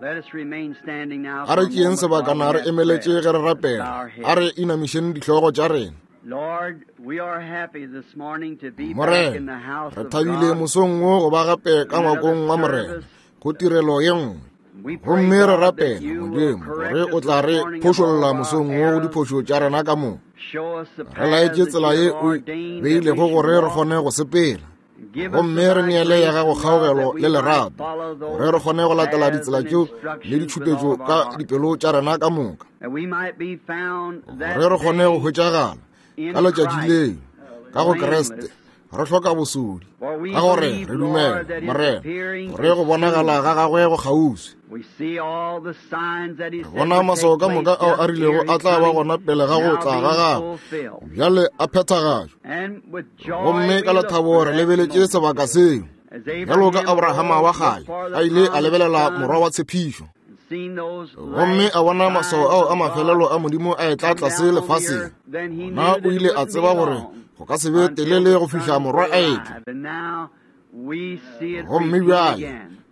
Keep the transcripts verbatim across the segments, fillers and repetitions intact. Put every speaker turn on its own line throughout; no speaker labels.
A re tšeeng sebakana re emeletše ge re rapela. A re inamišeng dihlogo tša rena. Morena, re thabile mosong wo go ba gape ka ngwakong wa Morena go tirelo ye nngwe. Gomme re rapela Modimo gore o tla re phošolla mosong wo go diphošo tša rena ka moka. Re laetše tsela ye o beilego gore re kgone go sepela. Gomme re neele ya gago kgaogelo le lerato gore re kgone go latela ditsela tšeo le ditšhupetšo ka dipelo tša rena ka moka, gore re kgone go hwetšagala ka letšatši leo ka go Kriste re hloka bosodi, ka gore re dumela Morena gore go bonagala ga gagwe go kgauswi. Re bona maswao ka moka ao a rilego a tla ba gona pele ga go tla ga gagwe, bjale a phethagatšwa. Gomme ka lethabo re lebeletše sebaka seo, bjalo ka Abrahama wa kgale a ile a lebelela morwa wa tshepišo, gomme a bona maswao ao a mafelelo a Modimo a etla tlase lefaseng. Gona o ile a tseba gore go ka se be telele go fihla morwa a etla. Gomme bjale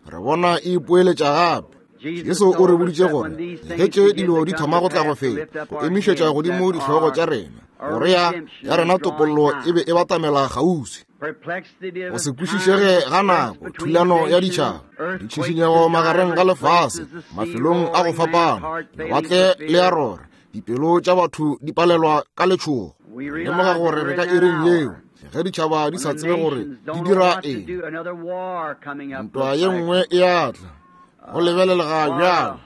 re bona e ipoeletša gape. Jesu o re boditše gore ge tše dilo di thoma go tla go feta, go emišetša godimo dihlogo tša rena, gore ya ya rena topollo e be e batamela kgauswi. Go se kwešišege ga nako, thulano ya ditšhaba, ditšhišinyego magareng ga lefase, mafelong a go fapana, lewatle le a rora, dipelo tša batho di palelwa ka letšhogo. Lemoga gore re ka iring yeo ge ditšhaba di sa tsebe gore di dira eng. Ntwa ye nngwe e a tla, go lebelelega bjalo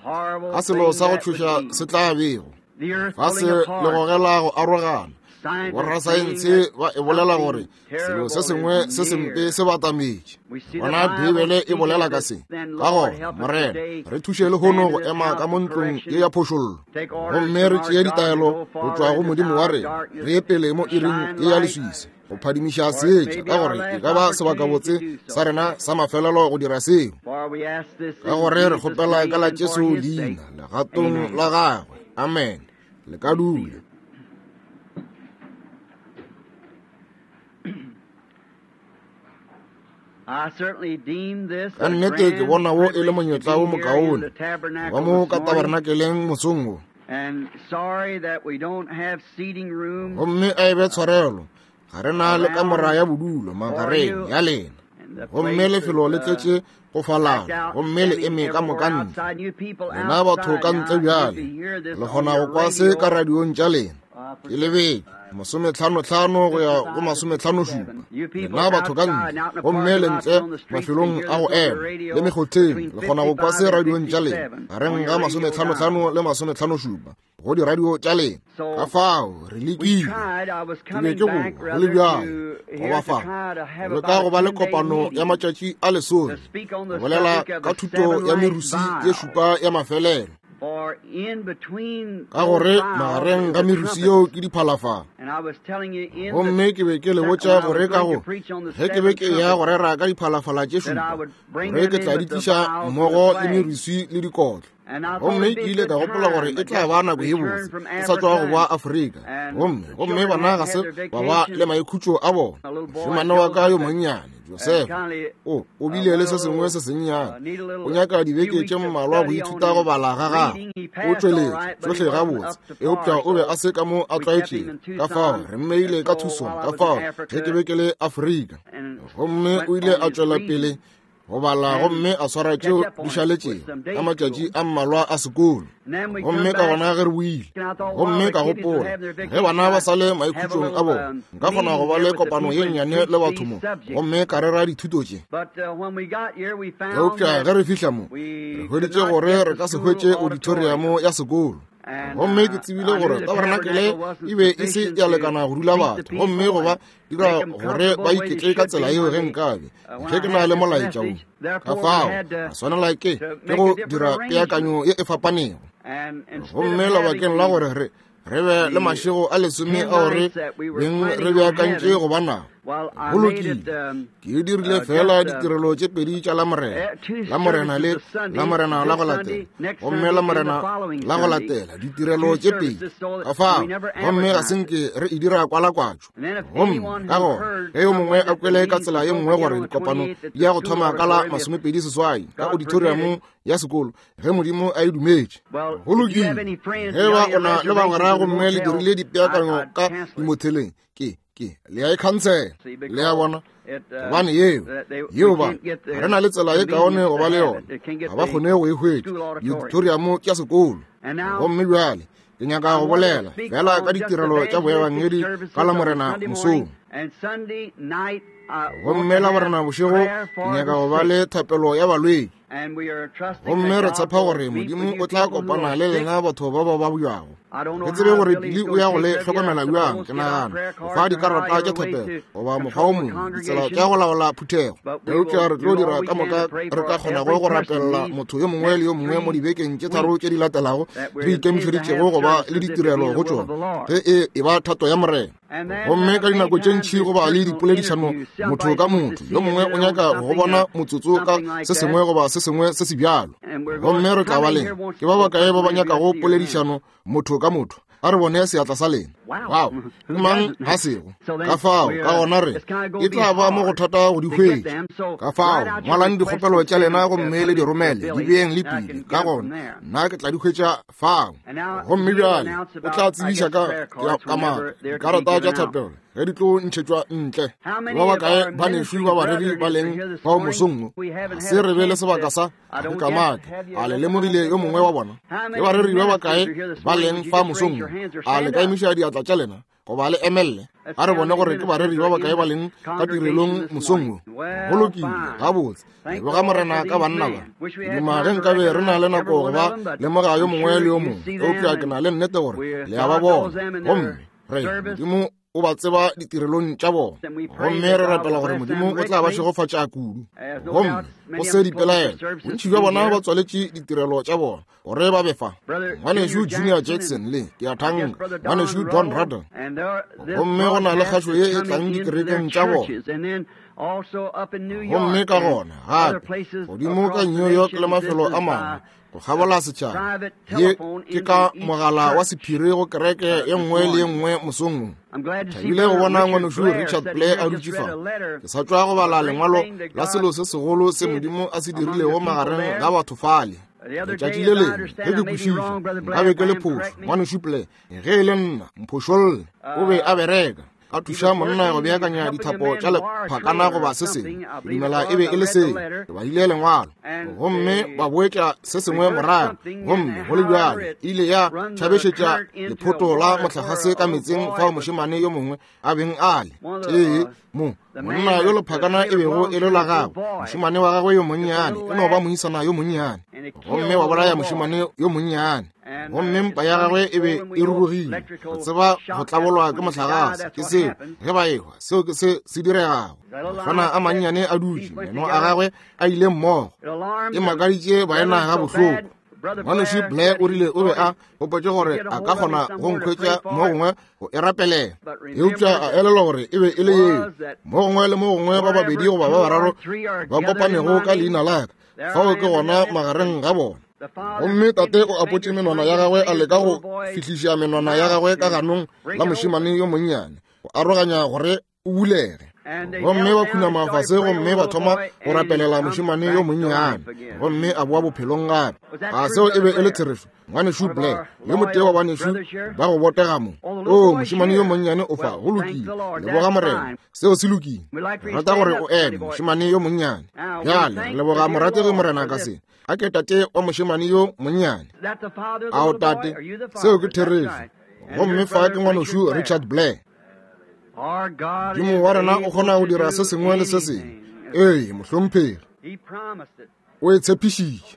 ga selo sa go tšhoša se tla bego. Fase le gogela go arogana. Borasaense ba e bolela gore selo se sengwe se sempe se batametše. Bona Bibele e bolela ka se. Ka gona, Morena, re thuše lehono go ema ka mo ntlong ye ya phošollo, gomme re tšee ditaelo go tšwa go Modimo wa rena, re ye pele mo iring ye ya leswiswi go phadimiša seetša, ka gore e ka ba sebakabotse sa rena sa mafelelo go dira seo. Ka gore re kgopela ka la Jesu leina legatong la gagwe. Amen. Le ka dula. Ka nnete ke bona wo e le monyetla wo mokaone ba mo ka tabernakeleng mosong wo. Gomme a e be tshwarelo, ga re na le kamora ya bodulo magareng ya lena, gomme lefelo le tletše go falana, gomme le eme ka moka ntle. Lena batho ka ntle bjale le kgona go kwa se ka radiong tša lena. Ke lebetše masometlhanotlhano go ya go masometlhanošupa. Lena batho ka ntle, gomme le ntle mafelong a go ema le mekgotheng, le kgona go kwa se radiong tša lena gareng ga masometlhanotlhano le masometlhanošupa go diradio tša lena. Ka fao re lekile, ke be ke boa go le bjalo go ba fa go leka go ba le kopano ya matšatši a lesome go bolela ka thuto ya merusi ye šupa ya mafelelo, ka gore magareng ga merusi yeo ke diphalafala. Gomme ke be ke le botša gore ka go ge ke be ke ya go rera ka diphalafala tše šupa, gore ke tla di tliša mmogo le merusi le dikotlo. Gomme ke ile ka gopola gore e tla ba nako ye botse, ke sa tšwa go boa Afrika, gomme gomme bana ga se ba ba le maikhutšo a bona. Mošemane wa ka yo monnyane Joseph o o bile le se sengwe se sennyane, o nyaka dibeke tše mmalwa go ithuta go bala ga gagwe. O tšweletše tšohle gabotse, eupša o be a se ka mo a tlwaetšego. Ka fao re mmeile ka thusong ka fao ge ke be ke le Afrika, gomme o ile a tšwela pele go bala gomme a swara tšeo di šaletšego ka matšatši a mmalwa a sekolo. Gomme ka gona ge re boile, gomme ka gopola ge bana ba sa le maikhutšong a bona, nka kgona go ba le kopano ye nnyane le batho mo, gomme ka rera dithuto tše. Eupša ge re fihla mo, re hweditše gore re ka se hwetše auditoriamo ya sekolo. Gomme ke tsebile gore tabernakelé e be e se ya lekana go dula batho, gomme go ba dira gore ba iketle ka tsela yeo ge nkabe ge ke na le molaetša wo. Ka fao a swanela ke ke go dira peakanyo ye e fapanego. Gomme lebakeng la gore re re be le mašego a lesome ao re beng re beakantše go ba nao, Go lokile, ke dirile fela ditirelo tše pedi tša Lamorena, Lamorena le Lamorena la go latela, gomme Lamorena la go latela, ditirelo tše pedi. Ka fao, gomme ga se nke re e dira kwalakwatšo. Gomme ka gona, ge yo mongwe a kwele ka tsela ye nngwe gore dikopano di ya go thoma ka la masomepedi seswai ka auditoriumong ya sekolo, ge Modimo a e dumetše. Go lokile, ge ba o na le bagwera gomme le dirile dipeakanyo ka dimotheleng, ke ke le a e khansela. Le a bona, gobane yeo yeo ba re na le tsela ye kaone go ba le yona, ga ba kgone go e hwetša diauditorium tša sekolo. Gomme bjale ke nyaka go bolela fela ka ditirelo tša boebangedi ka Lamorena mosong, gomme Lamorena bošego ke nyaka go ba le thapelo ya balwetši. Gomme re tshepa gore Modimo o tla kopana le lena batho ba ba babjago. Ke tsebe gore Billy o ya go le hlokomela bjang, ke nagana go fa dikarata tša thapelo goba mokgwa o mongwe, ditsela tša go laola phuthego. Eupša re tlo dira ka moka re ka kgonago go rapelela motho yo mongwe le yo mongwe mo dibekeng tše tharo tše di latelago re ikemišeditšego go ba le ditirelo go tšona, ge e e ba thato ya Morena. Gomme ka dinako tše ntši go ba le dipoledišano motho ka motho, yo mongwe o nyaka go bona motsotso ka se sengwe goba se sengwe se se bjalo. Gomme re tla ba leng ke ba bakae ba ba nyakago poledišano motho ka motho? A re bone seatla sa lena. Wow, ke mang ga sego? Ka fao, ka gona re e tla ba mo go thata go di hwetša. Ka fao, ngwalang dikgopelo tša lena gomme le di romele, di beeng le pele. Ka gona nna ke tla di hwetša fao. Gomme bjale o tla tsebiša ka ka maka dikarata tša thapelo ge di tlo ntšhetšwa ntle. Ba bakae banešu ba bareri ba leng fao mosong wo? Ga se re be le sebaka sa go kamaka. A le lemogile yo mongwe wa bona? Ke bareri ba bakae ba leng fa mosong wo? A le ka emiša diatla tša lena goba le emelle? A re bone gore ke bareri ba bakae ba leng ka tirelong mosong wo. Go lokile, gabotse. Leboga Morena ka banna ba. Duma ge nkabe re na le nako go ba lemoga yo mongwe le yo mongwe, eupša ke na le nnete gore le a ba bona. Gomme re Modimo o ba tseba ditirelong tša bona. Gomme re rapela gore Modimo o tla ba šegofatša kudu. Gomme go se dipelaelo, bontši bja bona ba tswaletše ditirelo tša bona gore ba be fa. Ngwanešu Junior Jackson le ke a thanka, ngwanešu Don Ruddell. Gomme go na le kgašo ye e tlang dikerekeng tša bona. Gomme ka gona gape godimo ka New York le mafelo a mangwe go kgabola setšhaba, ye ke ka mogala wa sephiri go kereke ye nngwe le ye nngwe mosong wo. Thabile go bona ngwanešu Richard Blair a dutše fa. Ke sa tšwa go bala lengwalo la selo se segolo se Modimo a se dirilego magareng ga batho fale. Letšatši le lengwe ge ke kwešiša, nka be ke le phošo. Ngwanešu Blair, ge e le nna, mphošolle. O be a bereka a thuša monna go beakanya dithapo tša lephakana goba se sengwe. Ke dumela e be e le seo. Ke badile lengwalo, gomme ba boetša se sengwe morago, gomme go le bjalo ile ya tšhabešetša lephoto la mohlagase ka metseng fao mošemane yo mongwe a beng a le tee mo monna yo lephakana e bego e le la gagwe, mošemane wa gagwe yo monnyane e no ba moisana yo monnyane, gomme wa bolaya mošemane yo monnyane. Gomme mpa ya gagwe e be e rurugile, re tseba go tlabolwa ke mohlagase, ke seo ge ba ehwa, seo ke se se diregago. Mahlwana a mannyane a dutše, meno a gagwe a ile mmogo. E makaditše baena ga bohloko. Ngwanešu Blair o rile o be a gopotše gore a ka kgona go nkhwetša mo gongwe go e rapelela, eupša a elelwa gore e be e le yeo. Mo gongwe le mo gongwe ba babedi goba ba bararo ba kopanego ka leina la ka, fao ke gona magareng ga bona. Gomme tate o apotše menwana ya gagwe a leka go fihliša menwana ya gagwe ka ganong la mošemane yo monnyane go aroganya gore o bulege. Gomme ba khunama fase gomme ba thoma go rapelela mošemane yo monnyane, gomme a boa bophelong gape. A seo e be e le therešo? Ngwanešu Blair, yo motee wa banešu ba go botega mo. O, mošemane yo monnyane o fa. Go lokile, leboga Morena, seo se lokile. Re rata gore o eme, mošemane yo monnyane. Bjale re leboga morategi Morena ka se. A ke tate wa mošemane yo monnyane? Ao tate, seo ke therešo. Gomme fa ke ngwanešu Richard Blair. Modimo wa rena o kgona go dira se sengwe le se sengwe. Ee, mohlomphegi, o e tshepišitše.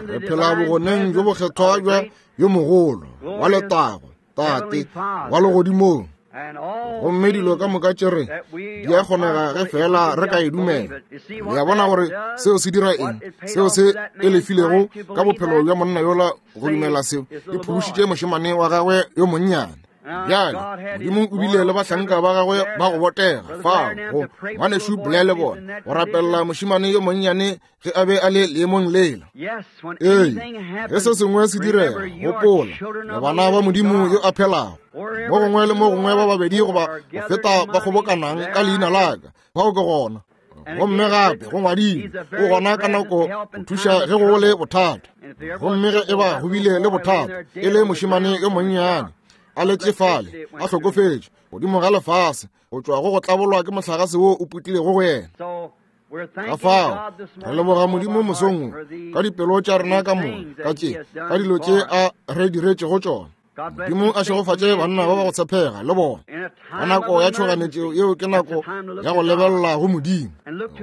Re phela bogoneng bjo bokgethwa bja yo mogolo wa letago, Tate wa legodimong. Gomme dilo ka moka tše re di a kgonega ge fela re ka e dumela. Le a bona gore seo se dira eng? Seo se e lefilego ka bophelo bja monna yola go dumela seo, e phološitše mošemane wa gagwe yo monnyane. Bjale Modimo o bile le bahlanka ba gagwe ba go botega fao go ngwanešu Blair le bona go rapelela mošemane yo monnyane ge a be a le leemong lela. Ee, ge se sengwe se direga, gopola, le bana ba Modimo yo a phelago. Mo gongwe le mo gongwe ba babedi goba go feta ba kgobokanang ka leina la ka, bao ke gona. Gomme gape go ngwadilwe, o gona ka nako go thuša ge go le bothata. Gomme ge e ba go bile le bothata, e le mošemane yo monnyane a letše fale a hlokofetše godimo ga lefase go tšwa go go tlabolwa ke mohlagase wo o putlilego go yena. Ka fao re leboga Modimo mosong ka dipelo tša rena ka moka ka tše ka dilo tše a re diretšego tšona. Modimo a šegofatše banna ba ba go tshepega le bona. Ka nako ya tšhoganetšo yeo ke nako ya go lebelela go Modimo,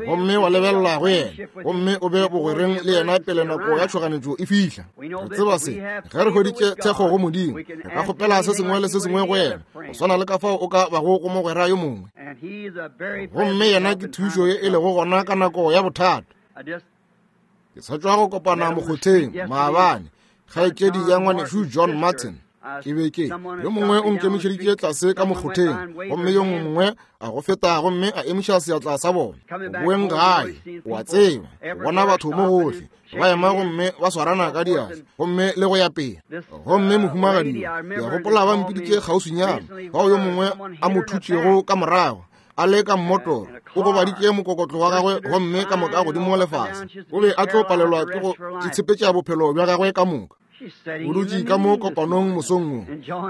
gomme wa lebelela go yena, gomme o be bogwereng le yena pele nako ya tšhoganetšo e fihla. Re tseba se, ge re hweditše thekgo go Modimo, re ka kgopela se sengwe le se sengwe go yena, go swana le ka fao o ka bago go mogwera yo mongwe. Gomme yena ke thušo ye e lego gona ka nako ya bothata. Ke sa tšwa go kopana mokgotheng maabane, kgaetšedi ya ngwanešu John Martin. Ke be ke yo mongwe o nkemišeditše tlase ka mokgotheng, gomme yo mongwe a go feta gomme a emiša seatla sa bona. Boeng gae, o a tseba, bona batho mo gohle ba ema gomme ba swarana ka diatla gomme le go ya pele. Gomme mohumagadi yo, ke a gopola ba mpiditše kgauswinyana, bao yo mongwe a mo thutšego ka morago a le ka mmotoro, o gobaditše mokokotlo wa gagwe gomme ka moka godimo lefase. O be a tlo palelwa ke go itshepetša bophelo bja gagwe ka moka. O dutše ka mo kopanong mosong wo,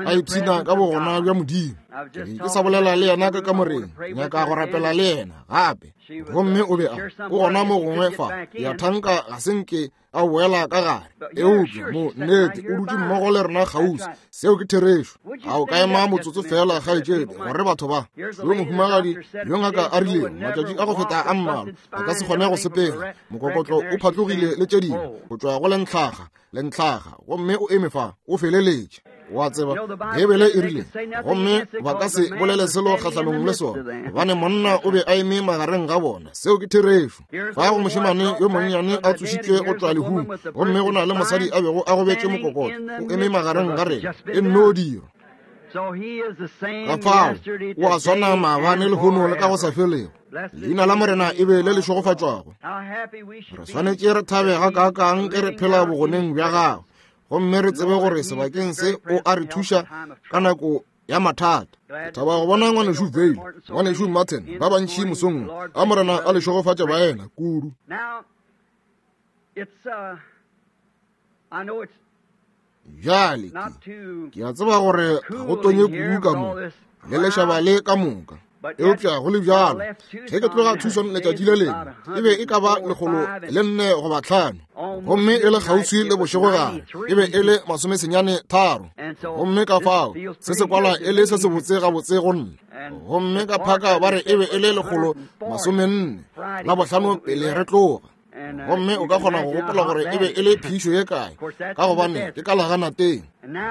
a ipshina ka bogona bja Modimo. Ke be ke sa bolela le yena ka kamoreng, nyaka go rapela le yena gape. Gomme o be a o gona mo gongwe fa, ya thanka ga se nke a boela ka gare. Eupša mo nnete o dutše mmogo le rena kgauswi. Seo ke therešo. A o ka ema motsotso fela, kgaetšedi, gore batho ba yo mohumagadi yo ngaka a rilego matšatši a go feta a mmalwa a ka se kgone go sepela, mokokotlo o phatlogile le tše dingwe go tšwa go lentlhaga lentlhaga, gomme o eme fa o feleletše. Wa tseba, Beibele e rile, gomme ba ka se bolele selo kgahlanong le sona, gobane monna o be a eme magareng ga bona. Seo ke therešo. Fa go mošemane yo monnyane a tsošitšwe go tšwa lehung, gomme go na le mosadi a bego a gobetše mokokotlo, o eme magareng ga rena. E nno dira. Ka fao o a swana maabane lehono le ka go sa felego. Leina la Morena e be le le šegofatšwago. Re swanetše re thabe gakaakang ge re phela bogoneng bja gagwe, gomme re tsebe gore sebakeng se o a re thuša ka nako ya mathata. Ke thaba go bona ngwanešu Vail, ngwanešu Martin, ba bantši mosong a Morena a le šegofatše baena kudu. Bjale ke a tseba gore ga go tonye kudu ka mo le lešaba le ka moka, eupša go le bjalo ge ke tloga Tucson letšatši le lengwe e be e ka ba lekgolo le nne goba tlhano, gomme e le kgauswi le bošegogare e be e le masomesenyane tharo, gomme ka fao se se kwala e le se se botse gabotse go nna. Gomme ka phaka ba re e be e le lekgolo masomenne la bohlano pele re tloga. Gomme o ka kgona go gopola gore e be e le phišo ye kae, ka gobane ke ka laganateng.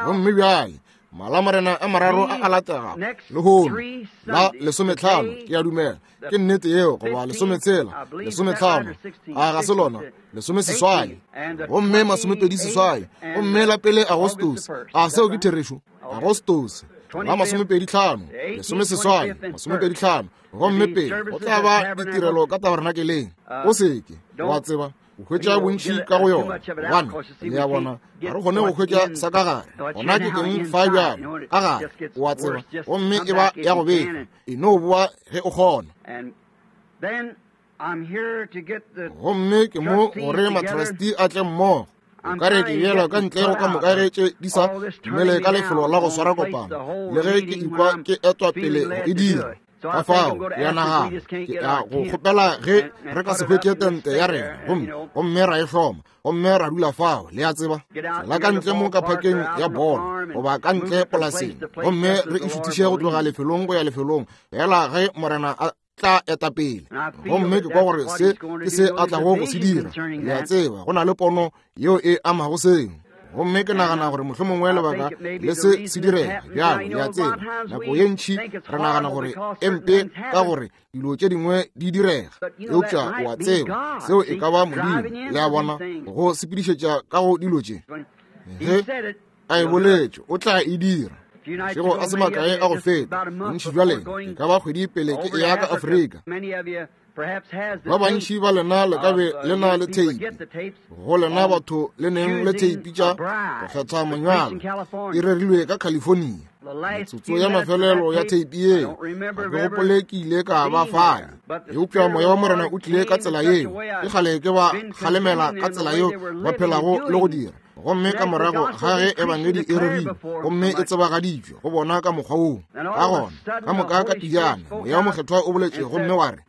Gomme bjale malamorena a mararo a a latega lehono la lesometlhano, ke a dumela ke nnete yeo, goba lesometshela, lesometlhano, a ga se lona, lesomeseswai, gomme masomepedi seswai, gomme la pele Agostose. A seo ke therešo? Agostose la masomepedi tlhano, lesomeseswai, masomepedi tlhano, gomme pele go tla ba ditirelo ka tabernakeleng. O seke wa tseba o hwetša bontši ka go yona, gobane le a bona ga re kgone go hwetša sa ka gare. Gona ke eng fa bjalo ka gare, o a tseba, gomme e ba ya go befa. E no boa ge o kgona. Gomme ke mo gore matrustee a tle mmogo. O ka re ke beelwa ka ntle go ka moka ge tše di sa dumele ka lefelo la go swara kopano, le ge ke ikwa ke etwa pele go e dira. Ka fao ke a nagana ke a go kgopela ge re ka se hwetše tente ya rena, gomme gomme ra e hloma, gomme ra dula fao, le a tseba, la ka ntle mo ka phakeng ya bolo goba ka ntle polaseng, gomme re e šuthiše go tloga lefelong go ya lefelong fela ge Morena a tla eta pele. Gomme ke kwa gore se ke se a tlago go se dira. Le a tseba, go na le pono yeo e amago seo. Gomme ke nagana gore mohlomongwe lebaka le se se direga bjalo, le a tseba, nako ye ntši re nagana gore e mpe ka gore dilo tše dingwe di direga, eupša o a tseba seo e ka ba Modimo, le a bona, go sepedišetša ka go dilo tše. Ge a e boletše, o tla e dira. Mašego a se makae a go feta, bontši bja lena, e ka ba kgwedi pele ke eya ka Afrika. Ba bantši ba lena le ka be le na le theipi. Go lena batho le neng le theipi tša go kgetha monyalo, e rerilwe ka California. Metsotso ya mafelelo ya theipi yeo, ga ke gopole ke ile ka ba fale. Eupša moya wa Morena o tlile ka tsela yeo. Ke kgale ke ba kgalemela ka tsela yeo ba phelago le go dira. Gomme ka morago ga ge ebangedi e rerilwe gomme e tsebagaditšwe go bona ka mokgwa woo, ka gona ka moka ka pijana moya wa mokgethwa o boletše gomme wa re,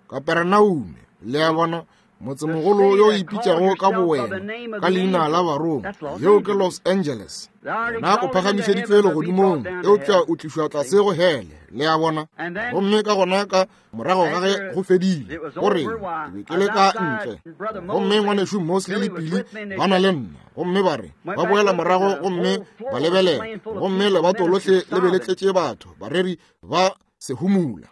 Kaperenaume, le a bona, motsemogolo yo o ipitšago ka bowena ka leina la Baroma, yeo ke Los Angeles. Na o phagamišeditšwe legodimong, eupša o tlišwa tlase go hele, le a bona. Gomme ka gona ka morago ga ge go fedile, go re ke be ke le ka ntle, gomme ngwanešu Mosley le Pili ba na le nna, gomme ba re ba boela morago gomme ba lebelela, gomme lebato lohle le be le tletše batho, bareri ba se humula.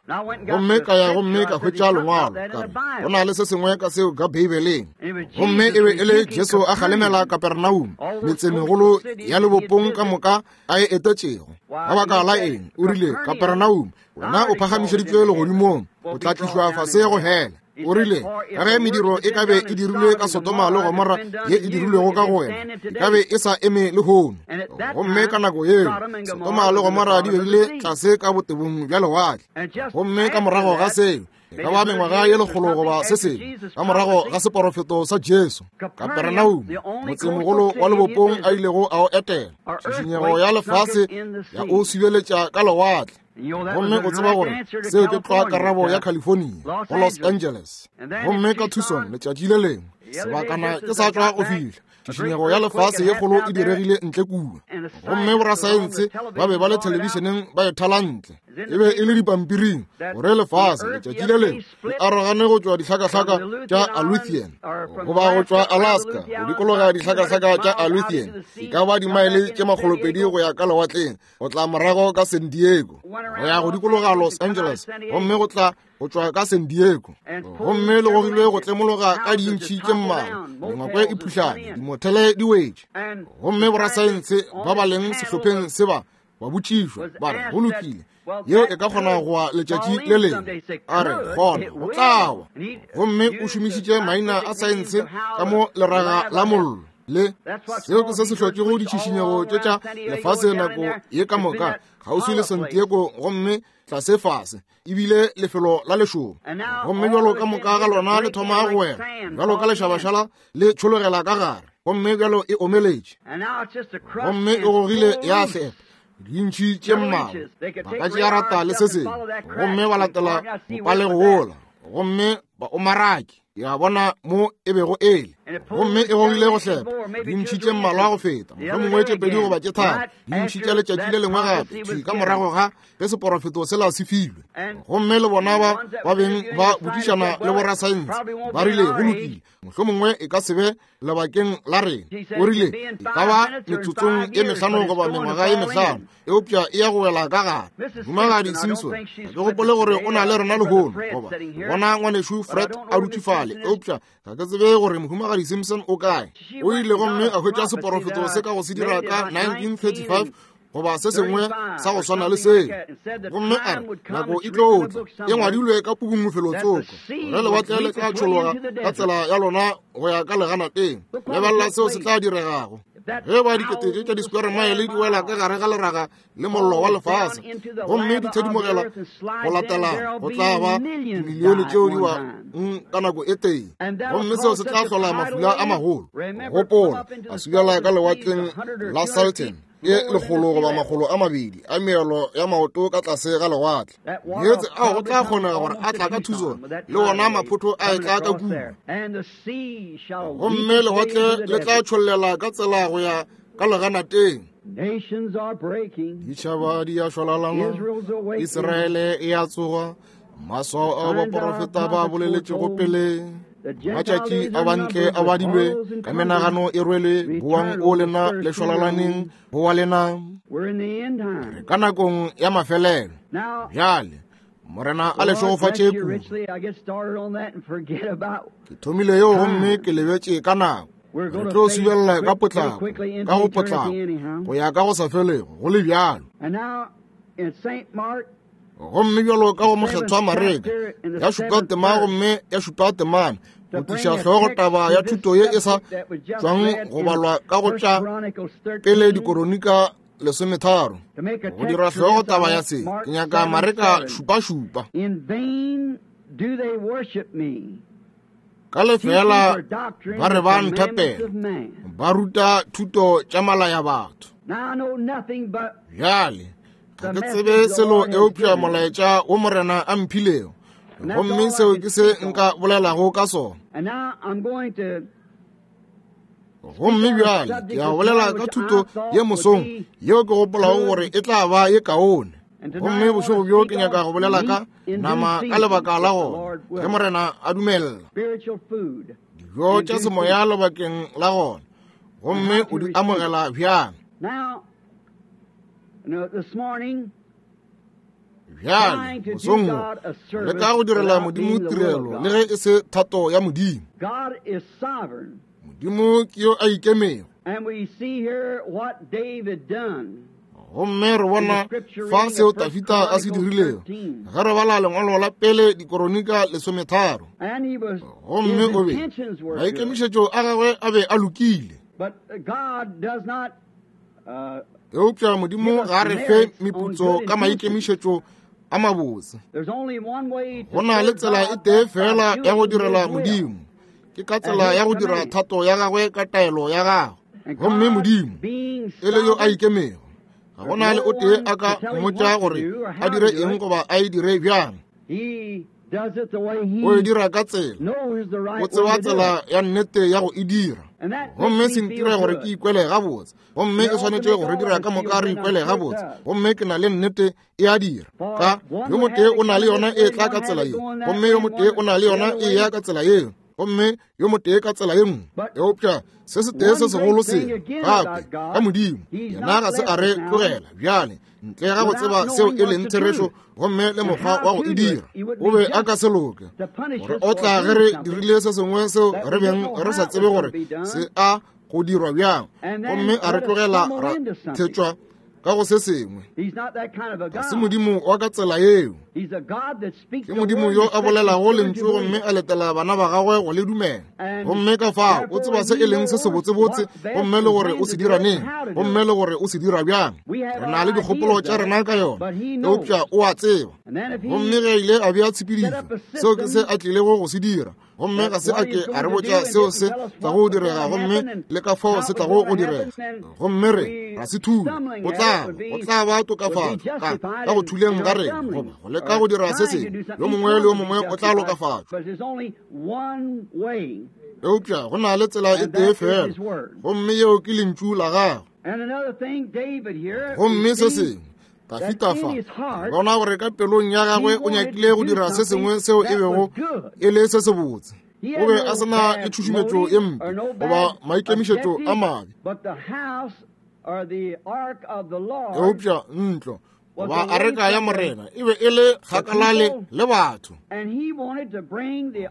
Gomme ka ya gomme ka hwetša lengwalo, ka re go na le se sengwe ka seo ka Beibeleng. Gomme e be e le Jesu a kgalemela Kapernaum, metsemegolo ya lebopong ka moka a e etetšego. Ka baka la eng? O rile, Kapernaum, wena o phagamišeditšwe legodimong, o tla tlišwa fase go hele. O rile, ka ge mediro e ka be e dirilwe ka Sodoma le Gomora ye e dirilwego ka go wena, e ka be e sa eme lehono. Gomme ka nako yeo Sodoma le Gomora di be di le tlase ka botebong bja lewatle. Gomme ka morago ga seo, e ka ba mengwaga ye lekgolo goba se sengwe ka morago ga seporofeto sa Jesu, Kaperenaume, motsemogolo wa lebopong a ilego a o etela, tšhišinyego ya lefase ya o subeletša ka lewatle. Gomme o tseba gore seo ke tlwa karabo ya California go Los Angeles. Gomme ka Tucson letšatši le lengwe, sebakana ke sa tšwa go fihla, tšhišinyego ya lefase ye kgolo e diregile ntle kua. Gomme borasaense ba be ba le thelebišeneng ba e thala ntle, e be e le dipampiring, gore lefase letšatši le lengwe le arogane go tšwa dihlakahlaka tša Aleutian goba go tšwa Alaska go dikologa dihlakahlaka tša Aleutian, e ka ba dimaele tše makgolopedi go ya ka lewatleng, go tla morago ka San Diego, go ya go dikologa Los Angeles, gomme go tla go tšwa ka San Diego. Gomme le gogilwe go tlemologa ka dintšhi tše mmalwa, mengwako e phuhlane, dimothele di wetše. Gomme borasaense ba ba leng sehlopheng se ba ba botšišwa, ba re, go lokile, yeo e ka kgona go wa letšatši le lengwe. A re, gona go tla wa. Gomme o šomišitše maina a saense ka mo leraga la mollo. Le seo ke se se hlotšego ditšhišinyego tše tša lefase nako ye ka moka kgauswi le San Diego, gomme tlase fase ebile lefelo la lešomo. Gomme bjalo ka moka ga lona le thoma go wela, bjalo ka lešabašala le tšhologela ka gare, gomme bjalo e omeletše, gomme e gogile ya hlepa dintšhi tše mmalwa, ba ka tšea rata le se sengwe, gomme ba latela mopalego wola, gomme ba o marake. Ya bona mo e bego ele, gomme e gogile go hlepa dintšhi tše mmalwa go feta, mohlomongwe tše pedi goba tše tharo, dintšhi tša letšatši le lengwe gape, thwi ka morago ga ge seporofeto sela se filwe. Gomme le bona ba ba beng ba botšišana le borasaense, ba rile, go lokile, mohlomongwe e ka se be lebakeng la rena. O rile, e ka ba metsotsong e mehlano goba mengwaga e mehlano, eupša e ya go wela ka gare. Mohumagadi Simpson, ga ke gopole gore o na le rena lehono, goba bona ngwanešu Fred a dutše fale, eupša ga ke tsebe gore mohumagadi Simpson o kae. O ile gomme a hwetša seporofeto se ka go se dira ka nineteen thirty-five goba se sengwe sa go swana le seo. Gomme a re, nako e tlo tla, e ngwadilwe ka pukung felotsoko, gore lewatle le tla tšhologa ka tsela ya lona go ya ka leganateng. Lebelela seo se tla diregago ge ba dikete tše tša di-square mile di wela ka gare ga leraga le mollo wa lefase, gomme di thedimogela go latela, go tla ba dimilione tšeo di wa ka nako e tee, gomme seo se tla hlola mafula a magolo. Gopola, a subjala ka lewatleng la Salton e lekgolo goba makgolo a mabedi a meelo ya maoto ka tlase ga lewatle. Meetse ao go tla kgonega gore a tla ka Tucson, le wona maphotho a e tla ka kua, gomme lewatle le tla tšhollela ka tsela go ya ka leganateng. Ditšhaba di a šwalalana, Israele e a tsoga, maswao ao baporofeta ba boleletšego pele, matšatši a bantle a badilwe, ka menagano e rwelwe, boang o lena le šwalalaneng, boa lena. Re ka nakong ya mafelelo. Bjale Morena a le šegofatše kudu. Ke thomile yeo gomme ke lebetše ka nako. Re tlo subelela ka potlako, ka go potlako, go ya ka go sa felego, go le bjalo. Gomme bjalo ka go mokgethwa Mareka, ya šupa tema gomme ya šupa temana, go tliša hlogo taba ya thuto ye e sa tšwang go balwa ka go tša pele dikoronika lesometharo. Go dira hlogo taba ya se, ke nyaka Mareka šupa-šupa. Ka lefela ba re ba nthapela, ba ruta thuto tša malaya batho. Bjale ga ke tsebe selo eupša molaetša wo Morena a mphilego, gomme seo ke se nka bolelago ka sona. Gomme bjale ke a bolela ka thuto ye mosong yeo ke gopolago gore e tla ba ye kaone. Gomme bošego bjo ke nyaka go bolela ka nama ka lebaka la gona, ge Morena a dumella. Dijo tša semoya lebakeng la gona, gomme o di amogela bjang. Bjale mosong wo le ka go direla Modimo tirelo le ge e se thato ya Modimo. Modimo ke yo a ikemego. Gomme re bona fa seo Tafita a se dirilego ge re bala lengwalo la pele dikoronika lesometharo. Gomme o be maikemišetšo a gagwe a be a lokile, eupša Modimo ga a re fe meputso ka maikemišetšo a mabotse. Go na le tsela e tee fela ya go direla Modimo, ke ka tsela ya go dira thato ya gagwe ka taelo ya gagwe. Gomme Modimo e le yo a ikemego, ga go na le o tee a ka mmotša gore a dire eng goba a e dire bjang. O e dira ka tsela, o tseba tsela ya nnete ya go e dira. Gomme se ntira gore ke ikwele gabotse, gomme e swanetše go re dira ka moka re ikwele gabotse. Gomme ke na le nnete e a dira. Ka yo motee o na le yona e tla ka tsela ye, gomme yo motee o na le yona e ya ka tsela yeo, gomme yo motee ka tsela ye nngwe. Eupša se se tee se segolo se gape ka Modimo, yena ga se a re tlogela bjale ntle ga go tseba seo e leng therešo gomme le mokgwa wa go e dira. O be a ka se loke gore o tla ge re dirile se sengwe seo re beng re sa tsebe gore se a go dirwa bjang, gomme a re tlogela ra thetšwa ka go se sengwe. Ga se Modimo wa ka tsela yeo. Ke Modimo yo a bolelago lentšu gomme a letela bana ba gagwe go le dumela. Gomme ka fao o tseba se e leng se sebotsebotse, gomme le gore o se dira neng, gomme le gore o se dira bjang. Re na le dikgopolo tša rena ka yona, eupša o a tseba. Gomme ge ile a bea tshepedišo, seo ke se a tlilego go se dira. Gomme ga se a ke a re botša seo se tlago go direga, gomme le ka fao se tlago go direga. Gomme re ra se thula, go tla go tla ba tokafatšo ka ka go thuleng ga rena, goba go leka go dira se sengwe. Yo mongwe le yo mongwe o tla lokafatšwa, eupša go na le tsela e tee fela, gomme yeo ke lentšu la gagwe. Gomme se sengwe Tafita fa bona gore ka pelong ya gagwe o nyakile go dira se sengwe seo e bego e le se sebotse. O be a se na le tšhušumetšo ye mpe goba maikemišetšo a mabe, eupša ntlo goba areka ya Morena e be e le kgakala le batho.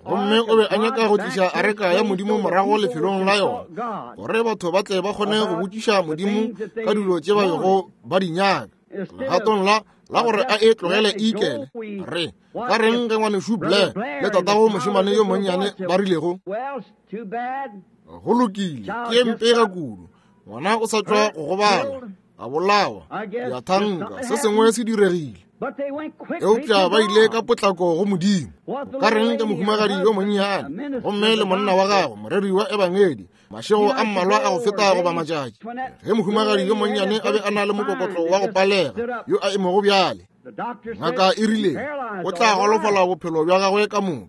Gomme o be a nyaka go tliša areka ya Modimo morago lefelong la yona, gore batho ba tle ba kgone go botšiša Modimo ka dilo tše ba bego ba di nyaka. Legatong la la gore a e tlogele e ikele, re ka reng ge ngwanešu Blair le tatago mošemane yo monnyane ba rilego, go lokile, ke ye mpega kudu, ngwana o sa tšwa go gobala, a bolawa, ya thanka, se sengwe se diregile. Eupša ba ile ka potlako go Modimo. Ka reng ke mohumagadi yo monnyane gomme le monna wa gagwe moreri wa ebangedi, mašego a mmalwa a go feta goba matšatši, ge mohumagadi yo monnyane a be a na le mokokotlo wa go palega yo a emego bjale, ngaka e rile o tla golofala bophelo bja gagwe ka moka.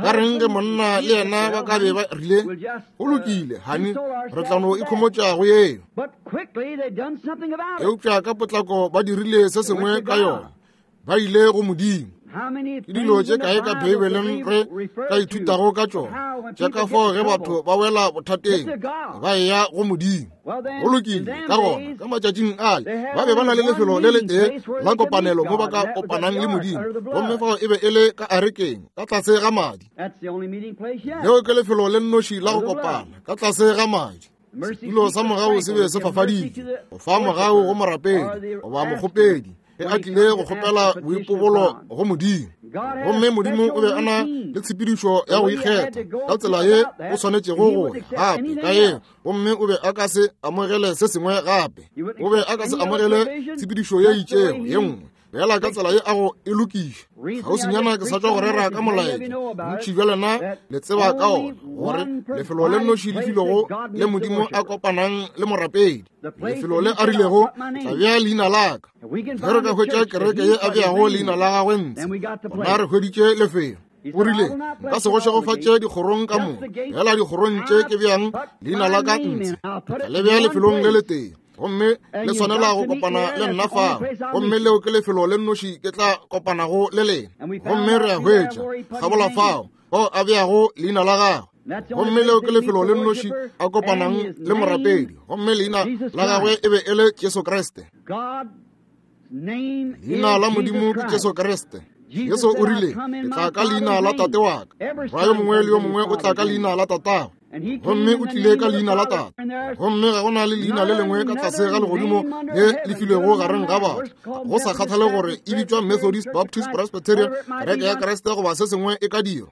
Ka reng ge monna le yena ba ka be ba rile, go lokile hani, re tla no ikhomotša go yeo. Eupša ka potlako ba dirile se sengwe ka yona, ba ile go Modimo. Ke dilo tše kae ka Beibeleng re ka ithutago ka tšona, tša ka fao ge batho ba wela bothateng ba eya go Modimo. Go lokile, ka gona ka matšatšing ale ba be ba na le lefelo le letee la kopanelo mo ba ka kopanang le Modimo, gomme fao e be e le ka arekeng ka tlase ga madi. Leo ke lefelo le nnoši la go kopana, ka tlase ga madi. Setulo sa mogau se be se fafaditšwe go fa mogau go morapedi goba mokgopedi ge a tlile go kgopela boipobolo go Modimo. Gomme Modimo o be a na le tshepedišo ya go ikgetha ka tsela ye o swanetšego go ya gape ka yeo, gomme o be a ka se amogele se sengwe gape. O be a ka se amogele tshepedišo ye itšego ye nngwe fela ka tsela ye a go e lokiša. Kgauswinyana ke sa tšwa go rera ka molaetša, bontši bja lena le tseba ka ona, gore lefelo le nnoši le filego le Modimo a kopanang le morapedi, lefelo le a rilego tla bea leina la ka. Ge re ka hwetša kereke ye a beago leina la gagwe ntshe, gona re hweditše lefelo. O rile, nka se go šegofatše dikgorong ka moka, fela dikgorong tše ke beang leina la ka ntshe, tla le bea lefelong le letee, gomme le swanela go kopana le nna fao, gomme leo ke lefelo le nnoši ke tla kopanago le lena. Gomme re a hwetša kgabola fao fao a beago leina la gagwe, gomme leo ke lefelo le nnoši a kopanang le morapedi, gomme leina la gagwe e be e le Jesu Kriste. Leina la Modimo ke Jesu Kriste. Jesu o rile, ke tla ka leina la tate wa ka. Morwa yo mongwe le yo mongwe o tla ka leina la tatagwe, gomme o tlile ka leina la tate. Gomme ga go na le leina le lengwe ka tlase ga legodimo le le filwego gareng ga batho, go sa kgathale gore e bitšwa Methodist, Baptist, Presbyterian, kereke ya Kriste goba se sengwe e ka dira.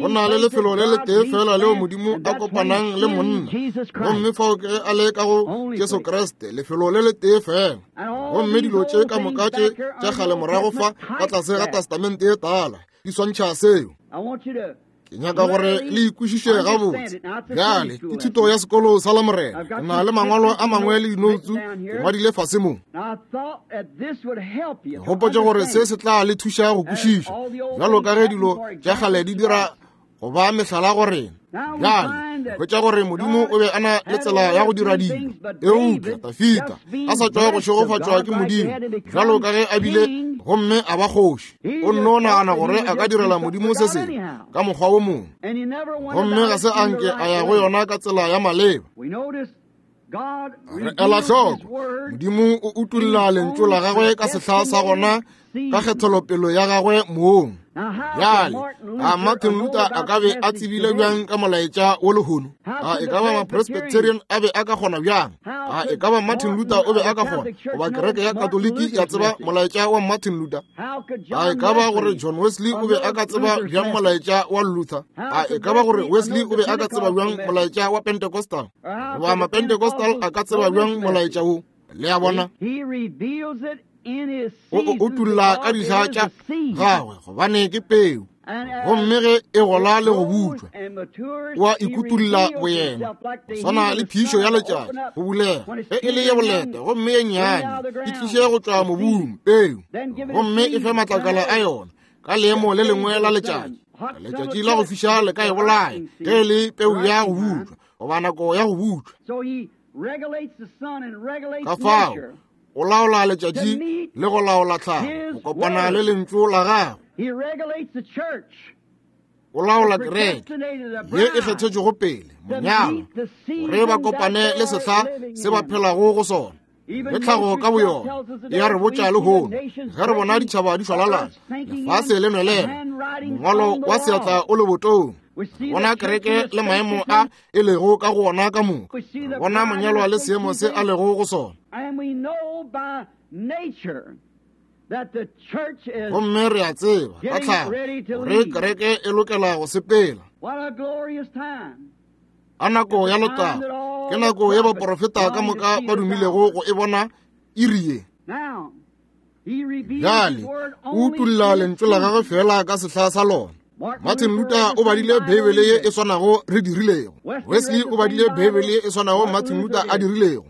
Go na le lefelo le letee fela leo Modimo a kopanang le monna, gomme fao ke ge a le ka go Jesu Kriste, lefelo le letee fela. Gomme dilo tše ka moka tše tša kgale morago fa ka tlase ga Testamente ye tala di swantšha seo. Ke nyaka gore le ikwešiše gabotse. Bjale ke thuto ya sekolo sa Lamorena. Ke na le mangwalo a mangwe le dinoutsu ke ngwadile fase mo. Ke gopotše gore se se tla le thuša go kwešiša, bjalo ka ge dilo tša kgale di dira go ba mehlala go rena. Bjale hwetša gore Modimo o be a na le tsela ya go dira dilo, eupša Dafida a sa tšwa go šegofatšwa ke Modimo bjalo ka ge a bile, gomme a ba kgoši. O nno nagana gore a ka direla Modimo se sengwe ka mokgwa wo mongwe, gomme ga se a nke a ya go yona ka tsela ya maleba. Re ela hloko, Modimo o utolla lentšu la gagwe ka sehla sa gona, ka kgethelopelo ya gagwe mong. Bjale a Martin Luther a ka be a tsebile bjang ka molaetša wo lehono? A e ka ba ma-Presbyterian a be a ka kgona bjang? A e ka ba Martin Luther o be a ka kgona, goba kereke ya Katoliki ya tseba molaetša wa Martin Luther? A e ka ba gore John Wesley o be a ka tseba bjang molaetša wa Luther? A e ka ba gore Wesley o be a ka tseba bjang molaetša wa Pentecostal? Goba ma-Pentecostal a ka tseba bjang molaetša wo? Le a bona, o o utolla ka dihla tša gagwe, gobane ke peu, gomme ge e gola le go butšwa, o a ikutulla boyena. Go swana le phišo ya letšatši go bulega, ge e le ye boleta gomme ye nnyane, e tliše go tšwa mobung peu, gomme e fe matlakala a yona ka leemo le lengwe la letšatši. Letšatši la go fiša le ka e bolaya ge e le peu ya go butšwa goba nako ya go butšwa. Ka fao o laola letšatši le go laola tlhago go kopana le lentšu la gagwe. O laola kereke ye e kgethetšwego pele, monyalwa, gore ba kopane le sehla se ba phelago go sona. Le tlhago ka boyona e a re botša lehono, ge re bona ditšhaba di šwalalana, lefase le nwelela, mongwalo wa seatla o le botong, bona kereke le maemo a e lego ka go ona ka moka, bona monyalwa le seemo se a lego go sona. Gomme re a tseba ka tlhago gore kereke e lokela go sepela. A nako ya letago, ke nako ye baprofeta ka moka ba dumilego go e bona iri ye. Bjale o utolla lentšu la gagwe fela ka sehla sa lona. Martin Luther o badile Beibele ye e swanago re dirilego. Wesley o badile Beibele ye e swanago Martin Luther a dirilego.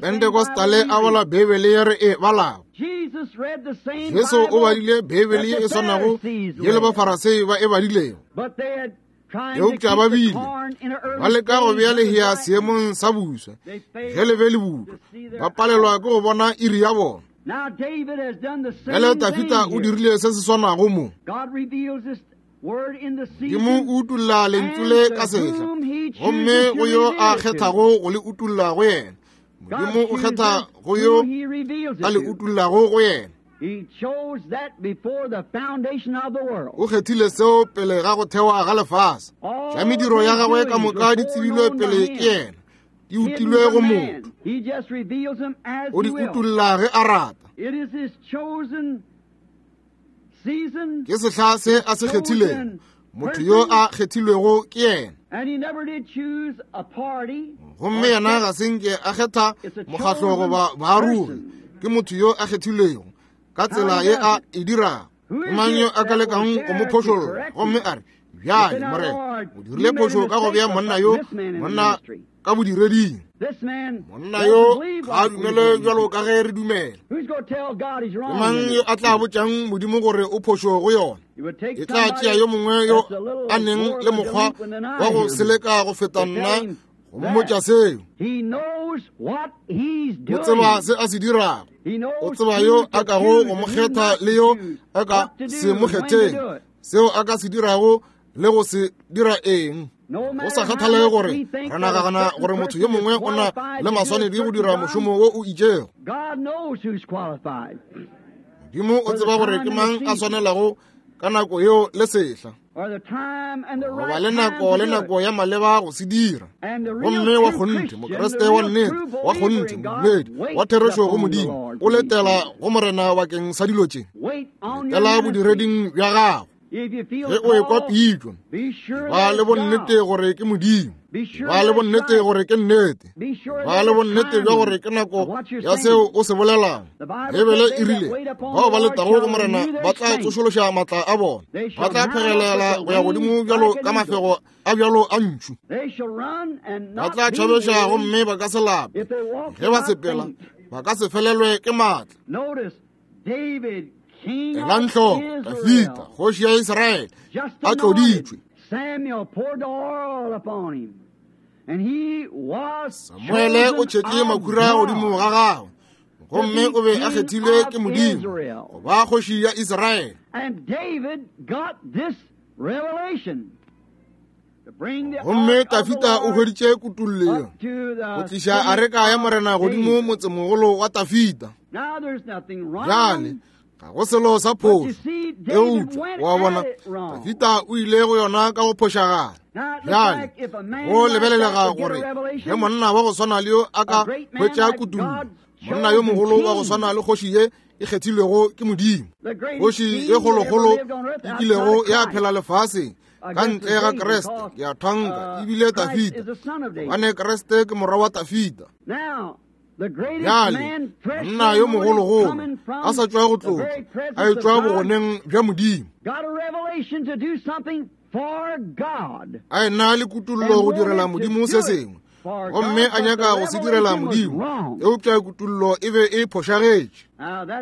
Pentecostale a bala Beibele ye re e balago. Jesu o badile Beibele ye e swanago ye le Bafarasei ba e badilego. Eupša ba bile ba leka go bea lehea seemong sa buswa, ge le be le butwa, ba palelwa ke go bona iri ya bona. Bjale Dafida o dirile se se swanago mo. Modimo o utolla lentšu le ka sehla, gomme go yo a kgethago go le utolla go yena. Modimo o kgetha go yo a le utollago go yena. O kgethile seo pele ga go thewa ga lefase. Tša mediro ya gagwe ka moka di tsebilwe pele ke yena, di utilwe go motho. O di utolla ge a rata. Ke sehla se a se kgethilego, motho yo a kgethilwego ke yena. Gomme yena ga se nke a kgetha mokgatlo goba baarogi, ke motho yo a kgethilwego ka tsela ye a e dirago. Ke mang yo a ka lekang go mo phošolla gomme a re, bjale Morena, o dirile phošo ka go bea monna yo, monna ka bodireding. Monna yo ga a dumele bjalo ka ge re dumela. Ke mang yo a tla botšang Modimo gore o phošo go yona? E tla tšea yo mongwe yo a neng le mokgwa wa go seleka go feta nna go mmotša seo. O tseba se a se dirago. O tseba yo a kago go mo kgetha le yo a ka se mo kgetheng, seo a ka se dirago le go se dira eng. Go sa kgathalege gore re nagana gore motho yo mongwe o na le maswanedi go dira mošomo wo o itšego, Modimo o tseba gore ke mang a swanelago ka nako yeo le sehla, goba le nako le nako ya maleba go se dira. Gomme wa kgonthe, Mokriste wa nnete, wa kgonthe, modumedi wa therešo go Modimo, o letela go Morena bakeng sa dilo tše. Letela bodireding bja gago. Ge o ekwa pitšo, ba le bonnete gore ke Modimo, ba le bonnete gore ke nnete, ba le bonnete bja gore ke nako ya seo o se bolelang. Bibele e rile, bao ba letago go Morena ba tla tsošološa maatla a bona, ba tla phegelela go ya godimo bjalo ka mafego a bjalo a ntšhu, ba tla tšhabeša gomme ba ka se lape, ge ba sepela ba ka se felelwe ke maatla. Elang hloko, Dafida, kgoši ya Israele, a tloditšwe. Samuele o tšhetše makhura godimo ga gagwe, gomme o be a kgethilwe ke Modimo go ba kgoši ya Israele. Gomme Dafida o hweditše kutollo go tliša areka ya Morena godimo motsemogolo wa Dafida. Bjale ga go selo sa phošo, eupša wa bona, Dafida o ile go yona ka go phošagala. Bjale go lebelelega gore ge monna wa go swana le yo a ka hwetša kutollo, monna yo mogolo wa go swana le kgoši ye e kgethilwego ke Modimo, kgoši ye kgolokgolo e kilego ya phela lefaseng ka ntle ga Kriste, ke a thanka ebile Dafida, gobane Kriste ke morwa wa Dafida. Bjale monna yo mogologolo a sa tšwa go tlotšwa, a etšwa bogoneng bja Modimo, a ena le kutollo go direla Modimo se sengwe, gomme a nyaka go se direla Modimo, eupša kutollo e be e phošagetše.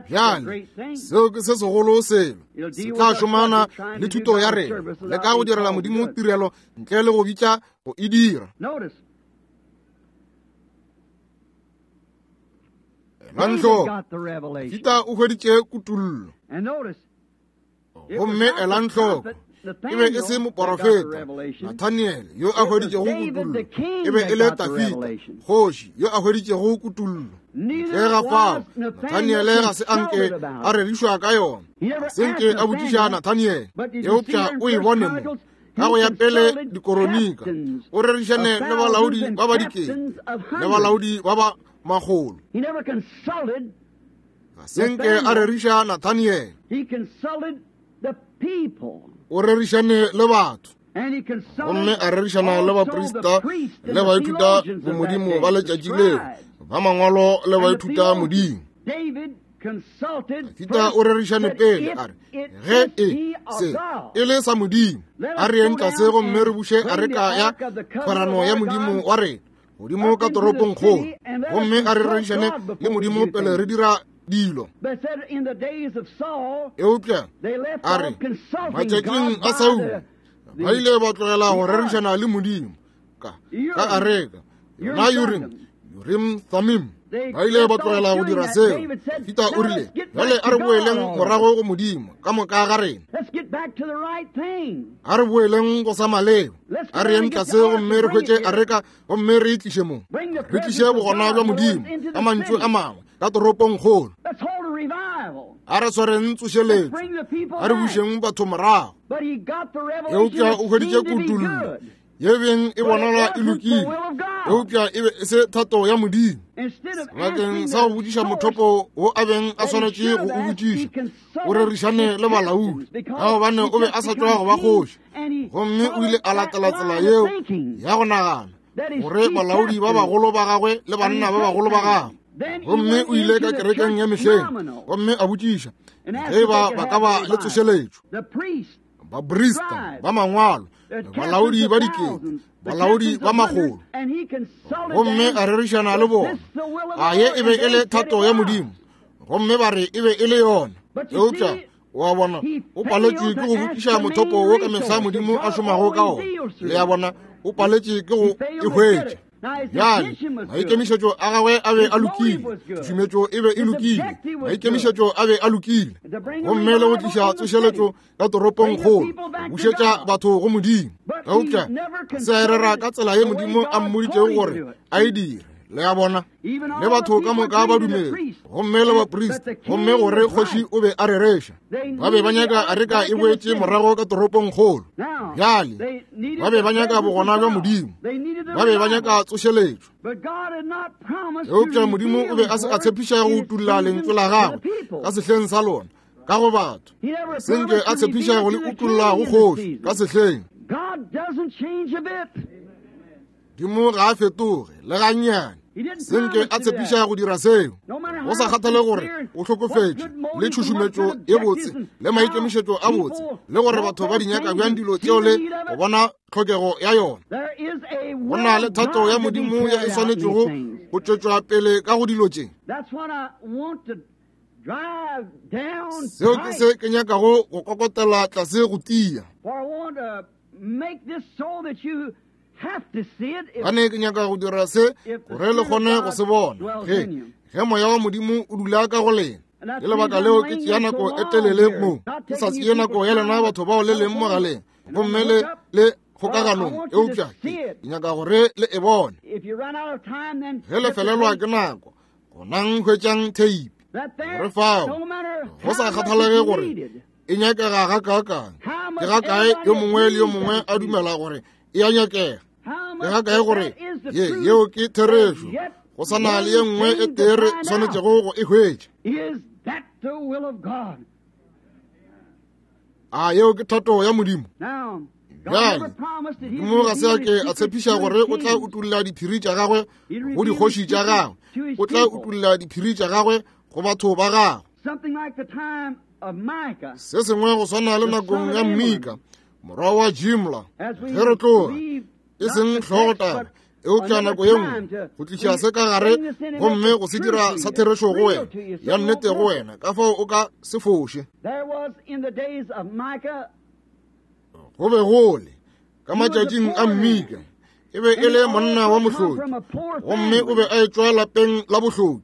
Bjale seo ke se segolo selo, se tla šomana le thuto ya rena, le ka go direla Modimo tirelo ntle le go bitša go e dira. Elang hloko, Dafida o hweditše kutollo. Gomme elang hloko, e be e se moporofeta Nathaniel yo a hweditšego kutollo, e be e le Dafida kgoši yo a hweditšego kutollo. Ntle ga fao, Nathaniel ga se anke a rerišwa ka yona, ga se nke a botšiša Nathaniel, eupša o e bone mo ka go ya pele dikoronika, o rerišane le balaodi ba ba dikete le balaodi ba ba makgolo. Ga se nke a reriša Nathaniel, o rerišane le batho, gomme a rerišana le baprista le baithuta bomodimo ba letšatši leo, ba mangwalo le baithuta modimo. Dafida o rerišane pele a re, ge e se e le sa Modimo, a re yeng tlase gomme re buše areka ya kgwerano ya Modimo wa rena godimo ka toropong kgolo, gomme a re rerišane le Modimo pele re dira dilo. Eupša a re, matšatšing a Saulo ba ile ba tlogela go rerišana le Modimo ka ka areka yona Urim, Urim Thummim. Ba ile ba tlogela go dira seo. Dafida o rile, bjale a re boeleng morago go Modimo ka moka ga rena. A re boeleng go sa maleba. A re yeng tlase gomme re hwetše areka gomme re e tliše mo. Re tliše bogona bja Modimo ka mantšu a mangwe ka toropongkgolo. A re swareng tsošeletšo. A re bušeng batho morago. Eupša o hweditše kutollo ye beng e bonala e lokile, eupša e be e se thato ya Modimo. Sebakeng sa go botšiša mothopo wo a beng a swanetše go o botšiša, o rerišane le balaodi, ka gobane o be a sa tšwa go ba kgoši, gomme o ile a latela tsela yeo ya go nagana gore balaodi ba bagolo ba gagwe le banna ba bagolo ba gagwe. Gomme o ile ka kerekeng ya mehleng gomme a botšiša ge ba ba ka ba le tsošeletšo. Baprista ba mangwalo, balaodi ba dikete, balaodi ba makgolo, gomme a rerišana le bona. A ye e be e le thato ya Modimo? Gomme ba re e be e le yona. Eupša wa bona, o paletšwe ke go botšiša mothopo wo ka mehla Modimo a šomago ka ona. Le a bona, o paletšwe ke go e hwetša. Bjale maikemišetšo a gagwe a be a lokile, tšhušumetšo e be e lokile, maikemišetšo a be a lokile, gomme le go tliša tsošeletšo ka toropongkgolo, bušetša batho go Modimo. Eupša se a e rera ka tsela ye Modimo a mmoditšego gore a e dire. Le a bona, le batho ka moka ba dumele, gomme le baprista, gomme gore kgoši o be a rereša. Ba be ba nyaka areka e boetše morago ka toropongkgolo. Bjale ba be ba nyaka bogona bja Modimo, ba be ba nyaka tsošeletšo. Eupša Modimo o be a se a tshepiša go utulla lentšu la gagwe ka sehleng sa lona ka go batho, senke a tshepiša go le utulla go kgoši ka sehleng. Modimo ga a fetoge le gannyane. Senke a tshepiša go dira seo, go sa kgathale gore o hlokofetše le tšhušumetšo ye botse le maikemišetšo a botse, le gore batho ba di nyaka bjang dilo tšeo le go bona tlhokego ya yona. Go na le thato ya Modimo ye e swanetšego go tšwetšwa pele ka go dilo tše. Seo ke se ke nyakago go kokotela tlase go tia. Gane ke nyaka go dira se gore le kgone go se bona ge ge moya wa Modimo o dula ka go lena. Ke lebaka leo ke tšea nako e telele mo, ke sa tšee nako ya lena batho bao le leng mogaleng gomme le le kgokaganong, eupša ke nyaka gore le e bone. Ge le felelwa ke nako, gonang hwetšang theipi gore fao go sa kgathalege gore e nyakega gakaakang, ke gakae yo mongwe le yo mongwe a dumela gore e a nyakega, ke gakae gore ye yeo ke therešo, go sa na le ye nngwe e tee re swanetšego go e hwetša. A yeo ke thato ya Modimo? Bjale Modimo ga se a ke a tshepiša gore o tla utulla diphiri tša gagwe go dikgoši tša gagwe, o tla utulla diphiri tša gagwe go batho ba gagwe. Se sengwe go swana le nakong ya Mika morwa wa Jimla, ge re tloga e seng hlogotaba, eupša nako ye nngwe go tliša se ka gare gomme go se dira sa therešo go wena, ya nnete go wena, ka fao o ka se foše. Go be gole ka matšatšing a Mika, e be e le monna wa mohloki, gomme o be a etšwa lapeng la bohloki.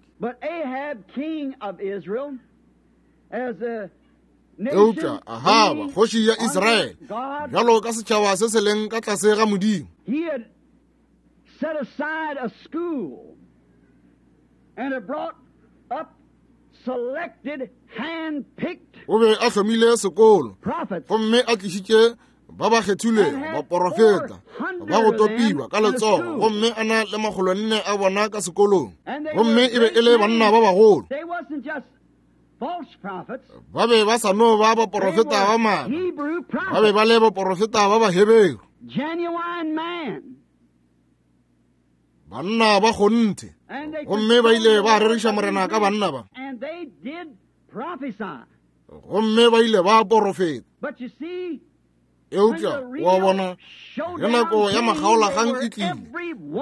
Eupša Ahaba kgoši ya Israele, bjalo ka setšhaba se se leng ka tlase ga Modimo,
set aside a school and it brought up selected, hand-picked
o be a hlomile sekolo
prophets
gomme a tlišitše ba ba kgethilwego baporofeta ba go topiwa ka letsogo, gomme a na le makgolo nne a bona ka sekolong, gomme e be e le banna ba bagolo.
They wasn't just false prophets.
Ba be ba sa no ba
They
baporofeta ba
were
maaka,
Hebrew
ba be
prophets,
ba le baporofeta ba Baheberu,
genuine man.
banna ba kgonthe.
And they
Gomme ba ile ba
consulted
reriša Morena ka banna ba,
And they did prophesy.
gomme ba ile ba porofeta.
But you see,
Eupša wa bona, ge nako ya makgaolakgang e tlile,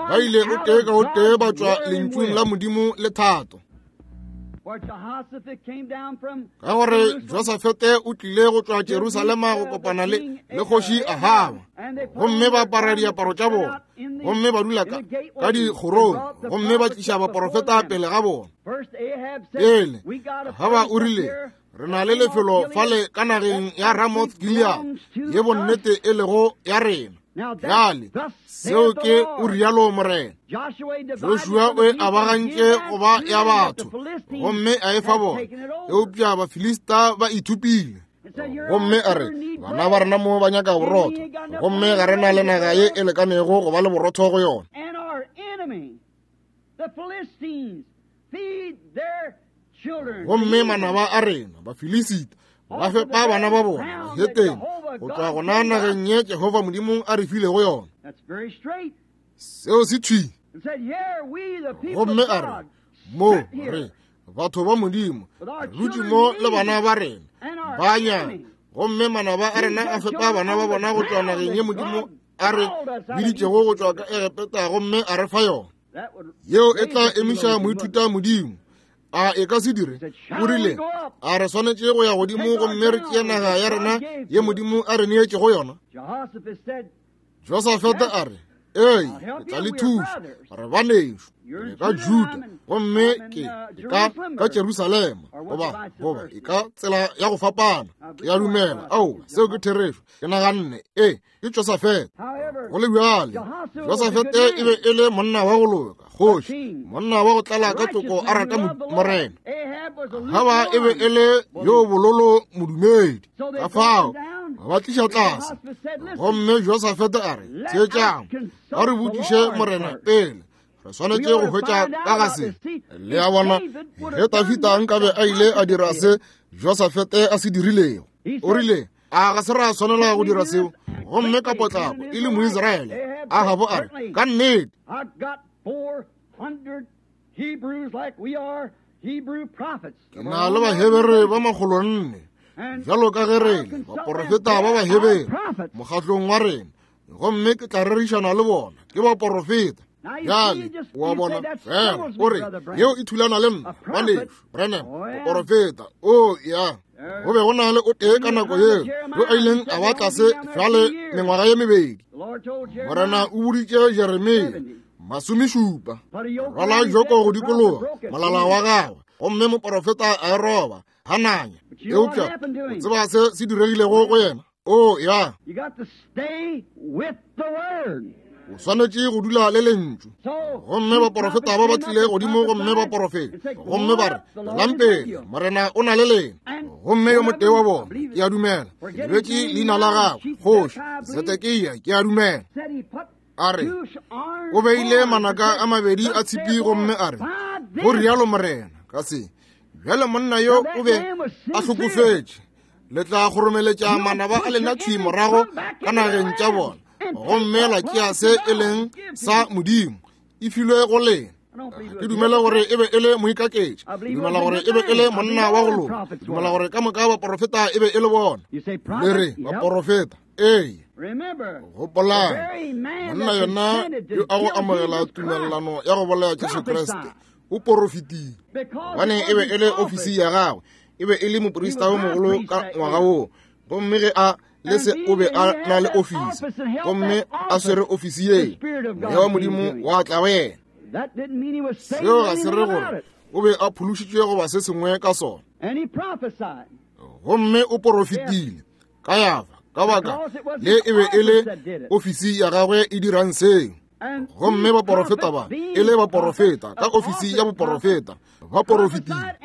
ba ile o tee ka o tee ba tšwa lentšung la Modimo le thato. Ka gore Josafete o tlile go tšwa Jerusalema go kopana le le kgoši Ahaba, gomme ba apara diaparo tša bona, gomme ba dula ka, ka dikgorong, gomme ba tliša baporofeta pele ga bona. Pele Ahaba o rile, re na le lefelo fale ka nageng ya Ramoth Gilead, ye bonnete e lego ya rena. Bjale seo ke o rialo Morena. Joshua o e abagantše go ba ya batho, gomme a e fa bona, eupša Bafilista ba ithupile. Gomme a re, bana ba rena mo ba nyaka borotho, gomme ga re na le naga ye e lekanego go ba le borotho go yona. Gomme manaba a rena Bafilisita ba fepa bana ba bona bahetene go tšwa gona nageng ye Jehova Modimo a re filego yona. Seo se thwi. Gomme a re, mo re batho ba Modimo re dutše mo le bana ba rena ba nyaka, gomme manaba a rena a fepa bana ba bona go tšwa nageng ye Modimo a re biditšego go tšwa ka Egepeta gomme a re fa yona. Yeo e tla emiša moithuta Modimo. A e ka se dire? O rile, a re swanetše go ya godimo gomme re tšee naga ya rena ye Modimo a re neetšego yona? Josafete a re, ee, ke tla le thuša, re banešo, re ka Juda, gomme ke ka ka Jerusalema, goba goba e ka tsela ya go fapana. Ke a dumela, ao, seo ke therešo. Ke naganne, ee, ke Josafete. Go le bjale, Josafete e be e le monna wa go loka, kgoši, monna wa go tlala ka toko a rata Morena. Ahaba e be e le yo bololo modumedi. Ka fao ba tliša tlase, gomme Josafete a re, theetšang, a re botšiše Morena pele, re swanetše go hwetša ka ga se. Le a bona, ge Dafida nkabe a ile a dira se Josafete a se dirilego, o rile, a ga se ra swanela go dira seo? Gomme ka potlako e le Moisraele, Ahaba a re, ka nnete, ke na le Bahebere ba makgolo nne, bjalo ka ge re le baporofeta ba Bahebere mokgatlong wa rena, gomme ke tla rerišana le bona, ke baporofeta. Bjale o a bona, fela o re, yeo e thulana le nna, ngwanešu Branham, moporofeta. O ya, go be go na le o tee ka nako yeo yo a ileng a ba tlase bjale mengwaga ye mebedi. Morena o boditše Jeremia masomešupa, rwala joko go dikologa molala wa gagwe, gomme moporofeta a e roba Hananya. Eupša o tseba se se diregilego go yena? O ya, o swanetše go dula le lentšu. Gomme baporofeta ba ba tlile godimo gomme ba porofeta, gomme ba re, tšwelang pele, Morena o na le lena. Gomme yo motee wa bona, ke a dumela, ke lebetše leina la gagwe, kgoši Zedekia, ke a dumela, a re, o beile manaka a mabedi a tshipi gomme a re, go rialo Morena, ka se. Bjale monna yo o be a hlokofetše, le tla kgoromeletša manaba a lena thwi morago ka nageng tša bona, gomme la tšea se e leng sa Modimo, e filwe go lena. Ke dumela gore e be e le moikaketši, ke dumela gore e be e le monna wa go loka, ke dumela gore ka moka baporofeta e be e le bona. Le re baporofeta, ee. Gopolang, monna yena yo a go amogela tumelelano ya go bolaya Jesu Kriste o porofetile, gobane e be e le ofisi ya gagwe, e be e le moprista yo mogolo ka ngwaga woo, gomme ge a le se o be a na le ofisi, gomme a swere ofisi ye, moya wa Modimo wa tla go yena. Seo ga se re gore o be a phološitšwe goba se sengwe ka sona. Gomme o porofetile ka yafa, ka baka le e be e le ofisi ya gagwe e dirang seo. Gomme baporofeta ba e le baporofeta ka ofisi ya boporofeta, ba porofetile,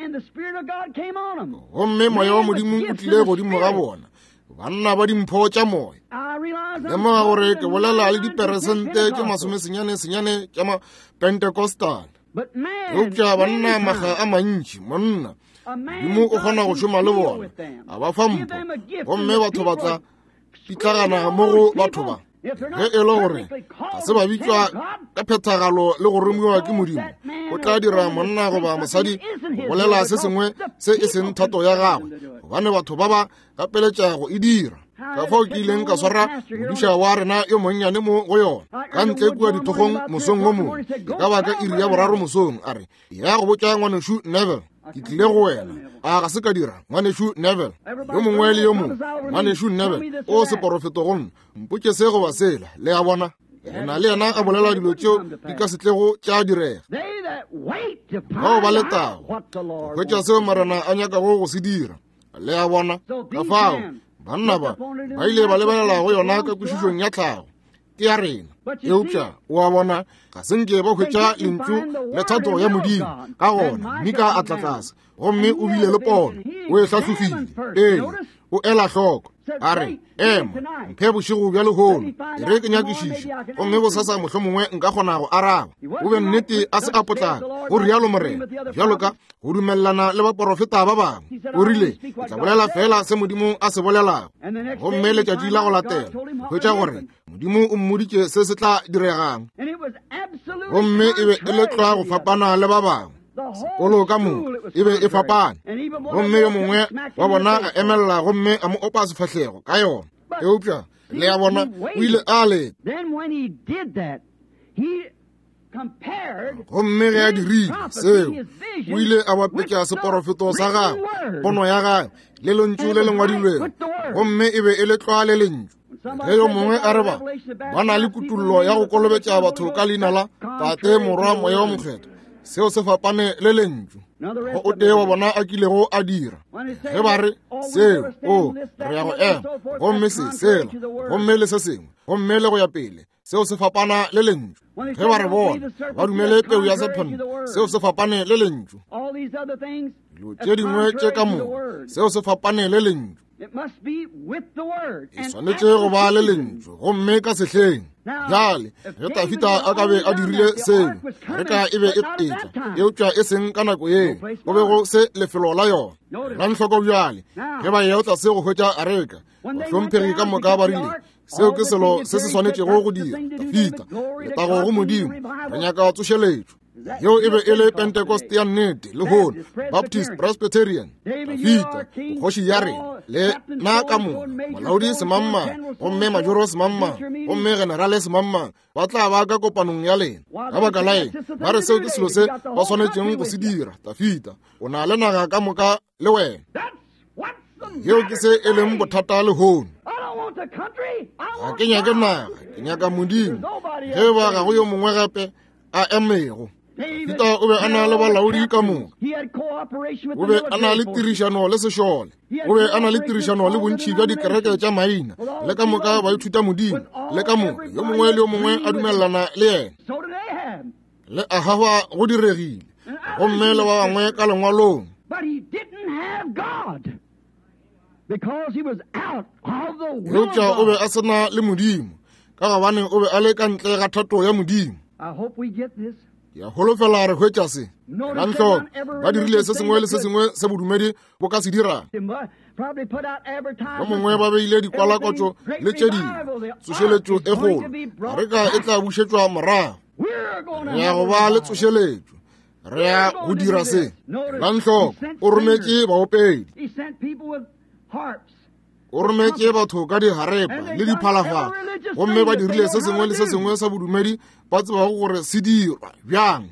gomme moya wa Modimo o tlile godimo ga bona, banna ba dimpho tša moya. Lemoga gore ke bolela le diperesente tše masomesenyane senyane tša ma-Pentecostal, eupša banna maga a mantši, monna Modimo o kgona go šoma le bona, a ba fa mpho, gomme batho ba tla pitlagana mo go batho ba. Ge e le gore ga se ba bitšwa ka phethagalo le go romiwa ke Modimo, o tla dira monna goba mosadi go bolela se sengwe se e seng thato ya gagwe, gobane batho ba ba gapeletša go e dira. Ka fao ke ileng ka swara modiša wa rena yo monnyane mo go yona, ka ntle kua dithokgong mosong wo mongwe, e ka ba ka iri ya boraro mosong, a re, ya go botša ngwanešu Neville. Ke tlile go wena. A ga se ka dira, ngwanešu Neville. Yo mongwe le yo mongwe, ngwanešu Neville, o seporofeto go nna. Mpotše se goba sela, le a bona. Le na le yena a bolela dilo tšeo di ka se tlego tša direga. Bao ba letago go hwetša seo Morena a nyakago go se dira, le a bona. Ka fao banna ba ba ile ba lebelela go yona ka kwešišong ya tlhago, ke ya rena. Eupša o a bona, ga se nke ba hwetša lentšu le thato ya Modimo. Ka gona Mika a tla tlase gomme o bile le pono, o e hlahlofile pele, o ela hloko. A re, ema, mphe bošego bja lehono, e re ke nyakišiše, gomme bosasa mohlomongwe nka kgona go araba. O be nnete a se a potlaka, go rialo Morena, bjalo ka go dumelelana le baporofeta ba bangwe. O rile, ke tla bolela fela se Modimo a se bolelago. Gomme letšatši la go latela, hwetša gore Modimo o mmoditše se se tla diregang. Gomme e be e le tlwa go fapana le ba bangwe. Sekolo ka moka e be e fapane. Gomme yo mongwe wa bona a emelela gomme a mo opa sefahlego ka yona. Eupša le a bona, o ile a leta. Gomme ge a dirile seo, o ile a bapetša seporofeto sa gagwe, pono ya gagwe, le lentšu le le ngwadilwego, gomme e be e le tlwa le lentšu. Ge yo mongwe a re ba ba na le kutullo ya go kolobetša batho ka leina la Tate, Morwa, Moya wo Mokgethwa, seo se fapane le lentšu. Go o tee wa bona a kilego a dira. Ge ba re seo, o re ya go ema, gomme se sela, gomme le se sengwe, gomme le go ya pele, seo se fapana le lentšu. Ge ba re bona ba dumele peu ya sephente, seo se fapane le lentšu. Dilo tše dingwe tše ka moka, seo se fapane le lentšu. E swanetše go ba le lentšu, gomme ka sehleng. Bjale ge Dafida a ka be a dirile seo, areka e be e etla, eupša e seng ka nako yeo, go be go se lefelo la yona. Elang hloko bjale, ge ba eya tlase go hwetša areka, bahlomphegi ka moka ba rile, seo ke selo se se swanetšego go dira. Dafida, letago go Modimo, re nyaka tsošeletšo. Yeo e be e le Pentecost ya nnete lehono, Baptist, Presbyterian. Dafida, kgoši ya rena, le na ka moka, molaodi semangmang, gomme majoro semangmang, gomme generale semangmang, ba tla ba ka kopanong ya lena. Ka baka la eng ba re seo ke selo se ba swanetšeng go se dira? Dafida, o na le naga ka moka le wena. Yeo ke se e leng bothata lehono. Ga ke nyake naga, ke nyaka Modimo. Ge ba ga go yo mongwe gape a emego. Dafida o be a na le balaodi ka moka. O be a na le tirišano le sešole. O be a na le tirišano le bontši bja dikereke tša maina, le ka moka ba ithuta Modimo, le ka moka yo mongwe le yo mongwe a dumelelana le yena. Le Ahaba go diregile, gomme le ba bangwe ka lengwalong. Eupša o be a se na le Modimo, ka gobane o be a le ka ntle ga thato ya Modimo. Ke a holofela re hwetša se. Elang hloko, ba dirile se sengwe le se sengwe se bodumedi bo ka se dirang. Ba mongwe ba beile dikwalakwatšo le tše dingwe, tsošeletšo e kgolo, areka e tla bušetšwa morago. Re ya go ba le tsošeletšo, re ya go dira se. Elang hloko, o rometše baopedi, o rometše batho ka diharepa le diphalafala, gomme ba dirile se sengwe le se sengwe sa bodumedi ba tsebago gore se dirwa bjang.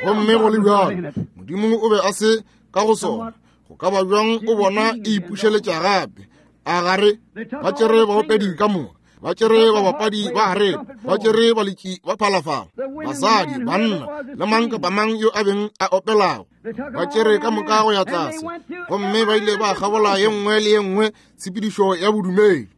Gomme go le bjalo, Modimo o be a se ka go sona. Go ka ba bjang o bona e ipušeletša gape? A gare ba tšere baopedi ka moka, ba tšere babapadi ba harepa, ba tšere baletši ba phalafala, basadi, banna, le mang kapa mang yo a beng a opelago, ba tšere ka moka go ya tlase, gomme ba ile ba kgabola ye nngwe le ye nngwe tshepedišo ya bodumedi.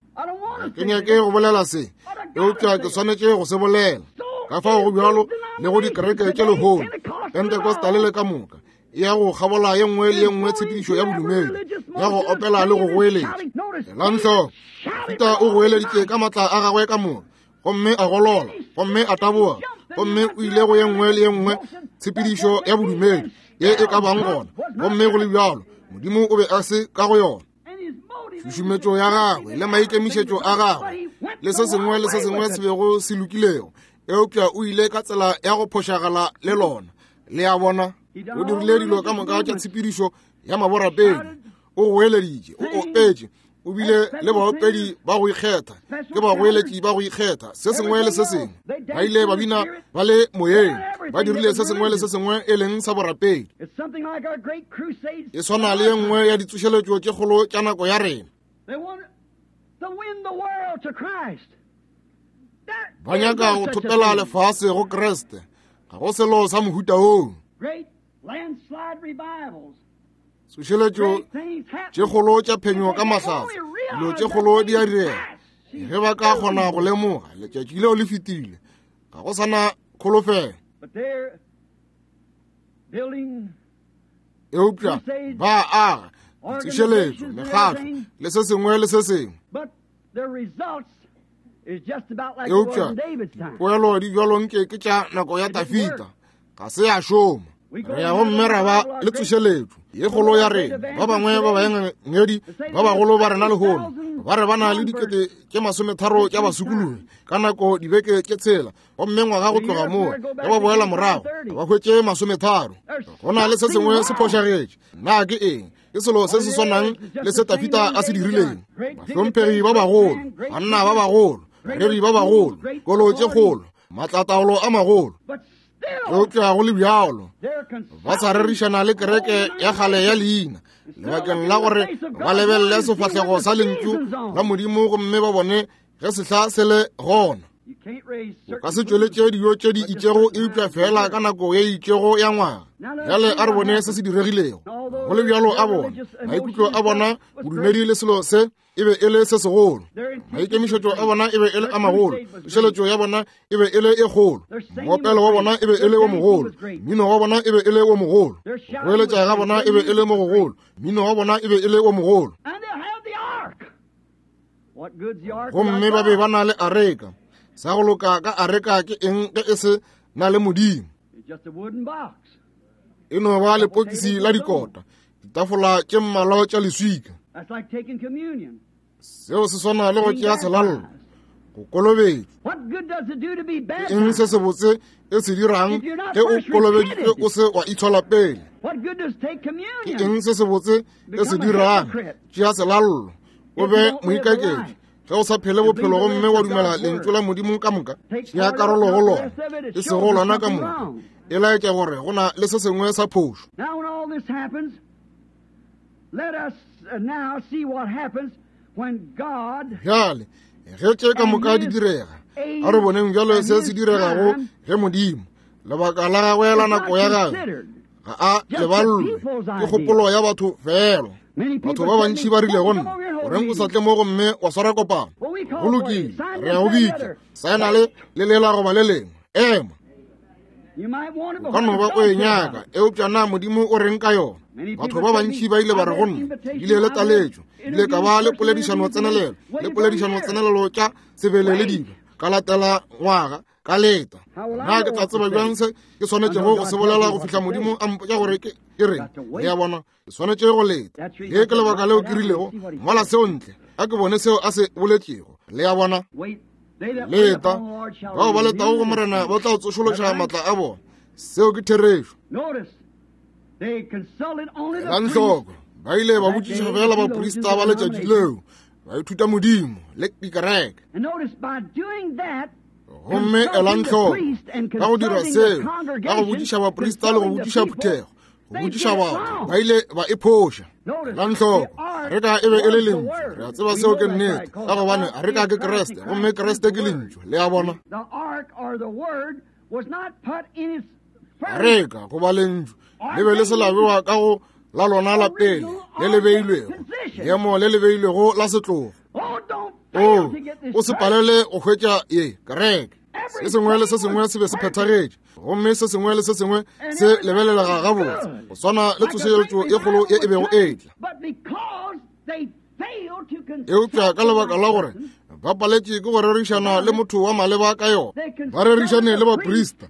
Ke nyake go bolela se, eupša ke swanetše go se bolela. Ka fao go bjalo le go dikereke tše lehono, Pentecostal le ka moka, e ya go kgabola ye nngwe le ye nngwe tshepedišo ya bodumedi, ya go opela le go goeletša. Elang hloko, Dafida o goeleditše ka matla a gagwe ka moka, gomme a golola, gomme a taboga, gomme o ile go ye nngwe le ye nngwe tshepedišo ya bodumedi ye e ka bang gona, gomme go le bjalo Modimo o be a se ka go yona. Tšhušumetšo ya gagwe le maikemišetšo a gagwe le se sengwe le se sengwe se bego se lokilego, eupša o ile ka tsela ya go phošagala le lona. Le a bona, o dirile dilo ka moka tša tshepedišo ya maborapedi, o goeleditše, o opetše, O bile le baopedi ba go ikgetha, ke bagoeletši ba go ikgetha, se sengwe le se sengwe. Ba ile ba bina ba le moyeng, ba dirile se sengwe le se sengwe e leng sa borapedi. E swana le ye nngwe ya ditsošeletšo tše kgolo tša nako ya rena. Ba nyaka go thopela lefase go Kriste. Ga go selo sa mohuta woo. Tsošeletšo tše kgolo tša phenyo ka mahlatse, dilo tše kgolo di a direga. Ge ba ka kgona go lemoga letšatši leo le fetile, ga go sana kholofelo. Eupša ba aga ditsošeletšo, mekgatlo le se sengwe le se sengwe. Eupša dipoelo di bjalo nke ke tša nako ya Dafita, ga se ya šoma. Re ya gomme ra ba le tsošeletšo ye kgolo ya rena. Ba bangwe ba baengedi ba bagolo ba rena lehono ba re ba na le dikete tše masometharo tša basokologi ka nako dibeke tše tshela, gomme ngwaga go tloga moo ge ba boela morago ba hwetše masometharo. Go na le se sengwe se phošagetše. Na ke eng? Ke selo se se swanang le se Dafita a se dirileng. Bahlomphegi ba bagolo, banna ba bagolo, bareri ba bagolo, kolo tše kgolo, maatlataolo a magolo. Eupša go le bjalo ba sa rerišana le kereke ya kgale ya leina, lebakeng la gore ba lebelele sefahlego sa lentšu la Modimo gomme ba bone ge sehla se le gona. O ka se tšweletše dijo tše di itšego eupša fela ka nako ye itšego ya ngwaga. Bjale a re bone se se diregilego. Go le bjalo a bona maikutlo a bona bodumedi le selo se e be e le se segolo. Maikemišetšo a bona e be e le a magolo, tsošeletšo ya bona e be e le e kgolo, moopelo wa bona e be e le wo mogolo, mmino wa bona e be e le wo mogolo, go eletša ga bona e be e le mo gogolo, mmino wa bona e be e le wo mogolo. Gomme ba be ba na le areka. Sa go loka ka areka ke eng ge e se na le Modimo? E no ba lepokisi la dikota, ditafola tše mmalwa tša leswika. Seo se swana le go tšea selallo, go kolobetšwa. Ke eng se sebotse e se dirang ge o kolobeditšwe o se wa itshola pele? Ke eng se sebotse e se dirang? Tšea selallo, o be moikaketši. Ge o sa phele bophelo gomme wa dumela lentšu la Modimo ka moka, tšea karolo go lona, e sego lona ka moka. E laetša gore go na le se sengwe sa phošo.
Let us now see what happens when God
Bjale ge tše ka moka di direga, a re boneng bjalo se se diregago ge Modimo lebaka la gagwe la nako ya gagwe ga a leballwe ke kgopolo ya batho fela. Batho ba bantši ba rile go nna, goreng o sa tle mo gomme wa swara kopano? Go lokile, re ya go bitša saena le le lela goba le lengwe. Ema, o ka no ba o e nyaka, eupša na Modimo o reng ka yona? Batho ba bantši ba ile ba re go nna, bile le taletšo, bile ka ba le poledišano tsenelelo, le poledišano tsenelelo tša sebele le dilo, ka latela ngwaga, ka leta. Na ke tla tseba bjang se ke swanetšego go se bolela go fihla Modimo a mpotša gore ke ke reng? Le a bona, ke swanetše go leta. Le ke lebaka leo ke rilego, ngwala seo ntle, a ke bone seo a se boletšego. Le a bona, leta. Bao ba letago go Morena ba tla tsošološa maatla a bona. Seo ke therešo. Elang hloko, ba ile ba botšiša fela baprista ba letšatši leo, ba ithuta Modimo le dikereke. Gomme elang hloko, ka go dira seo, ka go botšiša baprista le go botšiša phuthego, go botšiša batho, ba ile ba e phoša. Elang hloko, areka e be e le lentšu. Re a tseba seo ke nnete, ka gobane areka ke Kriste, gomme Kriste ke lentšu. Le a bona? Areka goba lentšu le be le se la bewa ka go la lona la pele le le beilwego, leemo le le beilwego la setlogo. O o se palele go hwetša ye kereke. Se sengwe le se sengwe se be se phethagetše, gomme se sengwe le se sengwe se lebelelega gabotse, go swana le tsošeletšo ye kgolo ye e bego e tla. Eupša ka lebaka la gore ba paletše ke go rerišana le motho wa maleba ka yona, ba rerišane le baprista,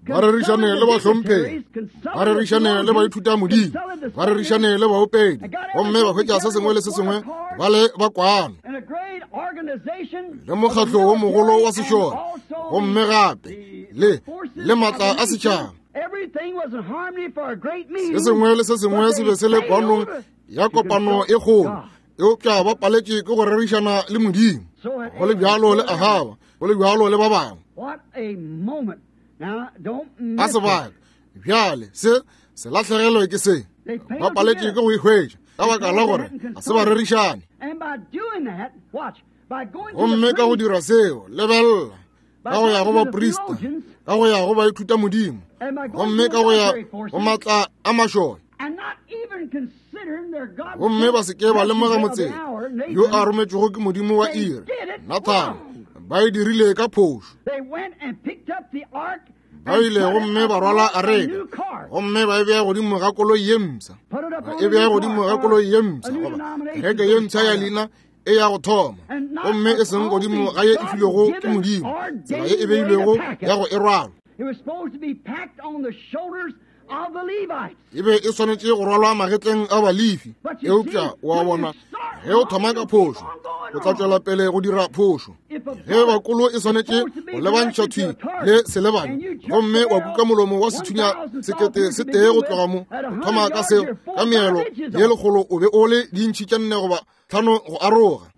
ba rerišane le bahlomphegi, ba rerišane le baithuta Modimo, ba rerišane le baopedi, gomme ba hwetša se sengwe le se sengwe ba le ba kwano le mokgatlo wo mogolo wa sešole, gomme gape le le maatla a setšhaba. Se sengwe le se sengwe se be se le kwanong ya kopano e kgolo, Eupša ba paletše ke go rerišana le Modimo. Go le bjalo le Ahaba, go le bjalo le ba bangwe. A sebaka bjale se se lahlegelwe ke se. Ba paletše ke go e hwetša ka baka la gore ga se ba rerišane. Gomme ka go dira seo, lebelela, ka go ya go baprista, ka go ya go baithuta Modimo, gomme ka go ya go matla a mašole, gomme ba se ke ba lemoga motseng yo a rometšwego ke Modimo wa iri, Nathane, ba e dirile ka phošo. Ba ile gomme ba rwala areka, gomme ba e bea godimo ga koloi ye mpsha, ba e bea godimo ga koloi ye mpsha, goba kereke ye mpsha ya leina e ya go thoma, gomme e seng godimo ga ye e filwego ke Modimo, tsela ye e beilwego ya go e rwala. E be e swanetše go rwalwa magetleng a Balefi. Eupša wa bona, ge o thoma ka phošo, o tla tšwela pele go dira phošo. Ge bakolo e swanetše go lebantšha thwi le selebane, gomme wa kuka molomo wa sethunya sekete se tee go tloga mo, o thoma ka seo ka meelo ye lekgolo, o be o le dintšhi tše nne goba tlhano go aroga.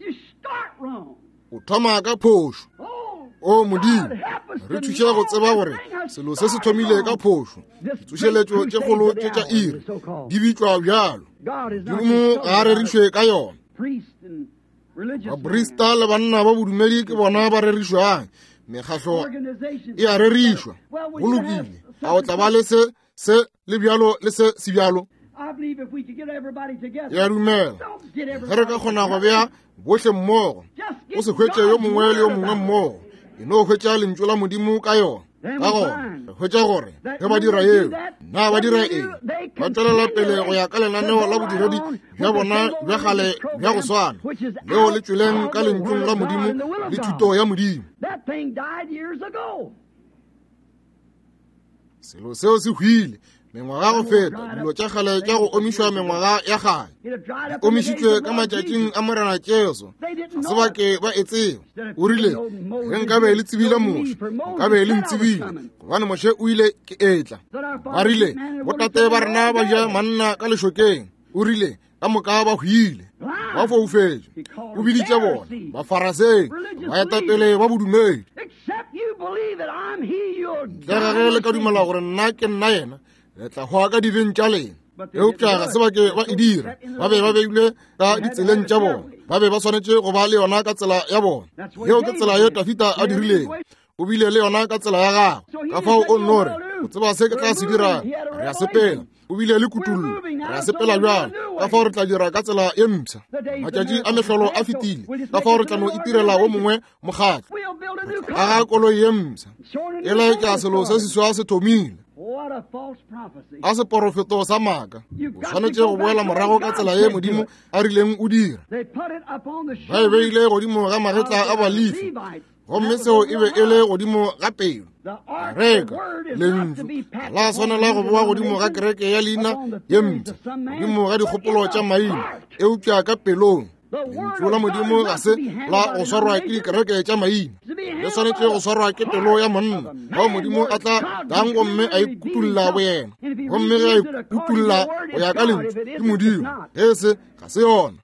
O thoma ka phošo. O Modimo, re thuše go tseba gore selo se se thomile ka phošo. Ditsošeletšo tše kgolo tše tša iri di bitšwa bjalo. Modimo ga a rerišwe ka yona. Baprista le banna ba bodumedi ke bona ba rerišwang. Mekgahlo e a rerišwa. Go lokile, a o tla ba le se se le bjalo le se se bjalo? Ya dumela, ge re ka kgona go bea bohle mmogo, o se hwetše yo mongwe le yo mongwe mmogo, e no hwetša lentšu la Modimo ka yona. Ka gona re hwetša gore ge ba dira yeo, na ba dira eng? Ba tšwelela pele go ya ka lenaneo la bodiredi bja bona bja kgale bja go swana, leo le tšweleng ka lentšung la Modimo le thuto ya Modimo. Selo seo se hwile mengwaga go feta, dilo tša kgale tša go omišwa mengwaga ya kgale, di omišitšwe ka matšatšing a Morena Jesu. Ga se ba ke ba e tseba. O rile, ge nkabe le tsebile Moshe, nkabe le ntsebile, gobane Moshe o ile ke etla. Ba rile, botate ba rena ba ja manna ka lešokeng. O rile, ka moka ba hwile, ba foufetše. O biditše bona Bafarasei, baetapele ba bodumedi. Ntle ga ge le ka dumela gore nna ke nna yena, le tla hwa ka dibeng tša lena. Eupša ga se ba ke ba e dira. Ba be ba beilwe ka ditseleng tša bona. Ba be ba swanetše go ba le yona ka tsela ya bona. Yeo ke tsela ye Dafida a dirileng. O bile le yona ka tsela ya gagwe. Ka fao o nno re, o tseba se ke tla se dirang, re a sepela. O bile le kutullo, re a sepela bjalo. Ka fao re tla dira ka tsela ye mpsha. Matšatši a mehlolo a fetile. Ka fao re tla no itirela wo mongwe mokgatlo. Aga koloi ye mpsha. E laetša selo se seswa se thomile. A seporofeto sa maaka. O swanetše go boela morago ka tsela ye Modimo a rileng o dira. Ba e beile godimo ga magetla a Balefi, gomme seo e be e le godimo ga pelo. Areka, lentšu la swanela go boa godimo ga kereke ya leina ye mpsha, godimo ga dikgopolo tša maina, eupša ka pelong. Lentšu la Modimo ga se la go swarwa ke dikereke tša maina, le swanetše go swarwa ke pelo ya monna, bao Modimo a tla tlang gomme a ikutulla boyena. Gomme ge a ikutulla go ya ka lentšu, ke Modimo, ge se ga se yona.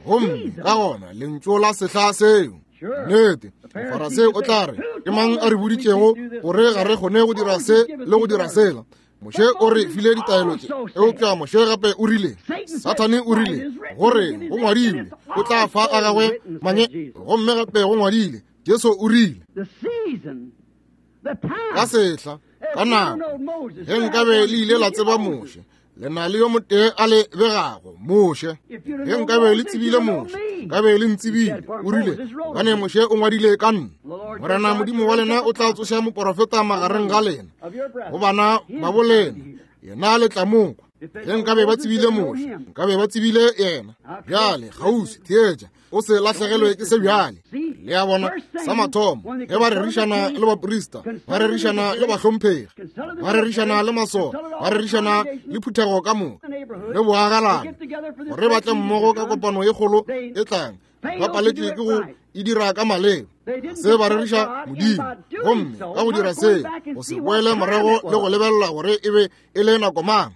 Gomme ka gona lentšu la sehla seo. Nnete, Mofarasei o tla re, ke mang a re boditšego gore ga re kgone go dira se le go dira sela? Moshe o re file ditaelo tše, eupša Moshe gape o rile, Sathane o rile, gore go ngwadilwe, o tla fa a gagwe manye, gomme gape go ngwadile, Jesu o rile, ka sehla, ka nako, ge nkabe le ile la tseba Moshe, le na le yo motee a le begago, Moshe. Ge nkabe le tsebile Moshe, nkabe le ntsebile. O rile, gobane Moshe o ngwadile ka nna. Morena Modimo wa lena o tla tsoša moporofeta magareng ga lena, go bana ba bo lena, yena le tla mo kwa. Ge nkabe ba tsebile Moshe, nkabe ba tsebile yena. Bjale kgauswi, theetša, o se lahlegelwe ke se bjale. Le a bona, sa mathomo, ge ba rerišana le baprista, ba rerišana le bahlomphegi, ba rerišana le masole, ba rerišana le phuthego ka moka, le boagalane, gore ba tle mmogo ka kopano ye kgolo e tlang, ba paletše ke go e dira ka maleba. Se ba reriša Modimo, gomme ka go dira se, go se boele morago le go lebelela gore e be e le nako mang.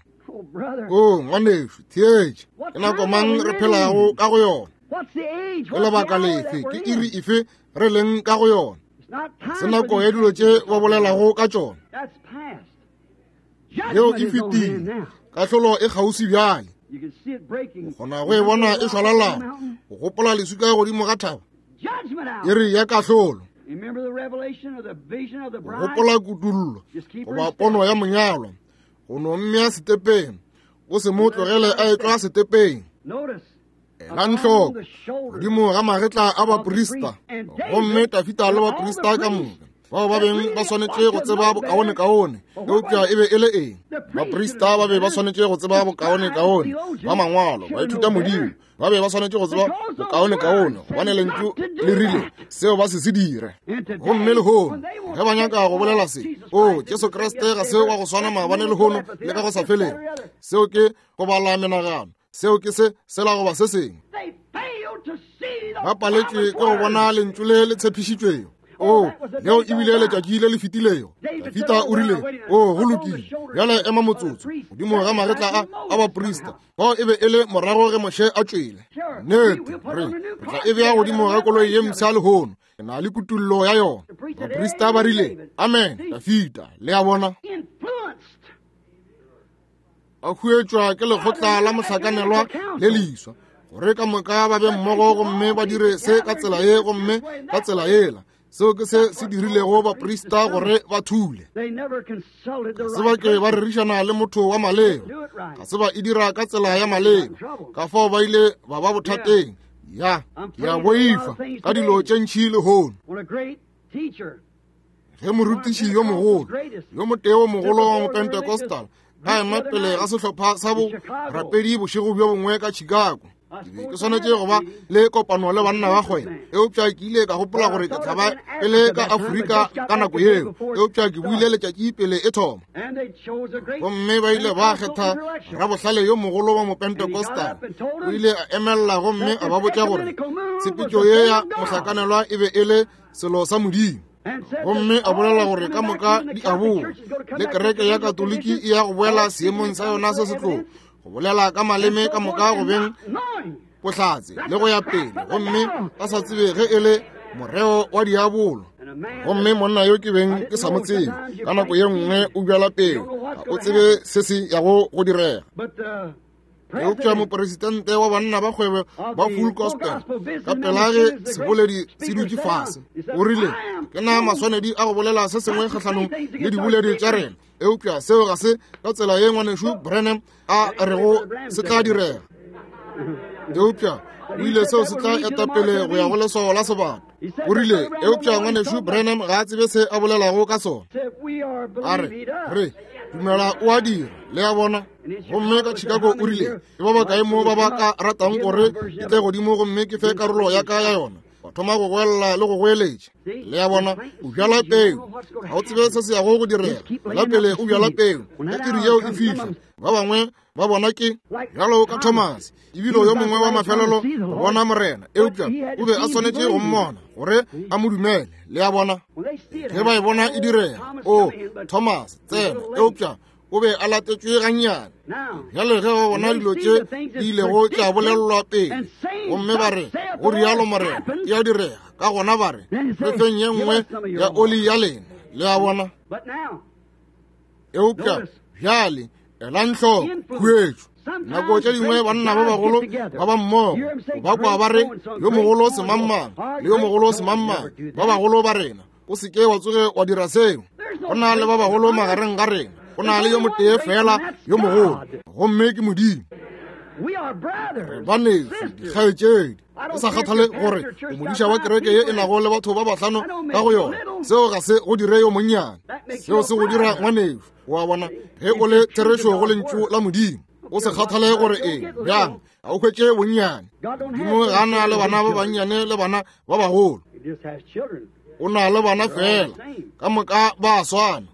O ngwanešu, theetša. Ke nako mang re phelago ka go yona? Ke lebaka lefe, ke iri efe re leng ka go yona? Se nako ya dilo tše ba bolelago ka tšona. Yeo e fetile. Kahlolo e kgauswi bjale. O kgona go e bona e šwalalana. O gopola leswika godimo ga thaba. Iri ya kahlolo. O gopola kutullo goba pono ya monyalwa. Go no mmea setepeng. O se mo tlogele a etlwa setepeng. Elang hloko godimo ga magetla a baprista, gomme Dafida le baprista ka moka bao ba beng ba swanetše go tseba bokaonekaone. Eupša e be e le eng? Baprista ba be ba swanetše go tseba bokaonekaone ba mangwalo, ba ithuta Modimo, ba be ba swanetše go tseba bokaonekaone, gobane lentšu le rile seo ba se se dire. Gomme lehono ge ba nyaka go bolela se, o Jesu Kriste ga se wa go swana maabane lehono le ka go sa felego, seo ke go bala menagano, seo ke se sela goba se sengwe. Ba paletšwe ke go bona lentšu le le tshepišitšwego. O, leo ebile letšatši le le fetilego. Dafida o rile, o, go lokile, bjale ema motsotso, godimo ga magetla a a baprista. Bao e be e le morago ge Moshe a tšwele. Nnete, re re tla e bea godimo ga koloi ye mpsha lehono. Ke na le kutullo ya yona. Baprista ba rile, amen, Dafida, le a bona. A huetšwa ke lekgotla la mohlakanelwa le leswa, gore ka moka ba be mmogo gomme ba dire se ka tsela ye gomme ka tsela yela. Seo ke se se dirilego baprista gore ba thule. Ga se ba ke ba rerišana le motho wa maleba, ga se ba e dira ka tsela ya maleba, ka fao ba ile ba ba bothateng. Ya, ke a boifa ka dilo tše ntši lehono. Ge morutiši yo mogolo, yo motee wo mogolo wa Mopentecostal, a ema pele ga sehlopha sa borapedi bošego bjo bongwe ka Chicago, ke be ke swanetše go ba le kopano le banna ba kgwebo, eupša ke ile ka gopola gore ke tla ba e le ka Afrika ka nako yeo, eupša ke buile letšatši pele e thoma. Gomme ba ile ba kgetha rabohlale yo mogolo wa Mopentecostal. O ile a emelela gomme a ba botša gore tshepetšo ye ya mohlakanelwa e be e le selo sa Modimo, gomme a bolela gore ka moka di a boa, le kereke ya Katoliki e ya go boela seemong sa yona se setlogo, go bolela ka maleme ka moka go beng bohlatse le go ya pele, gomme ba sa tsebe ge e le moreo wa diabolo. Gomme monna yo ke beng ke sa mo tsebe, ka nako ye nngwe o bjala peo, ga o tsebe se se yago go direga. Eupša mopresidente wa banna ba kgwebo ba Full Gospel, ka pela ge seboledi se dutše fase, o rile, ke na maswanedi a go bolela se sengwe kgahlanong le diboledi tša rena, eupša seo ga se ka tsela ye ngwanešu Branham a rego se tla direga. Eupša o ile seo se tla eta pele go ya go leswao la sebata. O rile, eupša ngwanešu Branham ga a tsebe se a bolelago ka sona. A re, re dumela o a dira, le a bona. Gomme ka Chicago o rile, ke ba bakae mo ba ba ka ratang gore ke tle godimo gomme ke fe karolo ya ka ya yona? Ba thoma go goelela le go goeletša. Le a bona, o bjala peu, ga o tsebe se se yago go direga. La pele o bjala peu, ge iri yeo e fihla, ba bangwe ba bona ke bjalo ka Thomas, ebile yo mongwe wa mafelelo go bona Morena, eupša o be a swanetše go mmona gore a mo dumele. Le a bona, ge ba e bona e direga, o Thomas tsena, eupša o be a latetšwe gannyane. Bjale ge ba bona dilo tše di ilego tša bolelelwa pele, gomme ba re go rialo Morena, e a direga, ka gona ba re re feng ye nngwe ya oli ya lena. Le a bona. Eupša bjale elang hloko khuetšo. Nako tše dingwe banna ba bagolo ba ba mmogo ba kwa ba re yo mogolo semangmang le yo mogolo semangmang, ba bagolo ba rena, o se ke wa tsoge wa dira seo. Go na le ba bagolo magareng ga rena, go na le yo motee fela yo mogolo, gomme ke Modimo. Re baneso, dikgaetšedi, ke sa kgathale gore o modiša wa kereke ye e nago le batho ba bahlano ka go yona, seo ga se go dire yo monnyane, seo se go dira ngwaneso. Wa bona, ge o le therešo go lentšu la Modimo, o se kgathale gore eng bjang, ga o hwetše bonnyane. Modimo ga a na le bana ba bannyane le bana ba bagolo, o na le bana fela, ka moka ba a swana.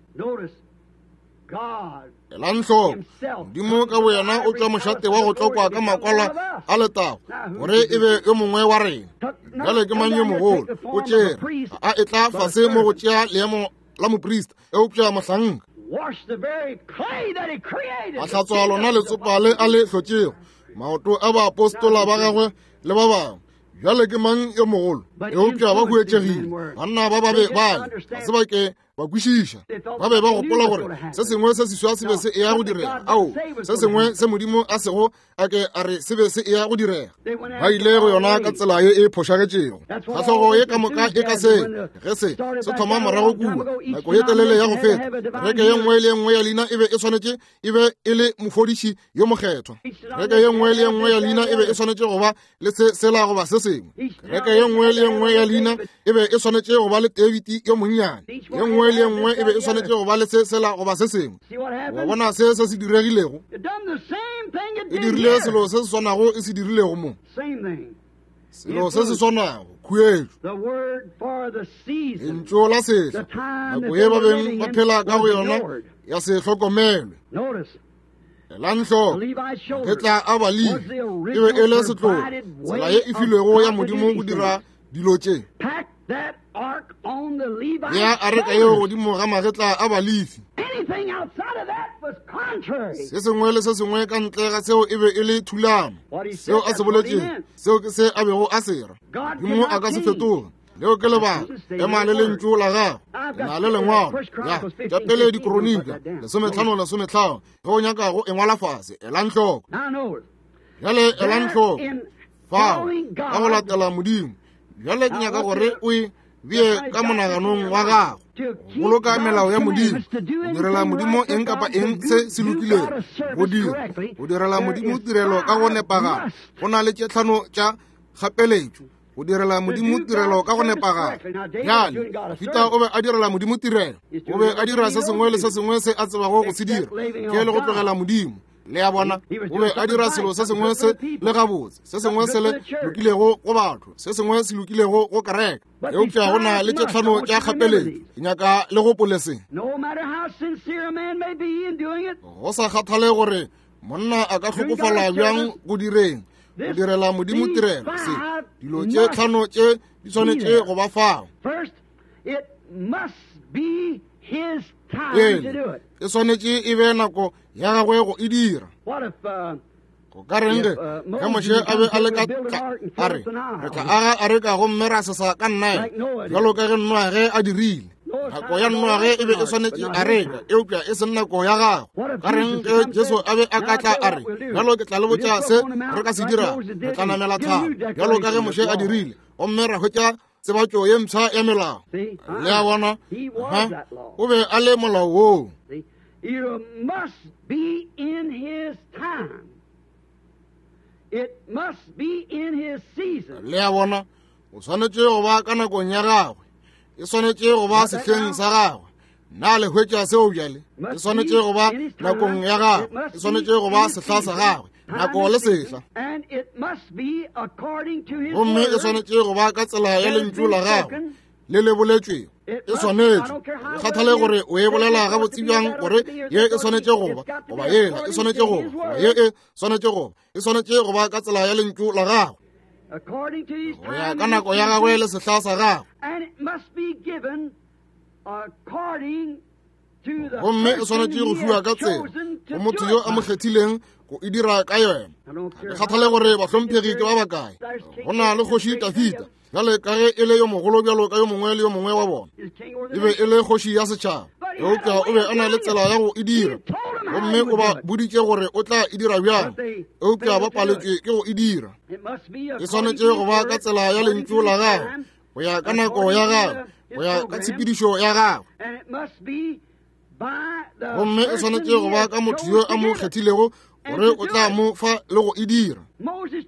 Elang hloko, Modimo ka boyena o tšwa mošate wa go tlokwa ka makwalo a letago gore e be yo mongwe wa rena. Bjale ke mang yo mogolo? O tšere a e tla fase mo go tšea leemo la moprista, eupša mohlanka a hlatswa lona letsopa le a le hlotšego, Maoto a baapostola ba gagwe le ba bangwe. Bjale ke mang yo mogolo? Eupša ba huetšegile. Banna ba ba be bale ga se ba ke ba kwešiša. Ba be ba gopola gore se sengwe se seswa se be se eya go direga. Ao, se sengwe se Modimo a sego a ke a re se be se eya go direga. Ba ile go yona ka tsela ye e phošagetšego. Kgahlogo ye ka moka e ka se ge se se thoma morago kua nako ye telele ya go feta. Kereke ye nngwe le ye nngwe ya leina e be e swanetše e be e le mofodiši yo mokgethwa. Kereke ye nngwe le ye nngwe ya leina e be e swanetše go ba le se sela goba se sengwe. Kereke ye nngwe le ye nngwe ya leina e be e swanetše go ba le David yo monnyane. Ye nngwe le ye nngwe e be e swanetše go ba le se sela goba se sengwe. Wa bona se se se diregilego? E dirile selo se se swanago e se dirilego mo. Selo se se swanago, khuetšo. Lentšu la sehla, nako ye ba beng ba phela ka go yona ya se hlokomelwe. Elang hloko, magetla a Balefi e be e le setlogo, tsela ye e filwego ya Modimo go dira dilo tše. Bea areka yeo godimo ga magetla a Balefi. Se sengwe le se sengwe ka ntle ga seo e be e le thulano. Seo a se boletšego, seo ke se a bego a se ra. Modimo a ka se fetoge. Leo ke lebaka. Ema le lentšu la gago. Ke na le lengwalo ya tša pele dikronika lesometlhano lesometlhano. Ge o nyaka go e ngwala fase, elang hloko. Bjale elang hloko fao ka go latela Modimo. Bjale ke nyaka gore o e bee ka monaganong wa gago. Boloka melao ya Modimo, go direla Modimo eng kapa eng se se lokilego, go dira, go direla Modimo tirelo ka go nepagala. Go na le tše tlhano tša kgapeletšo go direla Modimo tirelo ka go nepagala. Bjale Dafida o be a direla Modimo tirelo. O be a dira se sengwe le se sengwe se a tsebago go se dira, ke le go tlogela Modimo. Le a bona, o be a dira selo se sengwe se le gabotse, se sengwe se le lokilego go batho, se sengwe se lokilego go kereke. Eupša go na le tše tlhano tša kgapeletšo. Ke nyaka le gopole se. Go sa kgathale gore monna a ka hlokofala bjang go direng, go direla Modimo tirelo, se dilo tše tlhano tše di swanetše go ba fao. Pele, e swanetše e be nako ya gagwe go e dira. Go ka reng ge ge Moshe a be a le ka a re re tla aga areka gomme ra sesa ka Nile, bjalo ka ge Noage a dirile. Nako ya Noage e be e swanetše areka, eupša e seng nako ya gagwe. Ka reng ge Jesu a be a ka tla a re, bjalo ke tla le botša se re ka se dira, re tla namela thaba, bjalo ka ge Moshe a dirile, gomme ra hwetša tsebatšo ye mpsha ya melao. Le a bona, o be a le molao woo.
It must be in his time. It must be in his season.
Le a bona, o swanetše go ba ka nakong ya gagwe. E swanetše go ba sehleng sa gagwe. Na le hwetša seo bjale? E swanetše go ba nakong ya gagwe. E swanetše go ba sehla sa gagwe. Nako le sehla. Gomme e swanetše go ba ka tsela ya lentšu la gagwe le le boletšwego. E swanetše. Go kgathale gore o e bolela gabotse bjang gore ye e swanetše go ba, goba yela e swanetše go ba, goba ye e swanetše go ba. E swanetše go ba ka tsela ya lentšu la gagwe, go ya ka nako ya gagwe le sehla sa gagwe. Gomme e swanetše go fiwa ka tsela go motho yo a mo kgethileng go e dira ka yona. Ga ke kgathale gore bahlomphegi ke ba bakae. Go na le kgoši Dafida, bjale ka ge e le yo mogolo bjalo ka yo mongwe le yo mongwe wa bona, e be e le kgoši ya setšhaba, eupša o be a na le tsela ya go e dira, gomme o ba boditše gore o tla e dira bjang, eupša ba paletšwe ke go e dira. E swanetše go ba ka tsela ya lentšu la gagwe, go ya ka nako ya gagwe, go ya ka tshepedišo ya gagwe. Gomme e swanetše go ba ka motho yo a mo kgethilego gore o tla mo fa le go e dira. Moshe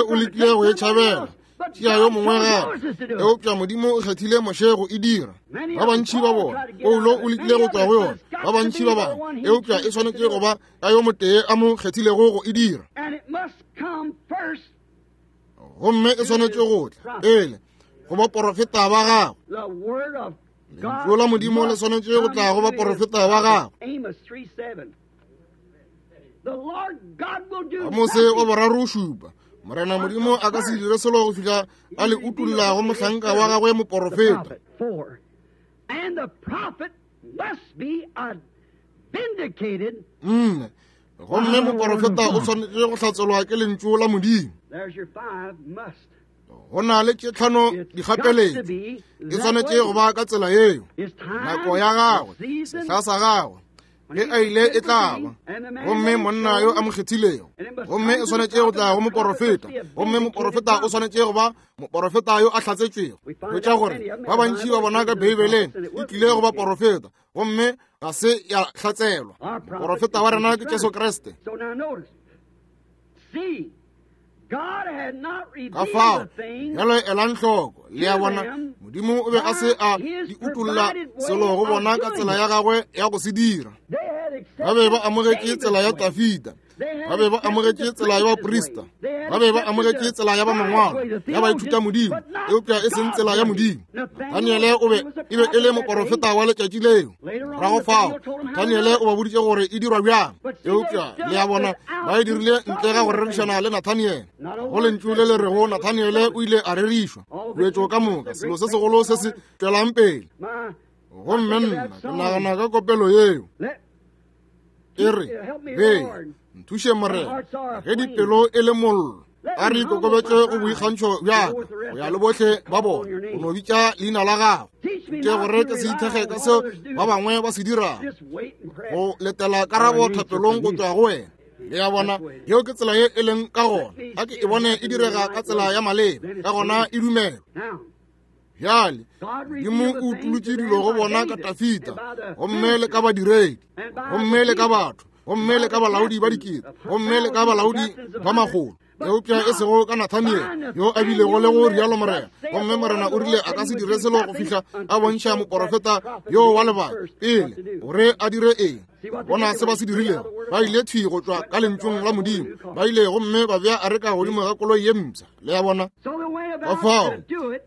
o lekile go e tšhabela, tšea yo mongwe gape, eupša Modimo o kgethile Moshe go e dira. Ba bantši ba bona, Paulo o lekile go tšwa go yona, ba bantši ba bangwe, eupša e swanetše go ba ka yo motee a mo kgethilego go e dira. Gomme e swanetše go tla pele go baporofeta ba gagwe. Lentšu la Modimo le swanetše go tla go baporofeta ba gagwe. Amose wa boraro šupa, Morena Modimo a ka se dire selo go fihla a le utolla go mohlanka wa gagwe moporofeta. Nne, Gomme moporofeta o swanetše go hlatselwa ke lentšu la Modimo. Go na le tše tlhano dikgapeletšo. E swanetše go ba ka tsela yeo. Nako ya gagwe, sehla sa gagwe, ge a ile e tla ba. Gomme monna yo a mo kgethilego. Gomme e swanetše go tla go moporofeta. Gomme moporofeta o swanetše go ba moporofeta yo a hlatsetšwego. Hwetša gore ba bantši ba bona ka Beibeleng e tlile go ba porofeta, gomme ga se ya hlatselwa. Moporofeta wa rena ke Jesu Kriste. Ka fao, bjalo elang hloko, le a bona, Modimo o be a se a di utolla selo go bona ka tsela ya gagwe ya go se dira. Ba be ba amogetše tsela ya Dafida, ba be ba amogetše tsela ya baprista, ba be ba amogetše tsela ya ba mangwalo, ya baithuta Modimo, eupša e seng tsela ya Modimo. Daniele o be e be e le moporofeta wa letšatši leo. Morago fao, Daniele o ba boditše gore e dirwa bjang, eupša le a bona ba e dirile ntle ga go rerišana le Nathaniele. Go lentšu le le rego Nathaniele o ile a rerišwa. Huetšo ka moka, selo se segolo se se tšwelang pele. Gomme nna ke nagana ka kopelo yeo. E re, be, nthuše Morena, ge dipelo e le mollo, a re ikokobetše go boikgantšho bja ka, go ya le bohle ba bona, o no bitša leina la gago. Ke gore ke se ithekge ka seo ba bangwe ba se dirago, go letela karabo thapelong go tšwa go wena. Le a bona, yeo ke tsela ye e leng ka gona. A ke e bone e direga ka tsela ya maleba, ka gona e dumelwa. Bjale, Modimo o utolotše dilo go bona ka Dafida, gomme le ka badiredi, gomme le ka batho, gomme le ka balaodi ba dikete, gomme le ka balaodi ba makgolo, eupša e sego ka Nathaniele yo a bilego le go rialo Morena. Gomme Morena o rile a ka se dire selo go fihla a bontšha moporofeta yo wa lebaka pele gore a dire eng. Bona se ba se dirilego, ba ile thwi go tšwa ka lentšung la Modimo, ba ile gomme ba bea areka godimo ga koloi ye mpsha. Le a bona, ka fao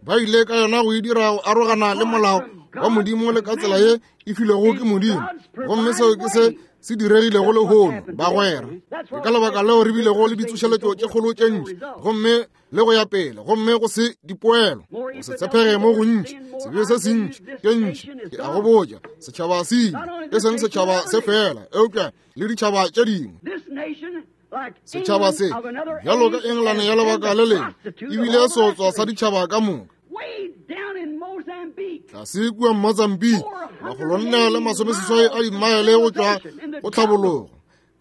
ba ile ka yona go e dira go arogana le molao wa Modimo le ka tsela ye e filwego ke Modimo. Gomme seo ke se se diregilego lehono, bagwera. Ke ka lebaka leo re bilego le ditsošeletšo tše kgolo tše ntši, gomme le go ya pele, gomme go se dipoelo, go se tshepege mo gontši, sebe se sentši, tše ntši. Ke a go botša, setšhaba se ile, e seng setšhaba se fela, eupša le ditšhaba tše dingwe. Setšhaba se, bjalo ka Engelane ya lebaka le lengwe, ebile seotswa sa ditšhaba ka moka. Tlase kua Mozambique, makgolo nne le masomeseswai a dimaele go tšwa go tlhabologo,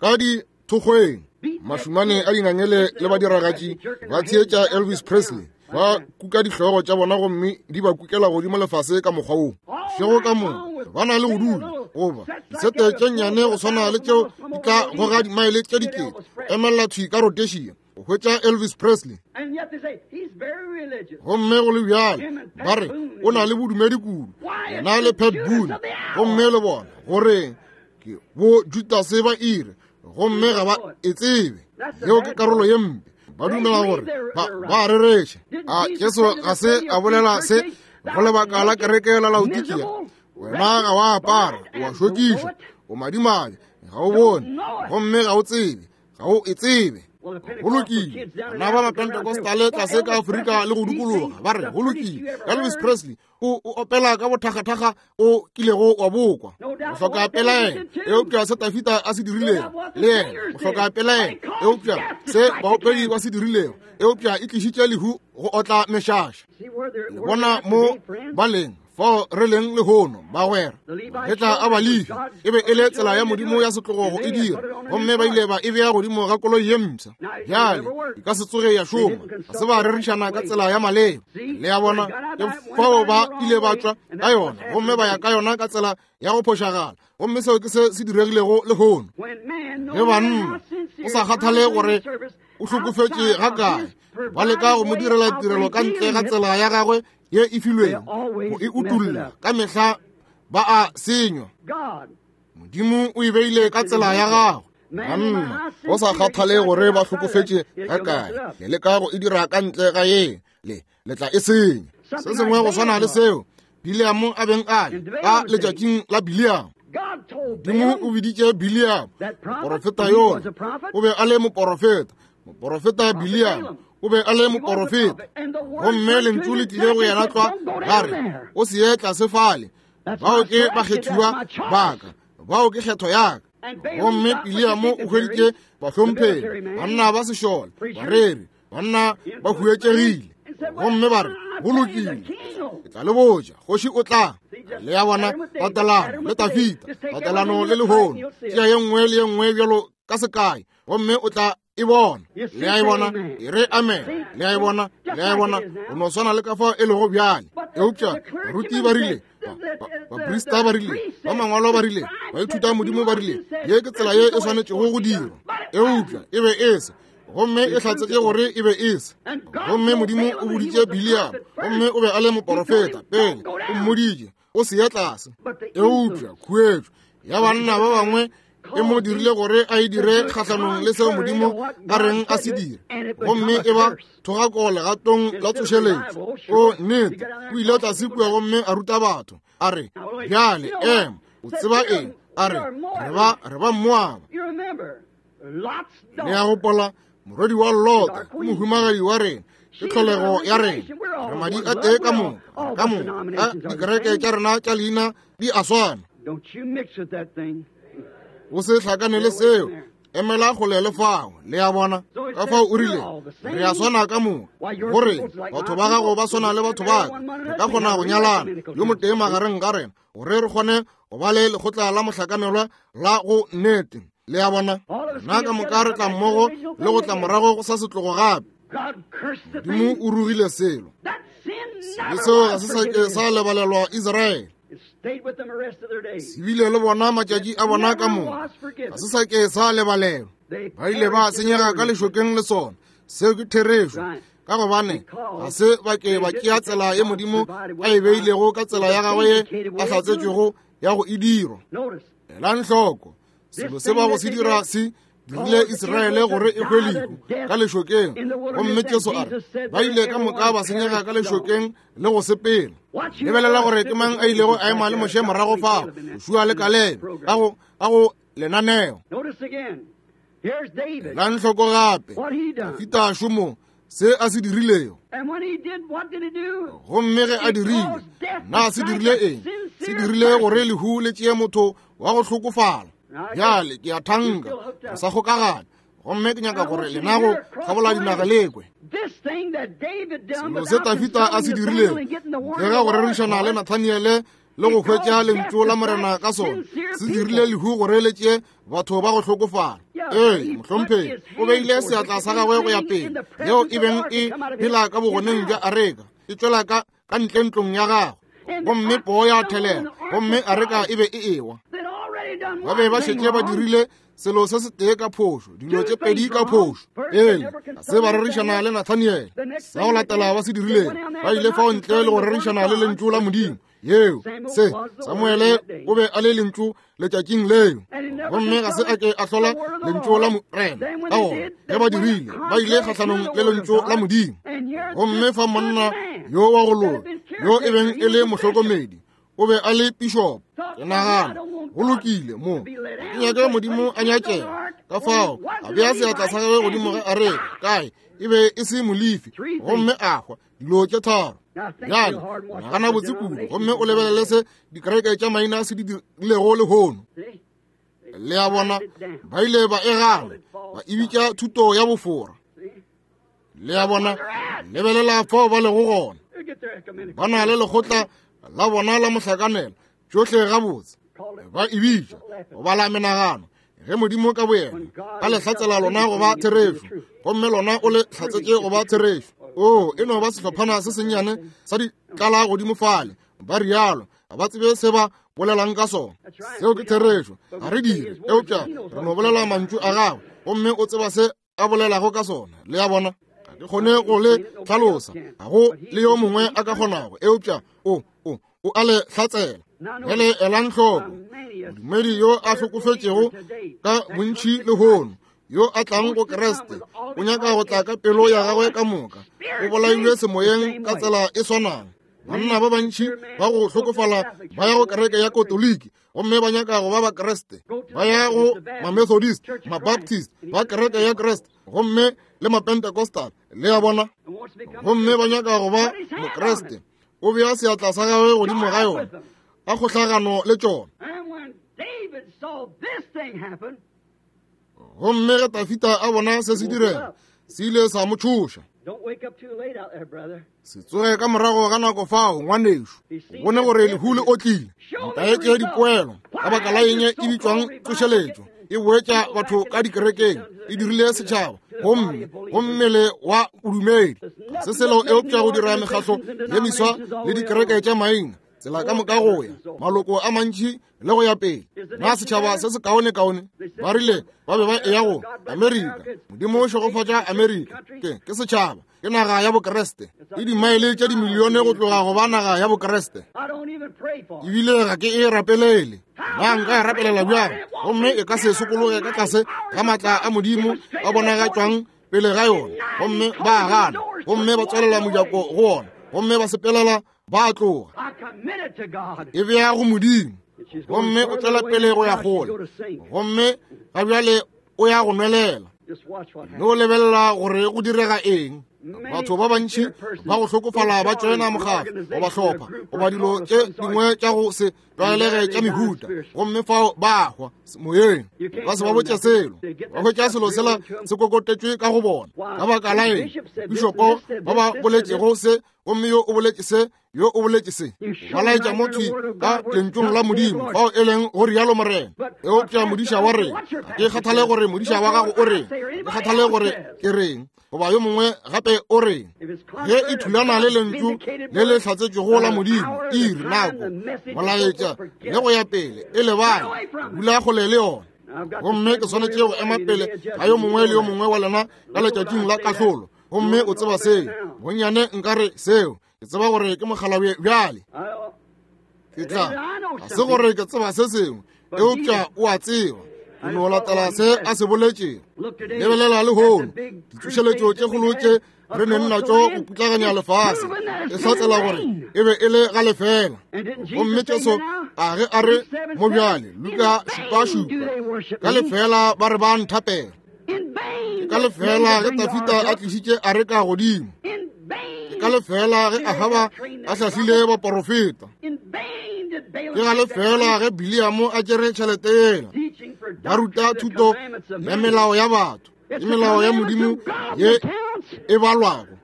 ka dithokgweng, mašumane a dingangele le badiragatši ba theetša Elvis Presley, ba kuka dihlogo tša bona gomme di ba kukela godimo lefase ka mokgwa wo. Šego ka moka ba na le go dula goba disete tše nnyane go swana le tšeo di tla goga dimaele tše dikete, emelela thwi ka Rhodesia go hwetša Elvis Presley. Gomme go le bjalo ba re o na le bodumedi kudu, yena le Pat Boone, gomme le bona gore ke bo Judase ba ire, gomme ga ba e tsebe. Yeo ke karolo ye mpe. Ba dumela gore ba ba rereša. A Jesu ga se a bolela se go lebaka la kereke la Laodikia? Wena ga wa apara, o a šokiša, o madimabe, ga o bone, gomme ga o tsebe, ga o e tsebe. Go lokile, bana ba Mapentecostale tlase ka Afrika le go dukologa ba re go lokile, Elvis Presley o o opela ka bothakgathakga o kilego wa bokwa. Go hloka pelaelo, eupša se Dafida a se dirilego le yena, go hloka pelaelo, eupša se baopedi ba se dirilego, eupša e tlišitše lehu go otla mešaša. Le bona mo ba leng fao re leng lehono, bagwera. Ge tla a Balefi e be e le tsela ya Modimo ya setlogo go e dira, gomme ba ile ba e bea godimo ga koloi ye mpsha. Bjale e ka se tsoge ya šoma, ga se ba rerišana ka tsela ya maleba. Le a bona, ke fao ba ile ba tšwa ka yona, gomme ba ya ka yona ka tsela ya go phošagala. Gomme seo ke se se diregilego lehono. Ge banna, o sa kgathale gore o hlokofetše ga kae, ba leka go mo direla tirelo ka ntle ga tsela ya gagwe ye e filwego, go e utolla ka mehla ba a senywa. Modimo o e beile ka tsela ya gagwe. Banna, go sa kgathale gore ba hlokofetše ga kae, le leka go e dira ka ntle ga ye, le le tla e senya. Se sengwe go swana le seo Bileamo a beng a le ka letšatšing la Bileamo. Modimo o biditše Bileamo moporofeta yola, o be a le moporofeta. Moporofeta Bileamo o be a le moporofeta, gomme lentšu le tlile go yena tlwa la re, o se ye tlase fale, bao ke bakgethiwa ba ka, bao ke kgetho ya ka. Gomme Biliamo o hweditše bahlomphegi, banna ba sešole, bareri, banna ba huetšegile. Gomme ba re, go lokile, ke tla le botša, kgoši o tla. Le ya bona tatelano le Tafita, tatelano le lehono, tšea ye nngwe le ye nngwe bjalo ka sekai, gomme o tla e bona. Le a e bona, e re amen. Le a e bona, le a e bona, go no swana le ka fao e lego bjale. Eupša baruti ba rile, baprista ba rile, ba mangwalo ba rile, baithuta modimo ba rile, ye ke tsela ye e swanetšego go dirwa. Eupša e be e se, gomme e hlatsetše gore e be e se. Gomme Modimo o boditše Biliamo, gomme o be a le moporofeta pele, o mmoditše o se ye tlase. Eupša khuetšo ya banna ba bangwe e mo dirile gore a e dire kgahlanong le seo Modimo a reng a se dire, gomme e ba thogako legatong la tsošeletšo. O nnete, o ile tlase kua gomme a ruta batho, a re, bjale ema, o tseba eng? A re, re ba re ba Moaba. Le a gopola, morwedi wa Lota ke mohumagadi wa rena, ke tlholego ya rena, re madi a tee ka moka, ka moka a dikereke tša rena tša leina di a swana. O se hlakane le seo, emela kgole le fao. Le a bona, ka fao o rile, re a swana ka moka, gore batho ba gago ba swana le batho ba ka, re ka kgona go nyalana yo motee magareng ga rena, gore re kgone go ba le lekgotla la mohlakanelwa la go nnete. Le a bona, nna ka moka re tla mmogo le go tla morago go sa setlogo gape. Modimo o rugile selo, sebe seo ga se sa ke sa lebalelwa Israele. Se bile le bona matšatši a bona ka moka, ga se sa ke sa lebalelwa. Ba ile ba senyega ka lešokeng le sona. Seo ke therešo, ka gobane ga se ba ke ba tšea tsela ye Modimo a e beilego ka tsela ya gagwe ye a hlatsetšwego ya go e dirwa. Elang hloko, selo se ba go se dira se dirile Israele gore e hwe lehu ka lešokeng. Gomme Jesu a re, ba ile ka moka ba senyega ka lešokeng le go sepela. Lebelela gore ke mang a ilego a ema le Moshe morago fao, Joshua le Kalebe, ka go ka go lenaneo. Elang hloko gape, Dafida šomo se a se dirilego. Gomme ge a dirile, na se dirile eng? Se dirile gore lehu le tšee motho wa go hlokofala. Bjale ke a thanka re sa kgokagana, gomme ke nyaka gore lena go kgabola dinaga le kwe selo se Tafita a se dirilego le ge go rerišana le Nathaniele le go hwetša lentšu la Morena ka sona, se dirile lehu gore le tšee batho ba go hlokofala. Ee, mohlomphegi, o beile seatla sa gagwe go ya pele, yeo e beng e phela ka bogoneng bja areka, e tšwela ka ka ntle ntlong ya gagwe, gomme poo ya thelela, gomme areka e be e ewa. Ba be ba šetše ba dirile selo se setee ka phošo, dilo tše pedi ka phošo. Pele ga se ba rerišana le Nathaniele. Sa go latela ba se dirilego, ba ile fao ntle le go rerišana le lentšu la Modimo. Yeo se Samuele o be a le lentšu letšatšing leo, gomme ga se a ke a hlola lentšu la Morena. Ka gona ge ba dirile, ba ile kgahlanong le lentšu la Modimo. Gomme fa monna yo wa go loka, yo e beng e le mohlokomedi, o be a le pišopo. Ke nagana go lokile mo, ke nyake Modimo a nyakega. Ka fao a bea seatla sa gagwe godimo ga areka, kae e be e se Molefi, gomme a hwa. Dilo tše tharo. Bjale nagana botse kudu, gomme o lebelele se dikereke tša maina se di dirilego lehono. Le a bona, ba ile ba e gana, ba e bitša thuto ya bofora. Le a bona, lebelela fao ba lego gona. Ba na le lekgotla la bona la mohlakanela, tšohle gabotse ba e bitša go bala menagano. Ge Modimo ka boyena a le hlatsela lona go ba therešo, gomme lona o le hlatsetše go ba therešo. O e no ba sehlophana se sennyane sa ditlala godimo fale, ba rialo, ga ba tsebe se ba bolelang ka sona. Seo ke therešo, ga re dire, eupša re no bolela mantšu a gagwe, gomme o tseba se a bolelago ka sona. Le a bona, ga ke kgone go le hlalosa, ga go le yo mongwe a ka kgonago, eupša o o o a le hlatsela. Bjale elang hloko, modumedi yo a hlokofetšego ka bontši lehono, yo a tlang go Kreste, o nyaka go tla ka pelo ya gagwe ka moka, o bolailwe semoyeng ka tsela e swanang. Banna ba bantši ba go hlokofala ba ya go kereke ya Katoliki, gomme ba nyaka go ba Bakreste, ba ya go Mamethodist, Mabaptist, ba kereke ya Kreste, gomme le Mapentecostal. Le a bona, gomme ba nyaka go ba Mokreste. O bea seatla sa gagwe godimo ga yona, a kgohlagano le tšona. Gomme ge Dafida a bona se se direga, se ile sa mo tšhoša. Se tsoge ka morago ga nako fao, ngwanešo, o bone gore lehu le otlile. Ntaetše dipoelo ka baka la eng e bitšwang tsošeletšo, e boetša batho ka dikerekeng, e dirile setšhaba gomme go mmele wa bodumedi. Ga se selo eupša go dira mekgahlo ye meswa le dikereke tša maina, tsela ka moka go ya maloko a mantši le go ya pele. Na setšhaba se se kaone-kaone? Ba rile ba be ba eya go Amerika. Modimo o šegofatša Amerika. Ke ke setšhaba, ke naga ya Bokreste. E dimaele tše dimilione go tloga go ba naga ya Bokreste. Ebile ga ke e rapelele. Na nka e rapelela bjang? Gomme e ka se sokologe ka tlase ga maatla a Modimo a bonagatšwang pele ga yona. Gomme ba gana, gomme ba tswalela mojako go ona, gomme ba sepelela ba tloga. E bea go Modimo, gomme o tswela pele go ya kgole, gomme ga bjale o ya go nwelela. No lebelela gore go direga eng. Batho ba bantši ba go hlokofala ba tšoena mokgatlo goba hlopha goba dilo tše dingwe tša go se tlwaelege tša mehuta, gomme fao ba hwa moyeng, ba se ba botše selo, ba hwetša selo sela se kokotetšwe ka go bona. Ka baka la eng bišopo ba ba boletšego se, gomme yo o boletše se, yo o boletše se, ba laetša motho ka lentšong la Modimo fao e leng go rialo Morena. Eupša modiša wa reng? Ga ke kgathale gore modiša wa gago o reng, ga ke kgathale gore ke reng goba yo mongwe gape o reng. Ge e thulana le lentšu le le hlatsetšwego la Modimo, iri, nako, molaetša le go ya pele, e lebale, dula kgole le yona. Gomme ke swanetše go ema pele ga yo mongwe le yo mongwe wa lena ka letšatšing la kahlolo. Gomme o tseba seo, bonnyane nka re seo, ke tseba gore ke mokgalabje bjale. Ke tla, ga se gore ke tseba se sengwe, eupša o a tseba. O no latela se a se boletšego. Lebelela lehono, ditsošeletšo tše kgolo tše re neng natšo go putlaganya lefase, e hlatsela gore e be e le ga lefela. Gomme Jesu a ge a re mo bjale, Luka šupa šupa, ka lefela ba re ba nthapela. Ke ka lefela ge Dafida a tlišitše areka godimo. Ke ka lefela ge Ahaba a hlahlile baporofeta. Ke ga lefela ge Biliamo a tšere tšhelete yela. Ba ruta thuto ya melao ya batho, ke melao ya Modimo ye e balwago.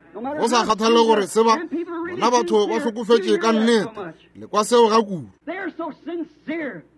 Go sa kgathale gore se ba bona batho ba hlokofetše ka nnete, le kwa seo ga kudu.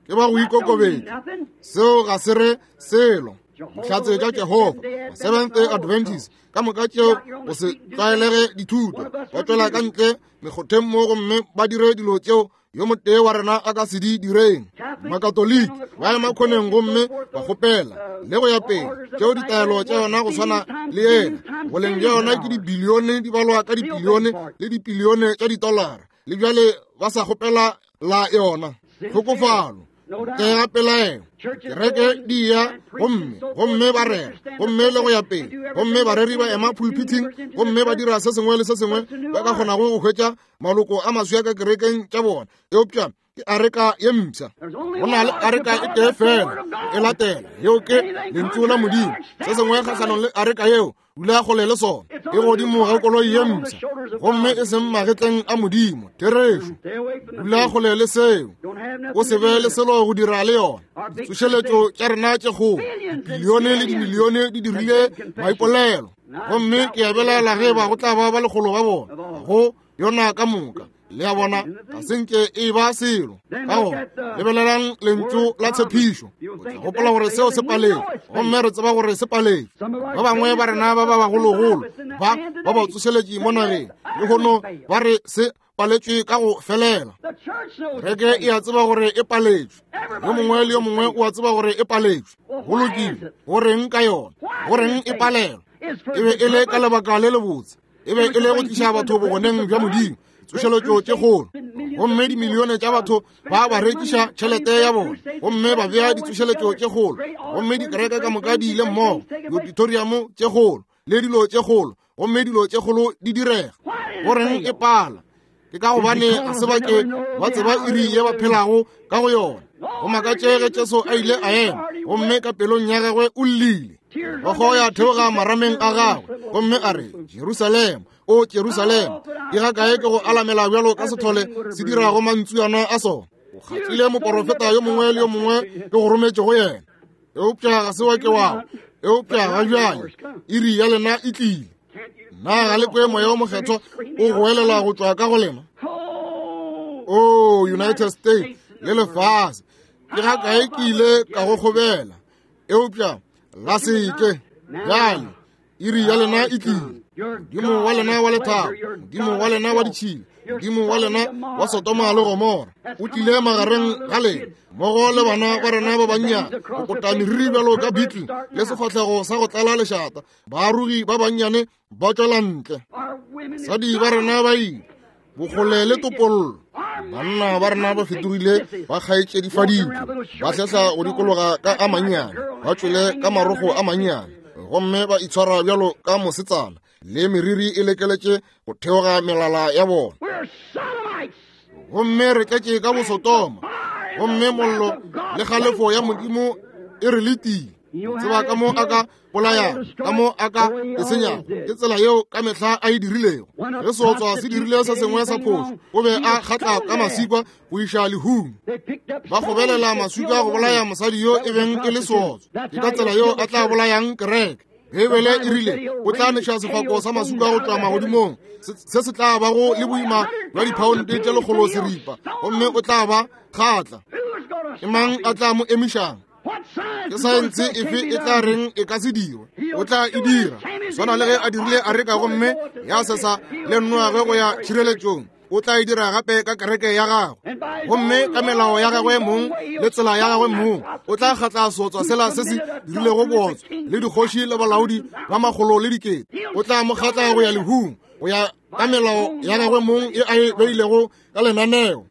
Ke ba go ikokobetša, seo ga se re selo. Dihlatse tša Jehofa, Seventh Day Adventist, ka moka tšeo go se tlwaelege dithuto, ba tšwela ka ntle mekgotheng mo gomme ba dire dilo tšeo yo motee wa rena a ka se di direng. Makatoliki ba ema khoneng gomme ba kgopela le go ya pele, tšeo ditaelo tša yona go swana le yena. Boleng bja yona ke dibilione, di balwa ka dibilione le dibilione tša ditolara, le bjale ba sa kgopela la yona. Tlhokofalo ntle ga pelaelo, kereke di ya gomme gomme ba rera gomme le go ya pele, gomme bareri ba ema pulpiting gomme ba dira se sengwe le se sengwe ba ka kgonago go hwetša maloko a maswa ka kerekeng tša bona. Eupša ke areka ye mpsha, go na le areka e tee fela e latela, yeo ke lentšu la Modimo. Se sengwe kgahlanong le areka yeo, dula kgole le sona. E godimo ga koloi ye mpsha, gomme e seng magetleng a Modimo. Therešo, dula kgole le seo, o se be le selo go dira le yona. Ditsošeletšo tša rena tše kgolo, dibilione le dimilione di dirile maipolelo, gomme ke a belaela ge ba go tla ba ba lekgolo ba bona go yona ka moka. Le a bona, ga se nke e ba selo. Ka gona lebelelang lentšu la tshepišo. O tla gopola gore seo se paletšwe, gomme re tseba gore se paletšwe. Ba bangwe ba rena ba ba bagologolo ba ba ba tsošeletše mo nageng lehono ba re se paletšwe ka go felela. Kereke e a tseba gore e paletšwe, yo mongwe le yo mongwe o a tseba gore e paletšwe. Go lokile, go reng ka yona? Go reng e palelwa? E be e le ka lebaka le lebotse, e be e le go tliša batho bogoneng bja Modimo, tsošeletšo tše kgolo, gomme dimilione tša batho ba ba rekiša tšhelete ya bona gomme ba bea ditsošeletšo tše kgolo, gomme dikereke ka moka di ile mmogo, diauditoriamo tše kgolo le dilo tše kgolo, gomme dilo tše kgolo di direga. Go reng e pala? Ke ka gobane ga se ba ke ba tseba iri ye ba phelago ka go yona. Go makatše ge Jesu a ile a ema, gomme ka pelong ya gagwe o llile, go ya theoga marameng a gagwe, gomme a re, Jerusalema, o Jerusalema, ke ga kae ke go alamela bjalo ka sethole se dirago mantsuana a sona. O kgatlile moporofeta yo mongwe le yo mongwe ke go rometše go yena, eupša ga se wa ke wao. Eupša ga bjale iri ya lena e tlile. Na ga le kwe Moya wo Mokgethwa o goelela go tšwa ka go lena? O United States le lefase, ke ga kae ke ile ka go kgobela, eupša la se ke. Bjale iri ya lena e tlile. Modimo wa lena wa lethabo, Modimo wa lena wa ditšhila, Modimo wa lena wa Sodoma le Gomora o tlile magareng ga lena mmogo le bana ba rena ba bannyane, go kota meriri bjalo ka beetle le sefahlego sa go tlala lešata. Baarogi ba bannyane ba tšwela ntle, basadi ba rena ba ile bokgole le topollo. Banna ba rena ba fetogile ba kgaetšedifaditšwe, ba hlehla go dikologa ka a mannyane, ba tšwele ka marogo a mannyane, gomme ba itshwara bjalo ka mosetsana, le meriri e lekeletše go theoga melala ya bona. Gomme re tletše ka bosotoma, gomme mollo le kgalefo ya Modimo e re letile. Tseba ka mo a ka bolayang, ka mo a ka e senyago. Ke tsela yeo ka mehla a e dirilego. Ge seotswa se dirile se sengwe sa phošo, o be a kgatla ka masikwa go iša lehung. Ba kgobelela maswika go bolaya mosadi yo e beng e le seotswa. Ke ka tsela yeo a tla bolayang kereke. Beibele e rile o tla neša sefako sa maswika go tšwa magodimong, se se tla bago le boima bja diphaonte tše lekgolo seripa, gomme o tla ba kgatla. Ke mang a tla mo emišang? Ke saense efe e tla reng e ka se dirwe? O tla e dira swana le ge a dirile areka, gomme ya sesa le Noage go ya tšhireletšong. O tla e dira gape ka kereke ya gagwe, gomme ka melao ya gagwe mong le tsela ya gagwe mong. O tla kgatla seotswa sela se se dirilego bootswa le dikgoši le balaodi ba makgolo le dikete. O tla mo kgatla go ya lehung, go ya ka melao ya gagwe mong e a e beilego ka lenaneo.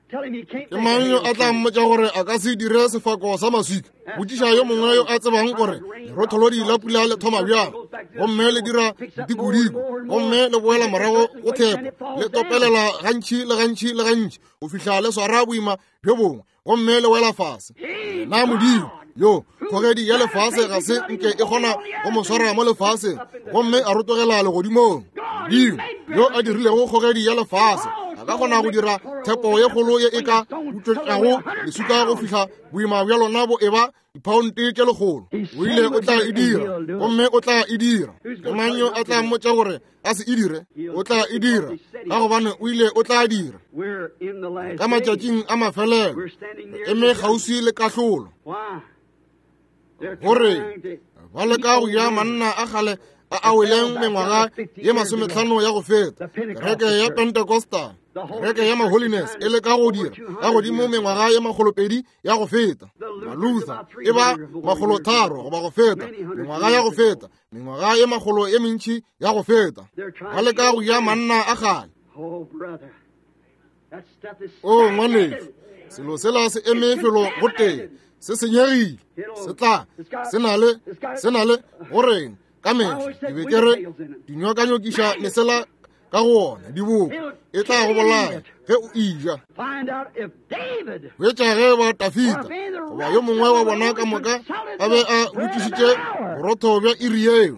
Ke mang yo a tla mmotša gore a ka se dire sefako sa maswika? Botšiša yo mongwe yo a tsebang gore lerotholodi la pula le thoma bjang, gomme le dira dikodiko, gomme le boela morago go thepo, le topelela gantši le gantši le gantši go fihla le swara boima bjo bongwe, gomme le wela fase. Na Modimo yo kgogedi ya lefase ga se nke e kgona go mo swara mo lefaseng, gomme a rotogela legodimong. Modimo yo a dirilego kgogedi ya lefase a ka kgona go dira thepo ye kgolo ye e ka utswetšago leswika go fihla boima bja lona bo eba diphaonte tše lekgolo. O ile o tla e dira, gomme o tla e dira. Ke mang yo a tla mmotša gore a se e dire? O tla e dira, ka gobane o ile o tla dira. Ka matšatšing a mafelelo re eme kgauswi le kahlolo, gore ba leka go ja manna a kgale a a weleng mengwaga ye masometlhano ya go feta. Kereke ya Pentecostal, kereke ya Maholiness e leka go dira ka godimo mengwaga ye makgolopedi ya go feta. Maluther e ba makgolotharo goba go feta, mengwaga ya go feta, mengwaga ye makgolo ye mentši ya go feta. Ba leka go ja manna a kgale. O ngwanešu, selo sela se eme felo go tee, se senyegile, se tla se na le se na le goreng ka mehla ke be ke re dinyokanyokiša mesela ka go ona diboko e tla go bolaya ge o eja. Hwetša ge ba Tafita goba yo mongwe wa bona ka moka a be a botšišitše borotho bja iri yeo,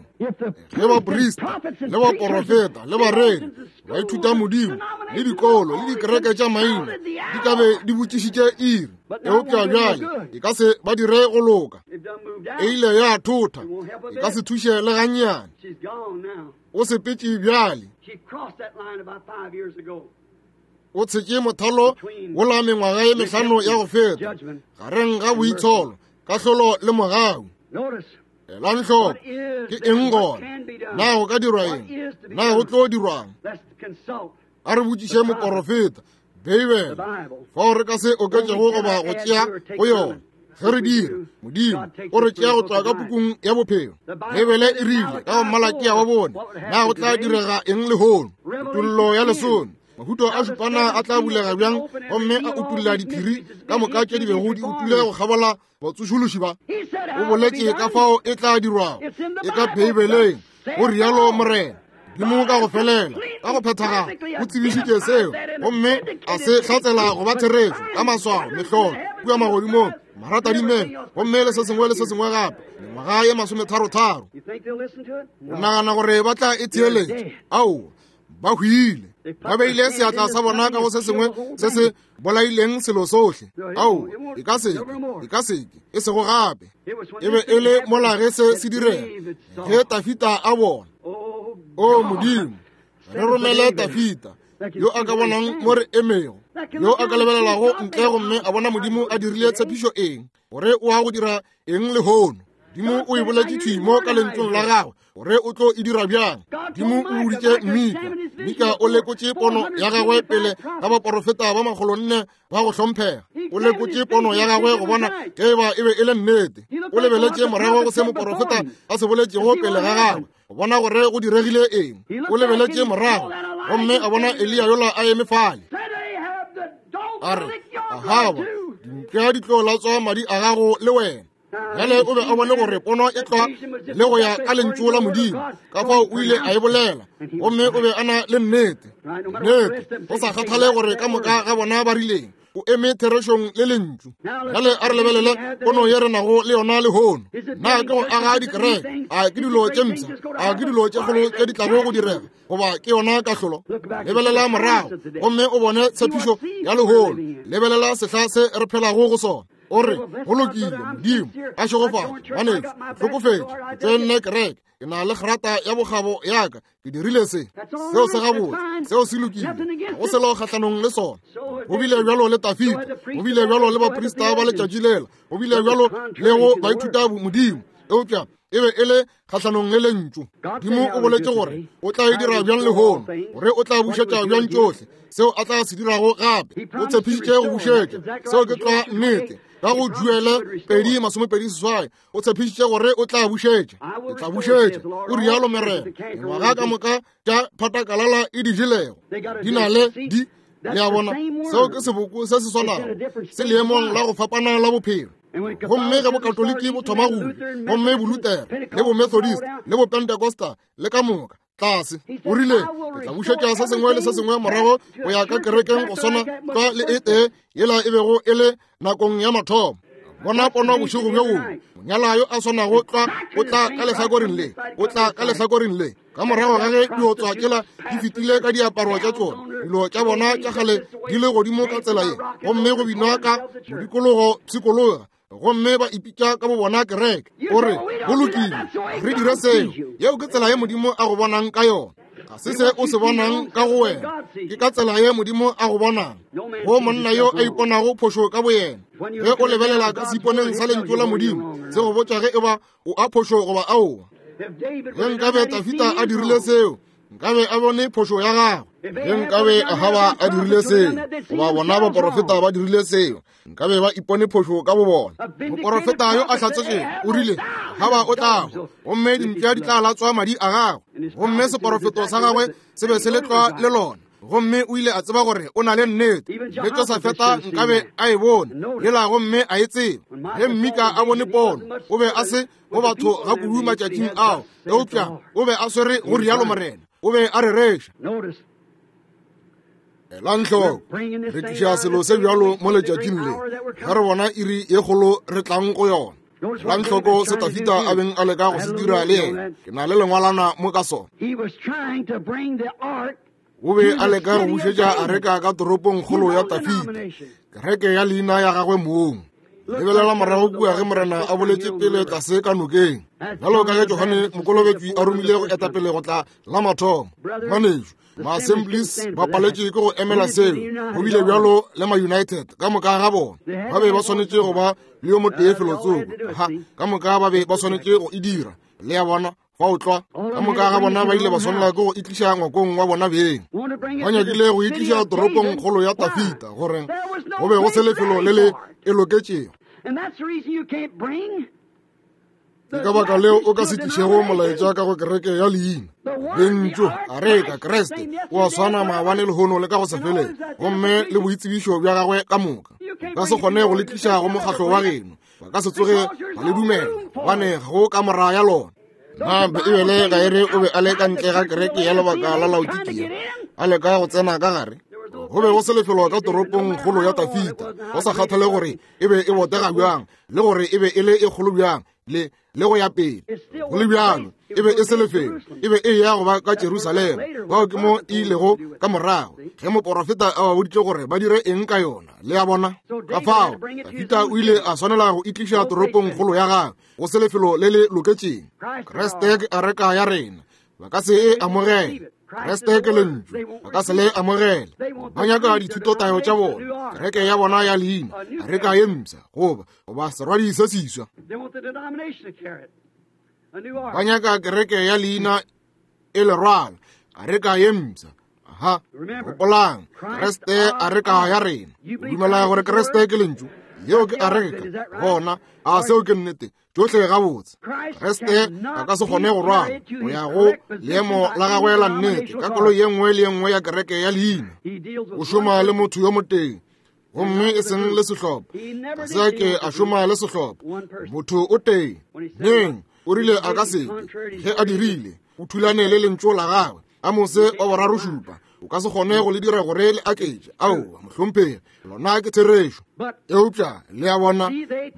ge baprista le baporofeta le bareri ba ithuta Modimo le dikolo le dikereke tša maina di ka be di botšišitše iri, eupša bjale e ka se ba dire go loka. E ile ya thotha, e ka se thuše le gannyane. O sepetše bjale, o tshetše mothalo wola mengwaga ye mehlano ya go feta gareng ga boitsholo, kahlolo le mogau. Elang hloko, ke eng gona? Na go ka dirwa eng? Na go tlo dirwang? A re botšiše moporofeta Beibele, fao re ka se oketšego goba go tšea go yona. Ge re dira, Modimo o re tšea go tšwa ka pukung ya bophelo. Beibele e rile ka go Malakia wa bone, na go tla direga eng lehono? Kutollo ya lesome, mahuto a šupana a tla bulega bjang, gomme a utulla diphiri ka moka tše di bego di utule go kgabola batsošološi ba. O boletše ka fao e tla dirwago, e ka Beibeleng, go rialo Morena. Modimo ka go felela, ka go phethagala, o tsebišitše seo, gomme a se hlatsela go ba therešo ka maswao, mehlolo kua magodimong, maratadimeng, gomme le se sengwe le se sengwe gape, mengwaga ye masometharotharo. O nagana gore ba tla e theeletša? Aowa, ba hwile. Ba beile seatla sa bona ka go se sengwe se se bolaileng selo sohle. Ao, e ka seke, e ka seke, e sego gape. E be e le mola ge se se direga, ge Tafita a bona. O Modimo, re romele Tafita, yo a ka bonang mo re emego, yo a ka lebelelago ntle gomme a bona Modimo a dirile tshepišo eng, gore o a go dira eng lehono. Modimo o e boletše thwi mo ka lentšong la gagwe gore o tlo e dira bjang. Modimo o boditše Mika, Mika o lekotše pono ya gagwe pele ga baporofeta ba makgolonne ba go hlomphega. O lekotše pono ya gagwe go bona ge eba e be e le nnete. O lebeletše morago go se moporofeta a se boletšego pele ga gagwe go bona gore go diregile eng. O lebeletše morago gomme a bona Eliya yola a eme fale. A re, Ahaba, dimpša di tlo latswa madi a gago le wena. Bjale o be a bone gore pono e tlwa le go ya ka lentšu la Modimo, ka fao o ile a e bolela, gomme o be a na le nnete. Nnete, go sa kgathale gore ka moka ga bona ba rileng, o eme therešong le lentšu. Bjale a re lebelele pono ye re nago le yona lehono. Na ke go aga dikereke? A ke dilo tše mpsha? A ke dilo tše kgolo tše di tlago go direga? Goba ke yona kahlolo? Lebelela morago gomme o bone tshepišo ya lehono. Lebelela sehla se re phelago go sona. O re, go lokile, Modimo a šegofatše, ngwanešu, hlokofetše, ke tsene kereke, ke na le grata ya bokgabo ya ka, ke dirile se. Seo se gabotse, seo se lokile, ga go selo kgahlanong le sona. Go bile bjalo le Tafita, go bile bjalo le baprista ba letšatši lela, go bile bjalo le go baithuta Modimo, eupša e be e le kgahlanong le lentšu. Modimo o boletše gore o tla e dira bjang lehono, gore o tla bušetša bjang tšohle seo a tla se dirago gape. O tshepišitše go bušetša, seo ke tlwa nnete. Ka go Joele pedi masomepedi seswai, o tshepišitše gore o tla bušetša. Ke tla bušetša, o rialo Morena. Mengwaga ka moka tša phatakalala e di jelego di na le di. Le a bona, seo ke seboko se se swanago, se leemong la go fapana la bophelo. Gomme ge bokatoliki bo thoma go gomme bolutere le bomethodist le bopentecosta le ka moka tlase, o rile, ke tla bušetša se sengwe le se sengwe morago go ya ka kerekeng go swana tlwa le e tee yela e bego e le nakong ya mathomo. Bona pono bošego bjo bongwe, monyala yo a swanago tlwa o tla ka lehlakoreng le, o tla ka lehlakoreng le. Ka morago ga ge diotswa tšela di fetile ka diaparo tša tšona, dilo tša bona tša kgale di le godimo ka tsela ye, gomme go binwa ka modikologo pshikologa, gomme ba ipitša ka bo bona kereke. O re, go lokile, re dire seo. Yeo ke tsela ye Modimo a go bonang ka yona. Ga se se o se bonang ka go wena, ke ka tsela ye Modimo a go bonang. Go monna yo a iponago phošo ka boyena, ge o lebelela ka seiponeng sa lentšu la Modimo, se go botša ge eba o a phošo goba aowa. Ge nkabe Tafita a dirile seo, nkabe a bone phošo ya gagwe. Ge nkabe Ahaba a dirile seo, goba bona baporofeta ba dirile seo, nkabe ba ipone phošo ka bo bona. Moporofeta yo a hlatsetšego o rile, Ahaba o tla hwa, gomme dimpša di tla latswa madi a gagwe. Gomme seporofeto sa gagwe se be se le tlwa le lona, gomme o ile a tseba gore o na le nnete. Le Josafeta nkabe a e bone yela gomme a e tseba. Ge Mika a bone pono, o be a se go batho ga kudu matšatšing ao, eupša o be a swere go rialo Morena, o be a rereša. Elang hloko, re tliša selo se bjalo mo letšatšing le, ge re bona iri ye kgolo re tlang go yona. Elang hloko se Tafita a beng a leka go se dira le yena. Ke na le lengwalana mo ka sona. O be a leka go bušetša areka ka toropong kgolo ya Tafita, kereke ya leina ya gagwe mong. Lebelela morago kua ge Morena a boletše pele tlase ka nokeng, bjalo ka ge Johane Mokolobetši a romile go etapele go tla la mathomo. Ngwanešu, ma-Assemblies ba paletše ke go emela seo. Go bile bjalo le ma-United ka moka ga bona. Ba be ba swanetše go ba le yo motee felotsoko. Ha, ka moka ba be ba swanetše go e dira. Le a bona, fa o tlwa, ka moka ga bona ba ile ba swanela ke go itliša ngwakong wa bona beng. Ba nyakile go itliša toropong kgolo ya Tafita, gore go be go se lefelo le le e loketšego. Ke ka baka leo o ka se tlišego molaetša ka go kereke ya leina. Lentšu, areka, Kriste, o a swana maabane lehono le ka go se feleng, gomme le boitsebišo bja gagwe ka moka. Ka se kgone go le tliša go mokgatlo wa geno, ba ka se tsoge ba le dumela, gobane ga go ka mora ya lona. Na Beibele ga e re o be a le ka ntle ga kereke ya lebaka la Laodikia, a leka go tsena ka gare? Go be go se lefelo ka toropong kgolo ya Tafita, go sa kgathale gore e be e botega bjang le gore e be e le e kgolo bjang, le le go ya pele. Go le bjalo, e be e se lefelo, e be e ya go ba ka Jerusalema. Bao ke mo e ilego ka morago, ge moporofeta a ba boditše gore ba dire eng ka yona. Le a bona? Ka fao, Dafida o ile a swanela go itliša toropongkgolo ya gagwe, go se lefelo le le loketšeng. Kriste ke areka ya rena, ba ka se e amogele. Kriste ke lentšu, ba ka se le amogele. Ba nyaka dithutotayo tša bona, kereke ya bona ya leina, areka ye mpsha, goba goba serwadi se seswa. Ba nyaka kereke ya leina e le rwala, areka ye mpsha. Aha, gopolang, Kriste areka ya rena. O dumela gore Kriste ke lentšu, yeo ke areka. Bona, a seo ke nnete? Tšohle gabotse. Kriste a ka se kgone go rwala go ya go leemo la gagwe la nnete ka koloi ye nngwe le ye nngwe ya kereke ya leina. O šoma le motho yo motee, gomme e seng le sehlopha. Ga se a ke a šoma le sehlopha, motho o tee. Neng o rile a ka se ke, ge a dirile, o thulane le lentšu la gagwe. Amose wa boraro šupa, o ka se kgone go le dira gore le aketše. Aowa, mohlomphegi, lona ke therešo. Eupša le a bona,